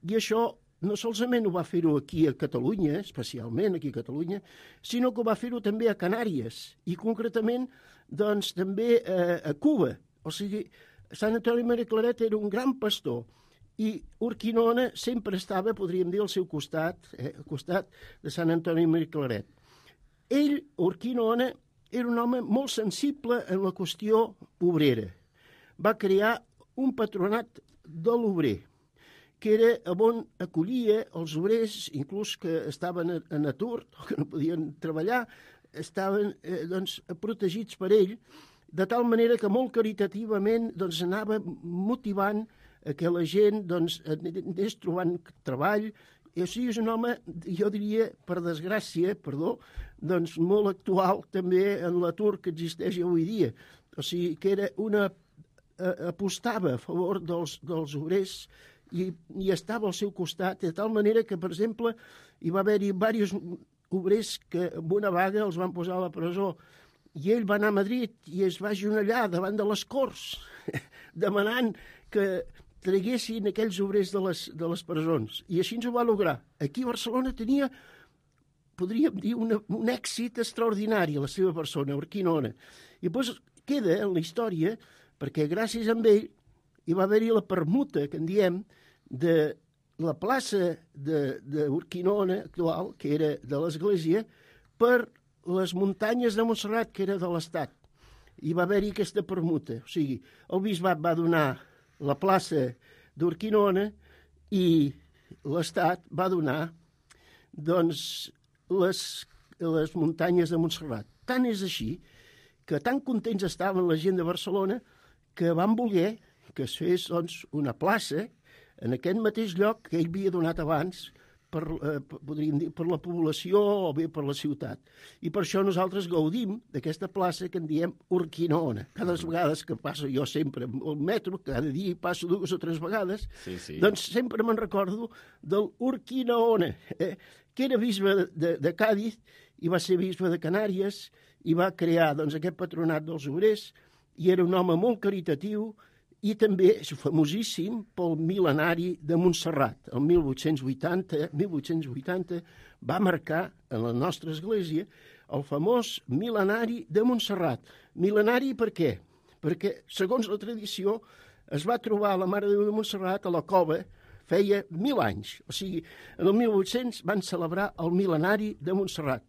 I això no solament ho va fer-ho aquí a Catalunya, especialment aquí a Catalunya, sinó que ho va fer-ho també a Canàries i concretament doncs, també a Cuba. O sigui, Sant Antoni Maria Claret era un gran pastor i Urquinaona sempre estava, podríem dir, al seu costat, al costat de Sant Antoni Maria Claret. Ell, Urquinaona, era un home molt sensible en la qüestió obrera. Va crear un patronat de l'obrer, que era on acollia els obrers, inclús que estaven en atur, o que no podien treballar, estaven protegits per ell, de tal manera que molt caritativament anava motivant que la gent anés trobant treball. I així és un home, jo diria, per desgràcia, molt actual també en l'atur que existeix avui dia. O sigui, que era apostava a favor dels obrers i estava al seu costat, de tal manera que, per exemple, hi va haver-hi diversos obrers que amb una vaga els van posar a la presó i ell va anar a Madrid i es va agenollar davant de les Corts demanant que traguessin aquells obrers de les presons. I així ens ho va lograr. Aquí a Barcelona tenia, podríem dir, un èxit extraordinari a la seva persona, Urquinaona. I després queda en la història, perquè gràcies a ell hi va haver-hi la permuta, que en diem, de la plaça d'Urquinaona actual, que era de l'Església, per les muntanyes de Montserrat, que era de l'Estat. Hi va haver-hi aquesta permuta. O sigui, el bisbat va donar la plaça d'Urquinaona i l'Estat va donar doncs, les muntanyes de Montserrat. Tant és així que tan contents estaven la gent de Barcelona que van voler que es fes doncs, una plaça en aquest mateix lloc que ell havia donat abans podríem dir, per la població o bé per la ciutat. I per això nosaltres gaudim d'aquesta plaça que en diem Urquinaona. Cada vegades que passo jo sempre al metro, cada dia hi passo 2 o 3 vegades, doncs sempre me'n recordo del Urquinaona, que era bisbe de Càdiz i va ser bisbe de Canàries i va crear doncs, aquest patronat dels obrers i era un home molt caritatiu i també és famosíssim pel mil·lenari de Montserrat. El 1880 va marcar en la nostra església el famós mil·lenari de Montserrat. Mil·lenari per què? Perquè, segons la tradició, es va trobar la Mare de Déu de Montserrat a la cova feia 1000 anys. O sigui, en el 1800 van celebrar el mil·lenari de Montserrat.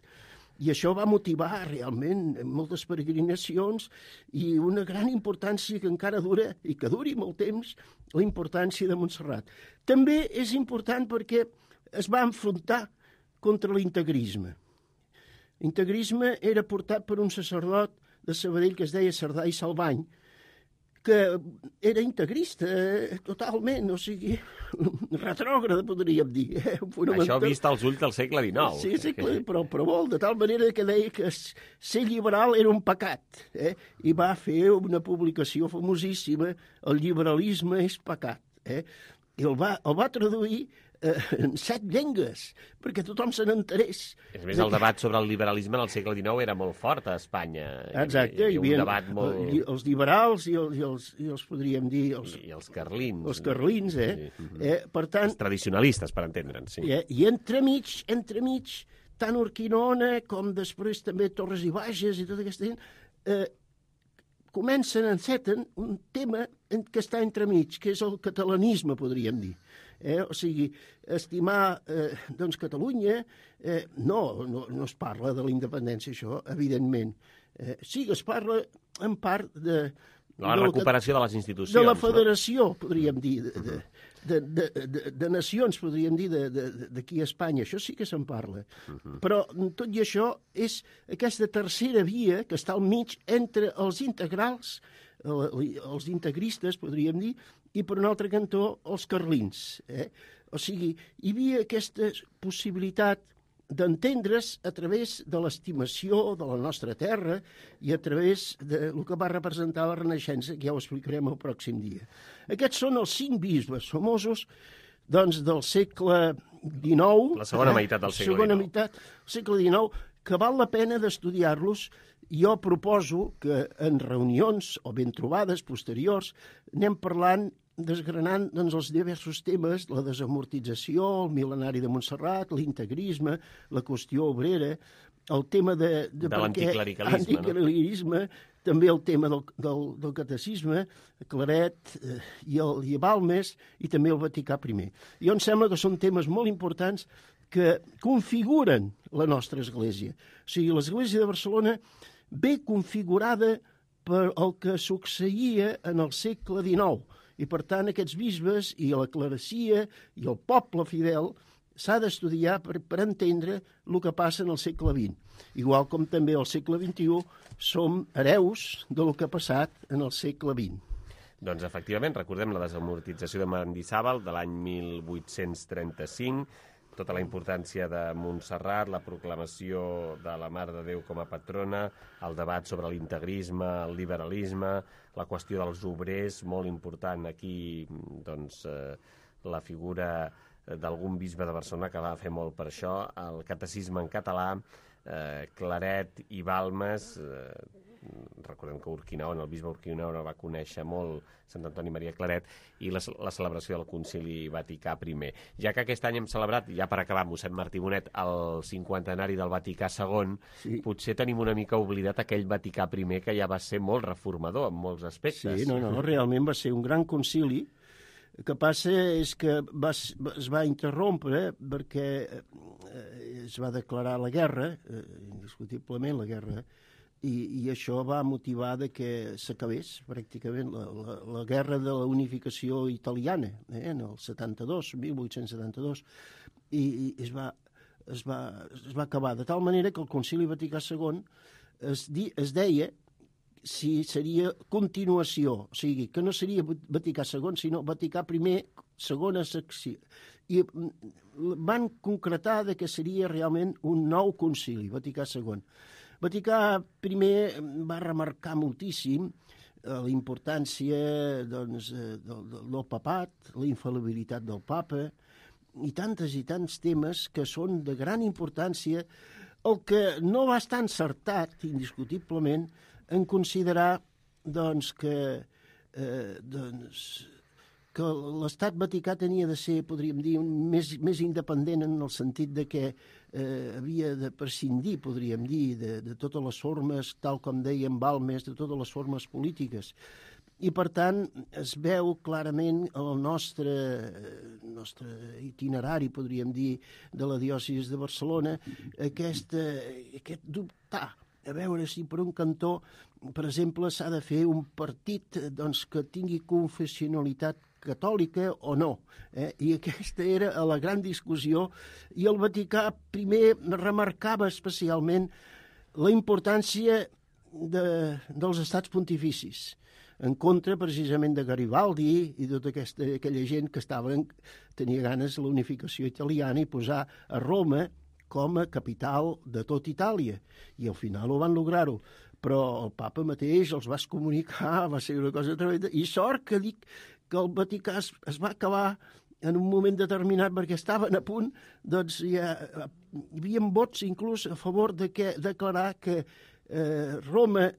I això va motivar realment moltes peregrinacions i una gran importància que encara dura i que duri molt temps, la importància de Montserrat. També és important perquè es va enfrontar contra l'integrisme. L'integrisme era portat per un sacerdot de Sabadell que es deia Cerdà i Salvany, que era integrista totalment, o sigui, retrògrada, podríem dir. Això vist als ulls del segle XIX. Sí, però molt, de tal manera que deia que ser liberal era un pecat, i va fer una publicació famosíssima, El liberalisme és pecat, i el va traduir en 7 llengües, perquè tothom se n'enterés. És més, el debat sobre el liberalisme en el segle XIX era molt fort a Espanya. Exacte, hi havia un debat molt... els liberals i els podríem dir... I els carlins. Els carlins, per tant... Els tradicionalistes, per entendre'ns, sí. I entremig, tant Urquinaona com després també Torres i Bages i tota aquesta gent, enceten un tema que està entremig, que és el catalanisme, podríem dir. O sigui, estimar Catalunya, no es parla de la independència, això, evidentment. Sí que es parla en part de... La recuperació de les institucions. De la federació, podríem dir, de nacions, podríem dir, d'aquí a Espanya. Això sí que se'n parla. Però tot i això és aquesta tercera via que està al mig entre els integrals, els integristes, podríem dir, i per un altre cantó els carlins. O sigui, hi havia aquesta possibilitat d'entendre's a través de l'estimació de la nostra terra i a través del que va representar la Renaixença, que ja ho explicarem el pròxim dia. Aquests són els 5 bisbes famosos del segle XIX. La segona meitat del segle XIX. Segona meitat del segle XIX, que val la pena d'estudiar-los. Jo proposo que en reunions o ben trobades posteriors anem parlant, desgranant els diversos temes, la desamortització, el mil·lenari de Montserrat, l'integrisme, la qüestió obrera, el tema de l'anticlericalisme, també el tema del catecisme, Claret i Balmes, i també el Vaticà I. Jo em sembla que són temes molt importants que configuren la nostra Església. O sigui, l'Església de Barcelona ve configurada per el que succeïa en el segle XIX. I, per tant, aquests bisbes i la clerecia i el poble fidel s'ha d'estudiar per entendre el que passa en el segle XX. Igual com també al segle XXI som hereus del que ha passat en el segle XX. Doncs, efectivament, recordem la desamortització de Mendizábal de l'any 1835, tota la importància de Montserrat, la proclamació de la Mare de Déu com a patrona, el debat sobre l'integrisme, el liberalisme, la qüestió dels obrers, molt important aquí, doncs, la figura d'algun bisbe de Barcelona que va fer molt per això, el catecisme en català, Claret i Balmes, recordem que Urquinaona, el bisbe Urquinaona va conèixer molt Sant Antoni Maria Claret, i la celebració del Concili Vaticà I. Ja que aquest any hem celebrat, ja per acabar, mossèn Martí Bonet, el 50enari del Vaticà II, potser tenim una mica oblidat aquell Vaticà I que ja va ser molt reformador en molts aspectes. Sí, realment va ser un gran concili. El que passa és que es va interrompre perquè es va declarar la guerra, indiscutiblement la guerra, i això va motivar que s'acabés pràcticament la guerra de la unificació italiana, en el 1872, i es va acabar. De tal manera que el Concili Vaticà II es deia si seria continuació, o sigui, que no seria Vaticà II, sinó Vaticà I, segona secció. I van concretar que seria realment un nou concili, Vaticà II. Vaticà I va remarcar moltíssim la importància del papat, la infal·libilitat del papa, i tants temes que són de gran importància. El que no va estar encertat, indiscutiblement, en considerar que l'Estat Vaticà tenia de ser, podríem dir, més independent en el sentit de que havia de prescindir, podríem dir, de totes les formes, tal com deien Balmes, de totes les formes polítiques. I, per tant, es veu clarament el nostre itinerari, podríem dir, de la diòcesi de Barcelona, aquest dubtar, a veure si per un cantó, per exemple, s'ha de fer un partit que tingui confessionalitat catòlica o no. I aquesta era la gran discussió, i el Vaticà I remarcava especialment la importància dels estats pontificis. en contra precisament de Garibaldi i tota aquella gent que tenia ganes de la unificació italiana i posar a Roma com a capital de tot Itàlia. I al final ho van lograr-ho. Però el papa mateix els va excomunicar, va ser una cosa tremenda. I sort que dic que el Vaticà es va acabar en un moment determinat, perquè estaven a punt, doncs hi havia vots inclús a favor de declarar que Roma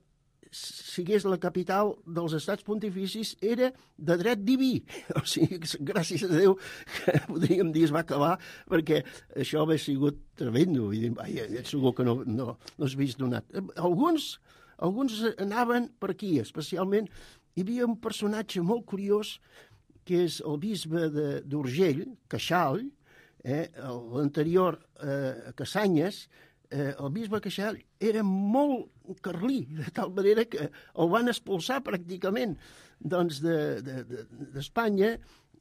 sigués la capital dels estats pontificis, era de dret diví. O sigui, gràcies a Déu, que podríem dir es va acabar, perquè això hauria sigut tremendo. Vull dir, segur que no has vist donat. Alguns anaven per aquí, especialment. Hi havia un personatge molt curiós, que és el bisbe d'Urgell, Queixal, l'anterior a Cassanyes. El bisbe Queixal era molt carlí, de tal manera que el van expulsar pràcticament d'Espanya.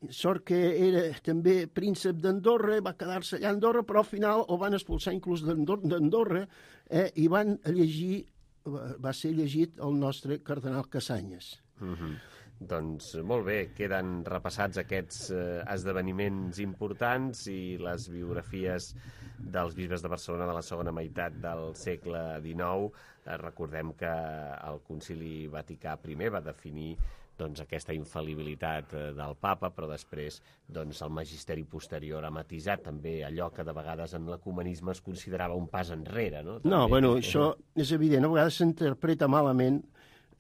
Sort que era també príncep d'Andorra, va quedar-se allà a Andorra, però al final el van expulsar inclús d'Andorra i va ser llegit el nostre cardenal Cassanyes. Doncs molt bé, queden repassats aquests esdeveniments importants i les biografies dels bisbes de Barcelona de la segona meitat del segle XIX. Recordem que el Concili Vaticà I va definir aquesta infal·libilitat del papa, però després el magisteri posterior ha matisat també allò que de vegades en l'ecumenisme es considerava un pas enrere. No, bueno, això és evident. A vegades s'interpreta malament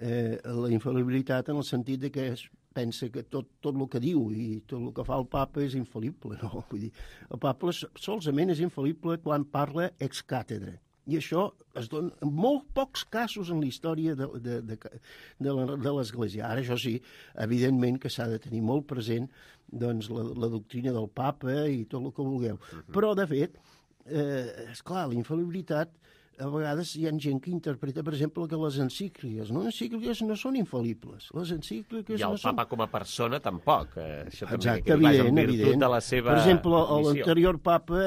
la infal·libilitat en el sentit que es pensa que tot el que diu i tot el que fa el papa és infal·lible. No, vull dir, el papa solament és infal·lible quan parla ex càtedra. I això es dona en molt pocs casos en la història de l'Església. Ara, això sí, evidentment que s'ha de tenir molt present la doctrina del papa i tot el que vulgueu. Però, de fet, esclar, la infal·libilitat, a vegades hi ha gent que interpreta, per exemple, que les encícliques no són infal·libles. Les encícliques I el papa com a persona tampoc. Això també exacte, evident. De la seva per exemple, missió. L'anterior papa,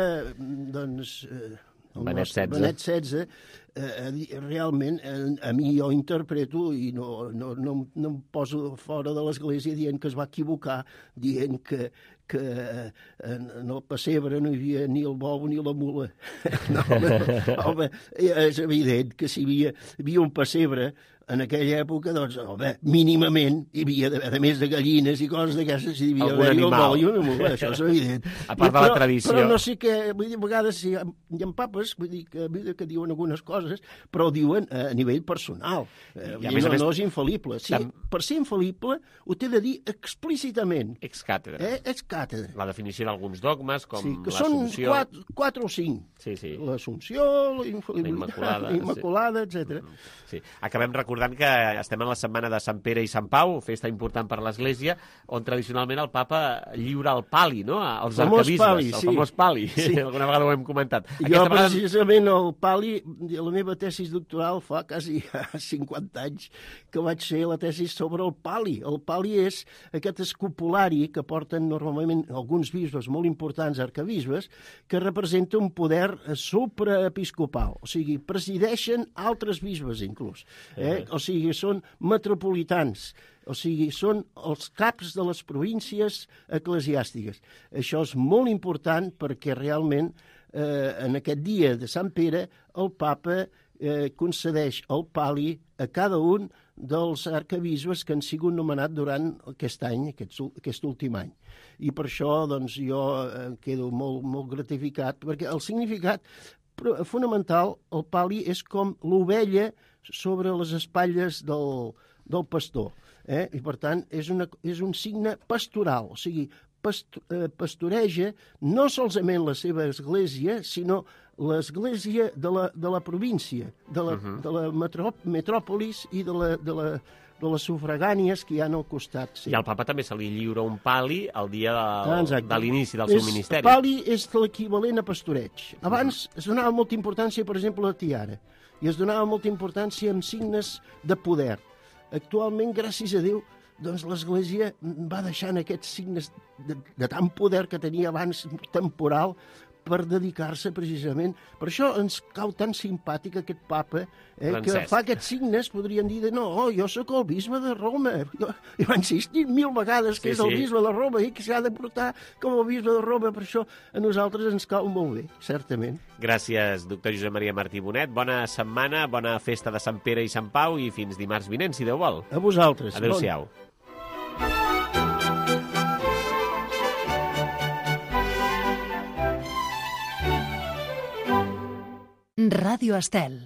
Benet XVI, realment, a mi jo interpreto i no em poso fora de l'Església dient que es va equivocar, dient que en el pessebre no hi havia ni el bou ni la mula. Home, és evident que si hi havia un pessebre en aquella època, doncs, mínimament hi havia, a més de gallines i coses d'aquestes, hi havia el bou i una mula, això és evident. A part de la tradició. Però no sé què, vull dir, a vegades hi ha papes, vull dir, que diuen algunes coses, però ho diuen a nivell personal. No és infal·lible. Per ser infal·lible ho té de dir explícitament. Ex càtedra. Ex càtedra. La definició d'alguns dogmes, com l'Assumpció. Són 4 o 5. Sí. L'Assumpció, la infal·libilitat, la Immaculada, etc. Sí. Acabem recordant que estem en la setmana de Sant Pere i Sant Pau, festa important per l'Església, on tradicionalment el papa lliura el pali, no?, als arquebisbes, el famós pali. Sí. Alguna vegada ho hem comentat. Precisament, el pali, la meva tesis doctoral fa quasi 50 anys que vaig fer la tesis sobre el pali. El pali és aquest escopulari que porten normalment alguns bisbes molt importants, arquebisbes, que representa un poder supraepiscopal. O sigui, presideixen altres bisbes, inclús. O sigui, són metropolitans. O sigui, són els caps de les províncies eclesiàstiques. Això és molt important perquè realment en aquest dia de Sant Pere el papa concedeix el pali a cada un dels arquebisbes que han sigut nomenats durant aquest any, aquest últim any. I per això doncs, jo quedo molt gratificat, perquè el significat fonamental, el pali, és com l'ovella sobre les espatlles del pastor. I, per tant, és un signe pastoral, o sigui, pastoreja no solament la seva església, sinó l'església de la província, de la metròpolis i de les sufragànies que hi ha al costat. Sí. I al papa també se li lliura un pali el dia de l'inici del seu ministeri. El pali és l'equivalent a pastoreig. Abans es donava molta importància, per exemple, a la tiara, i es donava molta importància en signes de poder. Actualment, gràcies a Déu, doncs l'Església va deixant aquests signes de tant poder que tenia abans temporal per dedicar-se precisament. Per això ens cau tan simpàtic aquest papa, que fa aquests signes, podrien dir, jo sóc el bisbe de Roma. Jo he insistit 1000 vegades que és el bisbe de Roma i que s'ha de portar com el bisbe de Roma. Per això a nosaltres ens cau molt bé, certament. Gràcies, doctor Josep Maria Martí Bonet. Bona setmana, bona festa de Sant Pere i Sant Pau i fins dimarts vinent, si Déu vol. A vosaltres. Adéu-siau. Ràdio Estel.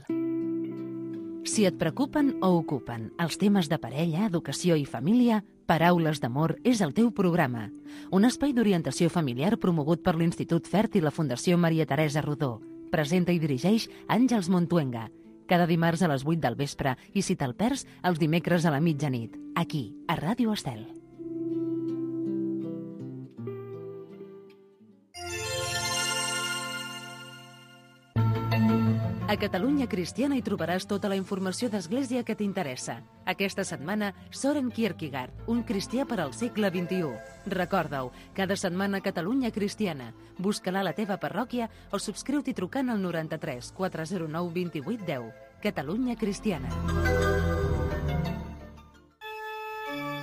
Si et preocupen o ocupen els temes de parella, educació i família, Paraules d'Amor és el teu programa. Un espai d'orientació familiar promogut per l'Institut FERT i la Fundació Maria Teresa Rodó. Presenta i dirigeix Àngels Montuenga. Cada dimarts a les 8 del vespre i si te'l perds, els dimecres a la mitjanit. Aquí, a Ràdio Estel. A Catalunya Cristiana hi trobaràs tota la informació d'Església que t'interessa. Aquesta setmana, Soren Kierkegaard, un cristià per al segle XXI. Recorda-ho, cada setmana Catalunya Cristiana. Busca-la a la teva parròquia o subscriu-t'hi trucant al 93 409 28 10. Catalunya Cristiana.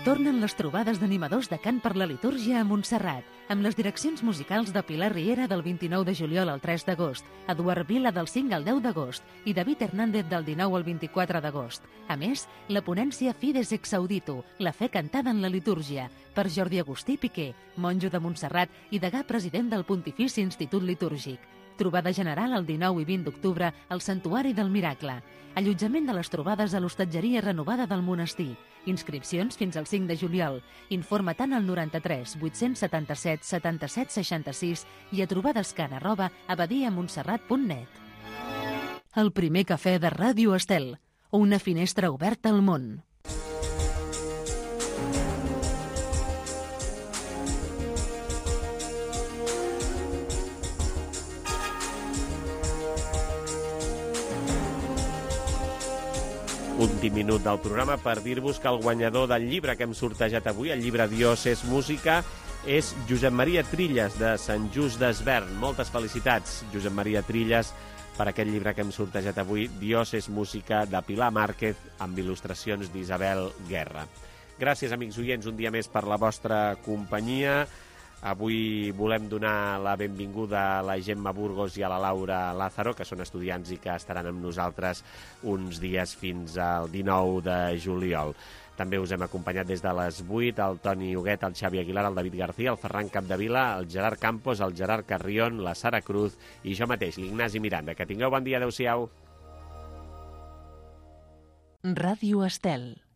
Tornen les trobades d'animadors de cant per la litúrgia a Montserrat, amb les direccions musicals de Pilar Riera del 29 de juliol al 3 d'agost, Eduard Vila del 5 al 10 d'agost i David Hernández del 19 al 24 d'agost. A més, la ponència Fides ex Audito, la fe cantada en la litúrgia, per Jordi Agustí Piqué, monjo de Montserrat i degà president del Pontifici Institut Litúrgic. Trobada general el 19 i 20 d'octubre al Santuari del Miracle. Allotjament de les trobades a l'hostatgeria renovada del monestir. Inscripcions fins al 5 de juliol. Informa-te'n al 93 877 77 66 i a trobadescan@abadiamontserrat.net. El primer cafè de Ràdio Estel. Una finestra oberta al món. Últim minut del programa per dir-vos que el guanyador del llibre que hem sortejat avui, el llibre Dios és música, és Josep Maria Trilles, de Sant Just d'Esvern. Moltes felicitats, Josep Maria Trilles, per aquest llibre que hem sortejat avui, Dios és música, de Pilar Márquez, amb il·lustracions d'Isabel Guerra. Gràcies, amics oients, un dia més per la vostra companyia. Avui volem donar la benvinguda a la Gemma Burgos i a la Laura Lázaro, que són estudiants i que estaran amb nosaltres uns dies fins al 19 de juliol. També us hem acompanyat des de les 8, el Toni Huguet, el Xavi Aguilar, el David García, el Ferran Capdevila, el Gerard Campos, el Gerard Carrión, la Sara Cruz i jo mateix, l'Ignasi Miranda. Que tingueu bon dia, adeu-siau. Ràdio Estel.